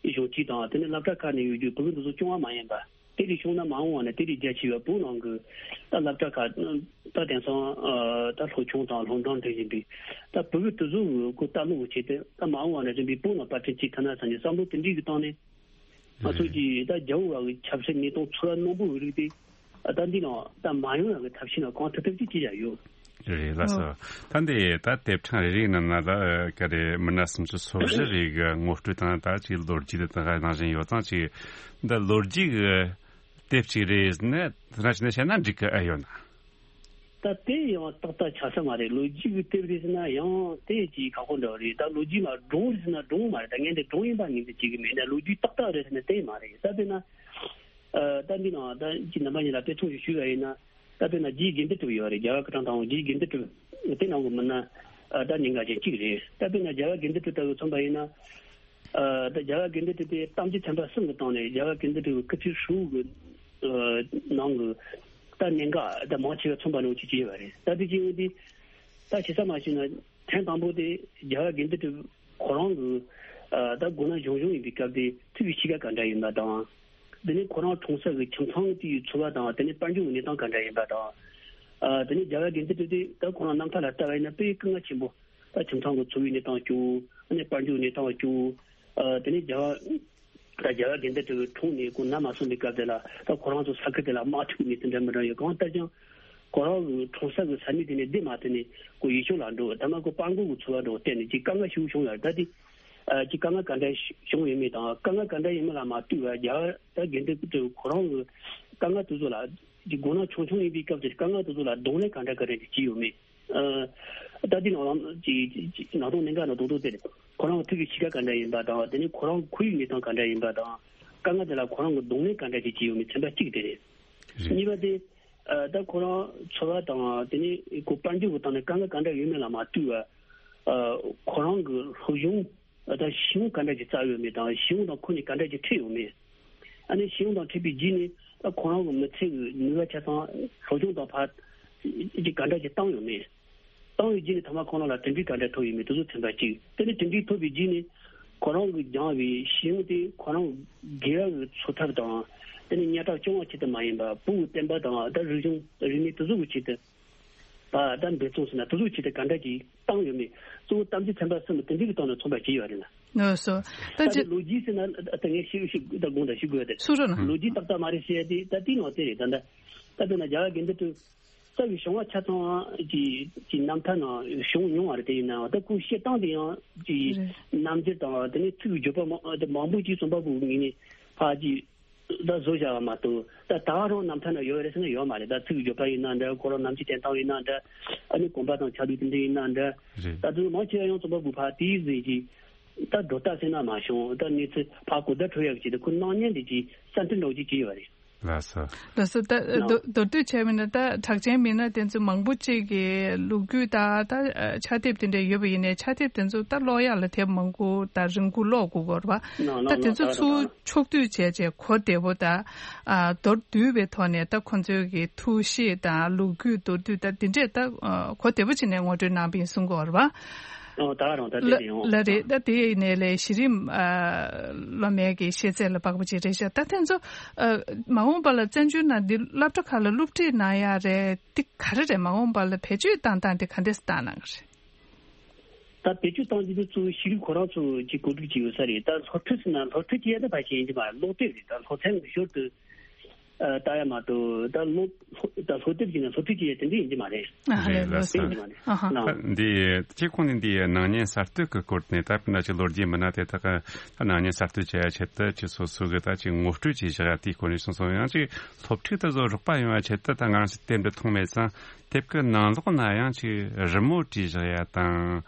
གི་གཞུང་གཅིག་དང་། དེ་ནས་སློབ་གྲྭ་ཁག་ནས་ཡོད་རྒྱུ་བོད་ཀྱི་འདི་ཚོ་སྐྱོང་བ་མ་ཡིན་པ། དེ་ལས་བྱུང་ན་མ་འོངས་བ་ན་དེ་ལས་རྒྱ་ཆེ་བ་བོད་ནང་གི་ད་སློབ་གྲྭ་ཁག་ད་དེང་སང་ཨ་ད་སློབ་ཆུང་དང་སློབ་འབྲིང་འདྲ་ཡིན་པའི་ད་བོད་ཀྱི་དེ་ཚོ་གི་ཁོ་ལྟ་ཀློག་གི་ཆེད་དུ། ད་མ་འོངས་བ་ན་རིམ་པས་བོད་ནང་པར་སྐྲུན་བྱེད་ཐུབ་ན་བསམ་ནས་བསམ་བློ་དེ་འདྲའི་གི་བཏང་ནས། ང་ཚོ་གི་ད་རྒྱ་བོད་བར་གྱི་ཆབ་སྲིད་གནས་སྟངས་འཚོ་བ་རྣོན་པོ་གི་རིགས་དེ་ཨ་ད་འདི་ནང་ད་མ་ཡོང་ཡག་གི་ཐབས་ཤེས་ནང་གང་ཐུབ་ཐུབ་ཅིག་བྱེད་ཡག་ཡོད། རེད། ལགས་སོ། ད་འདི་ད་དེབ་གྲངས་རེ་རེའི་ནང་ན་ད་ག་རེ་མི་སྣ་སུམ་ཅུ་སོ་བཞི་རེ་གི་ངོ་སྤྲོད་དང་། ད་ཅིག་ལོ་རྒྱུས་དེ་དང་ནང་བཞིན་ཡོད་ཙང་། ཅིག་འདི་ལོ་རྒྱུས་གི་དེབ་ཅིག་རེད་ཟེར་ནས་དེ་འདྲ་བྱས་ནས་བཤད་ན་འགྲིག་གི་ཨེ་ཡོད་ན། ད་དེ་ཡང་ཏག་ཏག་ཆགས་ས་མ་རེད། ལོ་རྒྱུས་ཀྱི་དེབ་རེད་ཟེར་ན་ཡང་དེ་ཅིག་ཁག་པོ་འདྲ་བོ་རེད། ད་ལོ་རྒྱུས་ལ་སྒྲུང་རེད་ཟེར་ན་སྒྲུང་མ་རེད། ད་ངས་འདི་སྒྲུང་ཡིན་པ་ངོས་འཛིན་བྱེད་ཀྱི་མེད། ད་ལོ་རྒྱུས་ཏག་ཏག་རེད་ཟེར་ན་དེ་མ་རེད། ད་དཔེར་ན་ཨ་ད་འདི་ནང་ད་ཅིག་རྣམ་པ་གཉིས་ལ་དཔེ་མཚོན་ཞིག་ཞུས་པ་ཡིན་ན། ད་དཔེར་ན་རྗེ་དགེ་འདུན་གྲུབ་ཡོད་རེད། རྒྱལ་བ་སྐུ་ཕྲེང་དང་པོ་རྗེ་དགེ་འདུན་གྲུབ་དེ་ནང་གི་མི་སྣ་ཨ་ད་གནད་འགག་ཅན་གཅིག་རེད། ད་དཔེར་ན་རྒྱལ་བ་དགེ་འདུན་གྲུབ་ལྟ་བུ་མཚོན་པ་ཡིན་ན། ཨ་ད་རྒྱལ་བ་དགེ་འདུན་གྲུབ་དེ་གཏམ་རྒྱུད་ཚན་པ་གསུམ་གྱི་སྟེང་ནས་རྒྱལ་བ་དགེ་འདུན་གྲུབ་ཀྱི་སྐུ་ཚེ་ཧྲིལ་བོའི་ཨ་ནང་གི་ད་གནད་འགག་ད་མང་ཆེ་བ་མཚོན་པ་ནང་བཞིན་བྱས་པ་རེད། ད་དེ་བྱས་ཡོང་དུས་ད་ཞེ་ས་མ་ཞུས་ན་ཐེངས་དང་པོ་དེ་རྒྱལ་བ་དགེ་འདུན་གྲུབ་ཁོ་རང་གི་ཨ་ད་མགོ་ན་གཞོན་གཞོན་ཡིན་པའི་སྐབས་དེ་ཐུགས་ཀྱི་གཤིས་ཀ་ག་འདྲ་ཡིན་པ་དང་། དེ་ནས་ཁོ་རང་གྲོང་གསེབ་ཀྱི་ཁྱིམ་ཚང་དེའི་འཚོ་བ་དང་། དེ་ནས་དཔལ་འབྱོར་གྱི་གནས་སྟངས་ག་འདྲ་ཡིན་པ་དང་། ཨ་དེ་ནས་རྒྱལ་བ་དགེ་འདུན་གྲུབ་དེ་ད་ཁོ་རང་རྣམ་ཐར་ལ་ལྟ་བ་ཡིན་ན་དཔེ་སྐུ་ངལ་ཆེན་པོ། ད་ཁྱིམ་ཚང་གི་འཚོ་བའི་གནས་སྟངས་སྐྱོ་བོ། ཨ་ནི་དཔལ་འབྱོར་གནས་སྟངས་སྐྱོ་བོ། ཨ་དེ་ནས་རྒྱལ་བ་ད་རྒྱལ་བ་དགེ་འདུན་གྲུབ་གྲོངས་ནས་ཁོ་ན་མ་སོན་པའི་སྐབས་དེ་ལ་ད་ཁོ་རང་ཚོ་ས་ཁུལ་དེ་ལ་དམག་འཁྲུག་གནས་ཚུལ་འདྲ་མི་འདྲ་ཡོད། གང་ལྟར་ཀྱང་ཁོ་རང་གི་གྲོང་གསེབ་ཀྱི་ས་གནས་དེ་ནས་བསྡད་མ་ཐུབ་ནས་ཁོ་ཡུལ་ཕྱོགས་ལ་འགྲོ། ཐ་མ་ཁོ་སྤྲང་པོ་གི་འཚོ་བ་འགྲོ་བརྟེན་ནས་ཅིག་དཀའ་ངལ་ཞེ་པོ་བྱུང་ཡོད་རེད། ད་དེ་ཨ་ཅིག་དཀའ་ངལ་ག་འདྲ་བྱུང་ཡོད་མེད་དང་། དཀའ་ངལ་ག་འདྲ་ཡིན་མིན་ལ་མ་ལྟོས་པར་རྒྱལ་བ་ད་དགེ་འདུན་གྲུབ་ཁོ་རང་གི་དཀའ་ངལ་དེ་ཚོ་ལ་ཅིག་མགོ་ན་ཆུང་ཆུང་ཡིན་པའི་སྐབས་དེར་དཀའ་ངལ་དེ་ཚོ་ལ་གདོང་ལེན་ག་འདྲ་ག་རེ་ཅིག་བྱས་ཡོད་མེད། ཨ་ད་དེ་ནང་ལ་ཅིག་ཅིག་ཅིག་ནང་དོན་གནད་འགག་ནང་དོན་དོན་དེ་རེད། ཁོ་རང་ཐུགས་ཀྱི་གཤིས་ཀ་ག་འདྲ་ཡིན་པ་དང་། དེ་ནས་ཁོ་རང་ཁོར་ཡུག་གནས་སྟངས་ག་འདྲ་ཡིན་པ་དང་། དཀའ་ངལ་དེ་ལ་ཁོ་རང་གི་གདོང་ལེན་ག་འདྲ་ཅིག་བྱས་ཡོད་མེད་ཚན་པ་གཅིག་དེ་རེད། རེད། གཉིས་པ་དེ་ཨ་ད་ཁོ་རང་འཚོ་བ་དང་། དེ་ནས་ཁོ་དཔལ་འབྱོར་གྱི་སྟེང་ནས་དཀའ་ངལ་ག་འདྲ་ཡོད་མེད་ལ་མ་ལྟོས་པར། ཨ་ཁོ་རང་གི་སློབ་སྦྱོང་ད་གཞི་གཞུང་ག་འདྲ་ཅིག་བཙལ་ཡོད་མེད་དང་། གཞི་གཞུང་དང་ཁོ་གཉིས་ག་འདྲ་ཅིག་འཕྲད་ཡོད་མེད། ཨ་ནི་གཞི་གཞུང་དང་འཕྲད་པའི་རྗེས་ནས་ད་ཁོ་རང་གི་མི་ཚེ་གི་ནུས་པ་ཆ་ཚང་སློབ་སྦྱོང་དང་ཕར་ཅིག་ག་འདྲ་ཅིག་བཏང་ཡོད་མེད། བཏང་བའི་རྗེས་ནས་ཐ་མ་ཁོ་རང་ལ་དོན་འགྲུབ་ག་འདྲ་ཐོབ་ཡོད་མེད། དེ་ཚོ་ཚན་པ་གཅིག་དེ་ནས་དོན་འགྲུབ་ཐོབ་པའི་རྗེས་ནས་ཁོ་རང་གིས་སྦྱངས་པའི་གཞི་གཞུང་དེ་ཁོ་རང་དགེ་བ་གི་འཚོ་ཐབས་དང་། དེ་ནས་སྙན་གྲགས་སྐྱོང་བ་ཆེད་དུ་མ་ཡིན་པར་བོད་ཀྱི་བསྟན་པ་དང་ད་རིག་གཞུང་རིག་གནས་དེ་ཚོ་གི་ཆེད་དུ། ད་ད་འབད་བརྩོན་ཟེར་ན་དེ་ཚོ་ཆེད་དུ་ག་འདྲ་ཅིག་བཏང་ཡོད་མེད། གཙོ་བོ་གཏམ་རྒྱུད་ཚན་པ་གསུམ་དེ་འདྲ་གི་སྟེང་ནས་མཚོན་པ་བྱས་ཡོད་རེད་ན། ལགས་སོ། ད་ད་ཅི་དེ་ལོ་རྒྱུས་ཟེར་ན་ད་ངས་ཤེས་ཤེས་ད་དགོངས་དག་ཞུ་དགོས་ཡ་དེ། ཚུར་རོ་ན། ལོ་རྒྱུས་ཏག་ཏག་མ་རེད་ཟེར་ཡ་དེ་ད་དེའི་ནང་དེ་རེད། ད་ད་ད་དཔེར་ན་རྒྱལ་བ་དགེ་འདུན་གྲུབ་རྩ་བའི་བྱུང་བ་ཆ་ཚང་གི་གི་རྣམ་ཐར་ནང་བྱུང་མྱོང་བ་རེད། དེ་ཡིན་ནའང་ད་ཁོའི་བཤད་སྟངས་དེ་ཡང་གི་རེད། རྣམ་འགྱུར་དང་དེ་ནས་ཚིག་གི་བརྗོད་པ་མང་དེ་མང་པོ་ཅིག་རྩོམ་པ་པོའི་ངོས་ནས་ཕར་གྱི་ད་བཟོ་བཞག་པ་མ་གཏོགས། ད་ད་ག་རང་རྣམ་ཐར་ན་ཡོད་རེད་ཟེར་ན་ཡོད་མ་རེད། ད་ཚིག་གི་བརྗོད་པ་ཡིན་ན་འདྲ། ཁོ་རང་ནམ་རྒྱུན་བསྟན་སྟངས་ཡིན་ན་འདྲ། ཨ་ནི་གོམ་པ་དང་ཆ་ལུགས་དེ་འདྲ་ཡིན་ན་འདྲ། རེད། ད་དུང་མང་ཆེ་བ་ཡང་རྩོམ་པ་པོ་ཕར་དེའི་ཟིན་གྱིས་ད་སྒྲོ་བཏགས་ཟེར་ན་མ་བྱུང་། ད་གནས་ཚུལ་ཕར་གོ་བརྡ་འཕྲོད་ཡག་གི་ཆེད་དུ་ཁོ་སྣང་བརྙན་འདི་གྱིས་གསར་འཕྲིན་འདྲ་བོ་ཅིག་བྱས་ཡོད་རེད། ལགས་སོ། ལགས་སོ། ད་མདོར་མདོར་བསྡུས་བྱས་པ་ན། ད་གྲགས་ཅན་མི་སྣ་དེ་ཚོ་མང་པོ་ཅིག་གི་ལོ་རྒྱུས་དང་ད་ཕྱག་དེབ་དེ་འདྲ་ཡོད་པ་ཡིན་ནའི། ཕྱག་དེབ་དེ་ཚོ་ད་ཀློག་ཡག་ལ་དེབ་མང་པོ་དང་རིང་པོ་ཀློག་དགོས་ཀྱི་ཡོད་རེད་པ། ད་དེ་ཚོ་ཚུར་ཕྱོགས་བསྡུས་བྱས་བྱས་གོ་བདེ་པོ་དང་། ཨ། མདོར་བསྡུས་པའི་ཐོག་ནས་ད་ཁོང་ཚོའི་གི་ཐུགས་བཞེད་དང་ལོ་རྒྱུས་མདོར་བསྡུས་ད་དེ་འདྲས་ད་གོ་བདེ་པོ་བྱས་ནས་ངོ་སྤྲོད་གནང་བ་ཡིན་གསུང་གི་ཡོད་རེད་པ། ཨོ། ད་རང་ད་དེ་ལ་རེད་ཡོང་། ལགས་རེད། ད་དེ་ཡིན་ནའི་ལས་གཞི་རིམ། ཨ། སློབ་མའི་གི་ཤེས་ཚད་ལ་དཔག་པ་ཅིག་རེད་ཤག་ད་དེ་ཚོ། ཨ། མ་འོངས་པ་ལ་བཙན་བྱོལ་ནང་འདི་སློབ་གྲྭ་ཁག་ལ་སློབ་ཁྲིད་གནང་ཡག་རེད། འདི་ག་རེ་རེད། མ་འོངས་པ་ལ་བེད་སྤྱོད་བཏང་སྟངས་དེ་ག་འདྲས་བཏང་གནང་གི་རེད། ད་བེད་སྤྱོད་བཏང་རྒྱུ་དེ་གཙོ་བོ་ཤེས་རིག་ཁོ་རང་ཚོ་གི་གོ་སྒྲིག་བྱས་ཡོད་ས་རེད། ད་སློབ་ཁྲིད་ཟེར་ན་སློབ་ཁྲིད་བྱེད་ཡ་ད་ཕལ་ཆེར་ཡིན་གྱི་མ་རེད། སློབ་དེབ་རེད། ད་སློབ་ཚན་ཞོར་དུ། ཨ། ལྟ་ཡ་མ་གཏོགས་ད་སློབ་ད་སློབ་དེབ་ཀྱི་ནང་སློབ་ཁྲིད་བྱེད་ཡ་དེ་འདྲ་ཡིན་གྱི་མ་རེད། ཨ། ལགས་སོ། དེ་ཡིན་གྱི་མ་རེད། ཨ་ཧ། ལགས། འདི་ཅིག་ཁོང་ནས་འདི་ནང་ཉིན་གསར་གཏོད་ཀྱི་སྐོར་ནས། ད་དཔེར་ན་ཅིག་ལོ་རྒྱུས་མི་སྣ་དེ་དག་གི་ད་ནང་ཉིན་གསར་གཏོད་བྱེད་ཡ་ཆེད་དུ་ཅིག་སོ་སོ་གི་ད་ཅིག་ངོ་སྤྲོད་ཅིག་བཞག་ཡ་དེའི་སྐོར་ནས་གསུངས་སོང་། ཡང་ཅིག་སློབ་ཁྲིད་དེ་ཚོ་རོགས་པ་ཡོང་བ་ཆེད་དུ་ད་ང་རང་ཚོ་དེབ་འདི་མཐོང་མེད་ཙང་། དེབ་ཀྱི་ནང་ལོགས་ན་ཡང་ཅིག་རི་མོ་བྲིས་བཞག་ཡ་དང་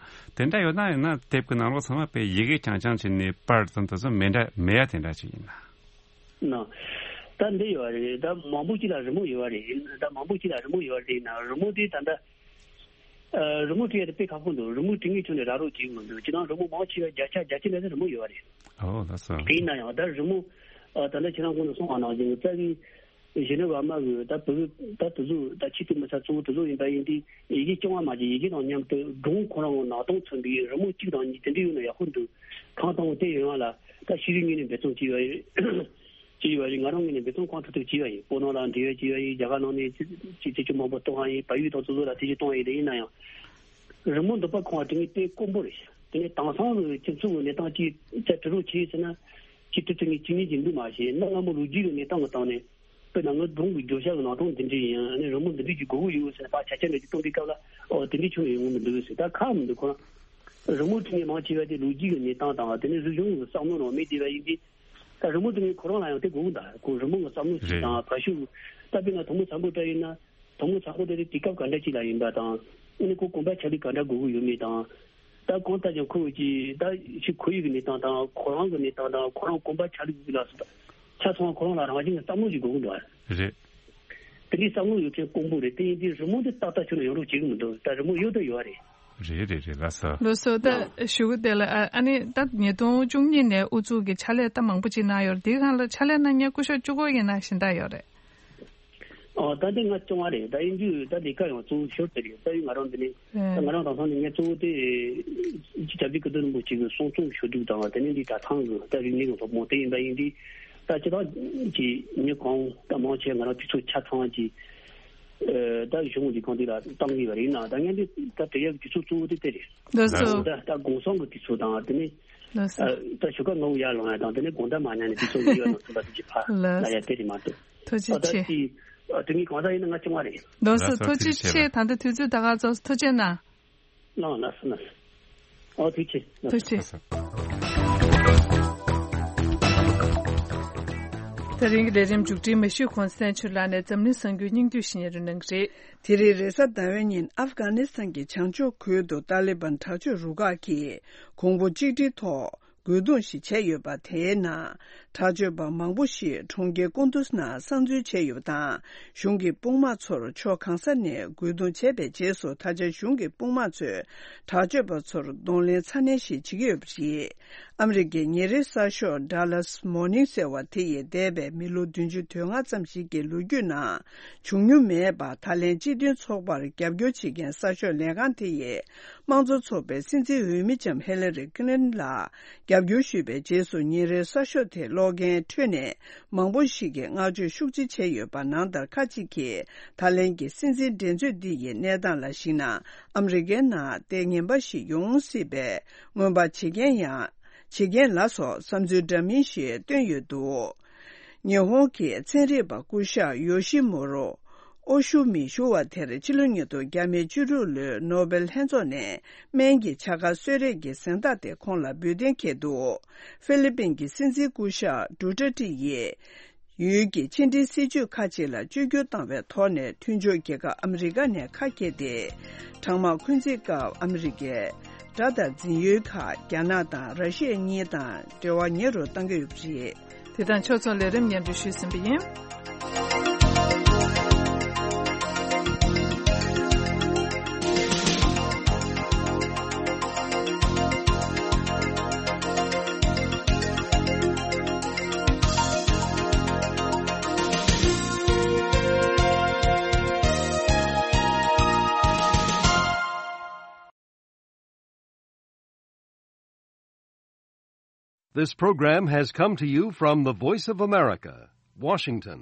དེ་འདྲ་ཡོད་ན། ཡང་ན་དེབ་ཀྱི་ནང་ལོགས་ཚང་མ་དཔེ་ཡི་གེ་རྐྱང་རྐྱང་བྱས་ནས་པར་དང་དེ་ཚོ་མེད་འདྲ་མེད་ཡ་དེ་འདྲ་ཅིག་ཡིན་ན། ན། ད་འདི་ཡོད་རེད། ད་མང་པོ་ཅིག་ལ་རི་མོ་ཡོད་རེད། ད་མང་པོ་ཅིག་ལ་རི་མོ་ཡོད་རེད་ན། རི་མོ་དེ་ད་ལྟ། ཨ། རི་མོ་བྲིས་ཡ་དེ་དཔེ་ཁག་པོ་འདུག་རི་མོ་བྲིས་མཁན་ཁྱོན་ནས་ར་རོ་གཅིག་མི་འདུག་སྤྱིར་བཏང་རི་མོ་མང་ཆེ་བ་བརྒྱ་ཆ་བརྒྱད་ཅུ་ལྷག་ཙམ་རི་མོ་ཡོད་རེད། ཨོ། ལགས་སོ། དེ་ཡིན་ན་ཡང་ད་རི་མོ། ཨ། ད་ལྟ་ཁྱེད་རང་གོང་དུ་གསུངས་པ་ནང་བཞིན་རྩ་བའི་གཞོན་ནུ་བར་མ་གི་ད་བུ་ད་དེ་ཚོ་ད་ཆེས་མཐོའི་མི་ཚད་གཙོ་བོ་དེ་ཚོ་ཡིན་པ་ཡིན་དུས། ཡི་གེ་རྐྱང་བ་མ་བྱས། ཡི་གེ་དང་མཉམ་དུ་སྒྲུང་ཁོ་རང་གི་ནང་དོན་མཚོན་པའི་རི་མོ་གཅིག་དང་གཉིས་དེ་འདྲ་ཡོད་ན་ཡག་པོ་འདུག་གང་ལྟར་དེ་ཡོང་བ་ལ་ད་ཤེས་རིག་ངོས་ནས་འབད་བརྩོན་བྱས་པ་ཡིན། བྱས་ཡོད་པ་ཡིན། ང་རང་ངོས་ནས་འབད་བརྩོན་གང་ཐུབ་ཐུབ་བྱས་པ་ཡིན། བོད་ནང་ལ་འབྲེལ་ཡོད་བྱས་པ་ཡིན། རྒྱ་གར་ནང་ནས་ཅི་ཅི་ཅི་མང་པོ་གཏོང་བ་ཡིན། བལ་ཡུལ་དང་སོ་སོ་ལ་དེ་ཅི་གཏོང་བ་ཡིན། དེ་ཡིན་ན་ཡང་། རི་མོ་འདི་པར་ཁང་བ་དེ་ངས་དཔེ་དཀོན་པོ་རེད་ཤག་དེ་ནས་དེང་སང་གི་སྤྱི་ཚོགས་ཀྱི་གནས་སྟངས་ཀྱིས་ཅིག་དྲི་རོགས་བྱས་ཟེར་ན། ཅིག་དྲི་ཐུབ་མཁན་ཅིག་གཉིས་ཀྱི་འདུག་མ་གཞི་གནའ་སྔ་མོ་ལོ་རྒྱུས་ཀྱི་གནས་སྟངས་ཀྱི་སྟེང་ནས། དཔེར་ན་ང་སྒྲུང་གི་བརྗོད་བྱ་གི་ནང་དོན་འདི་འདྲ་ཡིན། ཨ་ནི་རི་མོ་འདི་འདྲ་ཅིག་དགོས་ཀྱི་ཡོད་ཟེར་ནས་ཕར་ཆ་རྐྱེན་འདྲ་ཅིག་སྟོན་པའི་སྐབས་ལ། ཨོ། དེ་འདྲ་ཁྱོན་ནས་ཡོང་གི་མི་འདུག་ཟེར། ད་ཁག་མི་འདུག་ཁོ་རང་། རི་མོ་བྲིས་མཁན་མང་ཆེ་བ་དེ་ལོ་རྒྱུས་ཀྱི་གནས་སྟངས་དང་། དེ་ནས་རིག་གཞུང་གི་བསམ་བློ་རང་མེད་བསྡད་པ་ཡིན་དུས། ད་རི་མོ་བྲིས་མཁན་ཁོ་རང་ལ་ཡང་དེ་དགོས་ཀྱི་འདུག་ཁོ་རི་མོ་གི་བསམ་བློ་ཞིག་རེད། དང་བར་ཤུགས། ད་དཔེར་ན་དེ་མོ་བཟང་པོ་འདྲ་ཡིན་ན། དེ་མོ་བཟང་པོ་དེ་དེ་དུས་སྐབས་ག་འདྲ་ཅིག་ལ་ཡིན་པ་དང་། ཨ་ནི་ཁོ་གོམ་པ་ཆ་ལུགས་ག་འདྲ་དགོས་ཀྱི་ཡོད་མེད་དང་། ད་གང་ལྟར་ཀྱང་ཁོ་ཀྱི་ད་ཕྱི་ཁོར་ཡུག་གི་གནས་སྟངས་དང་། ཁོ་རང་གི་གནས་སྟངས་དང་། ཁོ་རང་གོམ་པ་ཆ་ལུགས་ལ་སོགས་པ་ཆ་ཚང་བ་ཁོ་རང་ལ་རང་བཞིན་གྱི་བསམ་བློ་ཞིག་དགོས་ཀྱི་འདུག་ཨ། རེད། དེ་འདྲའི་བསམ་བློ་ཡོད་མཁན་དཀོན་པོ་རེད། དེ་ཡིན་དུས་རི་མོ་འདི་ཏག་ཏག་ཁྱོན་ནས་ཡོང་རོགས་བྱེད་ཀྱི་མི་འདུག་ད་རི་མོ་ཡོད་དང་ཡོད་རེད། རེད་རེད་རེད། ལགས་སོ། ལགས་སོ། ད་ཞུ་གི་དེ་ལ། ཨ་ནི་ད་ཉིས་སྟོང་བཅུ་གཉིས་ནས་ཨུ་ཚུགས་ཀྱི་ཕྱག་ལས་ད་མང་པོ་ཅིག་གནང་ཡོད་རེད། དེའི་སྒང་ལ་ཕྱག་ལས་གནང་མཁན་སྐུ་ཞབས་བཅུ་དགུ་ཡིན་ན་གཞན་དག་ཡོད་རེད། ཨོ། ད་ལྟ་ང་བཅོ་ལྔ་རེད། ད་ཡིན་དུས་ད་ལས་ཀ་ཡང་གཙོ་བོ་ཞོར་དེ་རེད། རྩ་བའི་ང་རང་འདི་ནས། ཨེ། ད་ང་རང་དེང་སང་ནས་ངས་གཙོ་བོ་དེ་སྐྱབས་རྗེ་ཀིརྟི་རིན་པོ་ཆེ་གི་གསུང་རྩོམ་ཞུ་གཏུག་དང་། དེ་ནས་འདི་གྲྭ་ཚང་གི་ད་རིག་གནས་ཀྱི་སློབ་སྦྱོང་དེ་ཡིན་པ་ཡིན་དུས། ད་སྤྱིར་བཏང་གི་མི་གང་ད་མང་ཆེ་ང་རང་དུས་ཚོད་ཆ་ཚང་གི། ཨེ། ད་གཞུང་ལས་ཁང་དེ་ལ་བཏང་གི་ཡོད་རེད། ཡིན་ནའང་ད་ངས་འདི་ད་དེ་ཡག་གི་དུས་ཚོད་གཙོ་བོ་དེ་དེ་རེད། ལགས་སོ། ད་ད་གུང་སེང་གི་དུས་ཚོད་དང་། དེ་ནས། ལགས་སོ། ཨ། ད་ཞོགས་ཀ་སྔ་པོ་ཡར་ལངས་ཡ་དང་། དེ་ནས་དགོང་དག་མར་ཉལ་ནས་དུས་ཚོད་ཡོལ་ཡ་ནང་ཚུད་པ་དེ་ཅིག་ཕར་ལ་ཡ་དེ་རེད་མ་གཏོགས། ཐུགས་རྗེ་ཆེ། ཨ། ད་ཅི། ཨ། དེ་ངས་གང་ཟག་ཡིན་ན་ང་བཅོ་ལྔ་རེད། ལགས་སོ། ལགས་སོ། ཐུགས་རྗེ་ཆེ། ད་ལྟ་དུས་ཚོད་ད་ག་རྫོགས་སོང་། ཐུགས་རྗེ་གནང་། ལགས་ལགས་སོ་ལགས་སོ། ཨོ། ཐུགས་རྗེ་ཆེ། ཐུགས་རྗེ་ཆེ། ད་རིང་གི་ལས་རིམ་མཇུག་སྒྲིལ་མ་ཞུས་གོང་། བསྟན་ཆོས་ལགས་ནས་འཛམ་གླིང་གསར་འགྱུར་སྙིང་བསྡུས་ཤིག་སྙན་སྒྲོན་གནང་གི་རེད། དེ་རིང་རེས་གཟའ་ཟླ་བའི་ཉིན་ཨབ་གྷ་ནི་སི་ཐན་གྱི་བྱང་ཕྱོགས་ཁུལ་དུ་ཏཱ་ལི་བན་དྲག་སྤྱོད་རུ་ཁག་གིས་གོང་བུ་གཅིག་སྒྲིལ་ཐོག་རྒོལ་རྡུང་ཞིག་བྱས་ཡོད་པ། དེའི་ནང་དྲག་སྤྱོད་པ་མང་པོ་ཞིག་གྲོང་ཁྱེར་ཀུན་ཏུ་ནང་གསར་འཛུལ་བྱས་ཡོད་པ་དང་། གཞུང་གི་དཔུང་དམག་ཚོར་ཕྱོགས་གང་ས་ནས་རྒོལ་རྡུང་བྱས་པའི་རྗེས་སུ། ད་ཆ་གཞུང་གི་དཔུང་དམག་ཚོས་དྲག་སྤྱོད་པ་ཚོར་གདོང་ལེན་ཚ་ནན་ཞིག་བྱེད་ཀྱི་ཡོད་པ་རེད། ཨ་མི་རི་ཀའི་ཉིན་རེའི་གསར་ཤོག་Dallas Morning ཟེར་བ་དེ་ཡིས་འདས་པའི་མི་ལོ་བདུན་ཅུ་དོན་ལྔ་ཙམ་ཞིག་གི་ལོ་རྒྱུས་ནང་བྱུང་མྱོང་མེད་པ། ད་ལན་སྤྱི་མཐུན་ཚོགས་པར་རྒྱབ་སྐྱོར་བྱེད་མཁན་གསར་ཤོག་ལས་ཁང་དེ་ཡིས་དམངས་གཙོ་ཚོགས་པའི་སྲིད་འཛིན་འོས་མི་ལྕམ་ཧི་ལ་རི་ཁི་ལིན་ལ་རྒྱབ་སྐྱོར་ཞུས་པའི་རྗེས་སུ། ཉིན་རེའི་གསར་ཤོག་དེ་ཀློག་མཁན་ཁྲོད་ནས་མང་པོ་ཞིག་གིས་བསྔགས་བརྗོད་ཤུགས་ཆེ་བྱས་ཡོད་པ། ནང་ལྟར་ཁ་ཅིག་གིས་ད་ལན་གྱི་སྲིད་འཛིན་འགྲན་རྩོད་འདི་ཡི་གནས་སྟངས་ལ་གཞིགས་ན། ཨ་མི་རི་ཀའི་ནང་ལྟས་ངན་པ་ཞིག་ཡོང་སྲིད་པའི་སྔོན་དཔག་བྱེད་མཁན་ཡང་། བྱེད་མཁན་ལ་སོགས་བསམ་ཚུལ་འདྲ་མིན་ཞིག་བཏོན་ཡོད་འདུག་ཉི་ཧོང་གི་ཚན་རིག་པ་སྐུ་ཞབས་ཡོ་ཤི་མོ་རོ་ཨོ་ཤུ་མི་ཞུ་བ་དེར་ཕྱི་ལོ་ཉིས་སྟོང་བརྒྱ་མེད་བཅུ་དྲུག་ལོའི་ནོ་སྦེལ་ལྷན་ཚོགས་ནས་སྨན་གྱི་བྱ་དགའ་གསོལ་རས་ཀྱི་གཟེངས་རྟགས་དེ་ཁོང་ལ་འབུལ་གཏན་འཁེལ་འདུག་ཧྥི་ལི་པིན་གྱི་སྲིད་འཛིན་སྐུ་ཞབས་ཌུ་ཏྲ་ཏི་ཡིས། ཡུལ་གྱི་ཕྱི་འབྲེལ་སྲིད་ཇུས་ཁག་ཅིག་ལ་བཅོས་བསྒྱུར་བཏང་བའི་ཐོག་ནས། མཐུན་ཕྱོགས་རྒྱལ་ཁབ་ཨ་མི་རི་ཀ་ནས་ཁ་གྱེས་ཏེ། གྲང་དམག་འཁོན་འཛིན་སྐབས་ཨ་མི་རི་ཀའི་དགྲ་དང་འཛིང་ཡུལ་ཁག་རྒྱ་ནག་དང་ར་ཤི་ཡ་གཉིས་དང་འབྲེལ་བ་ཉེ་རུ་གཏང་གི་ཡོད་པ་རེད། དེ་དང་ཕྱོགས་མཚུངས་ལས་རིམ་སྙན་སྒྲོན་ཞུས་ཟིན་པ་ཡིན། This program has come to you from the Voice of America, Washington.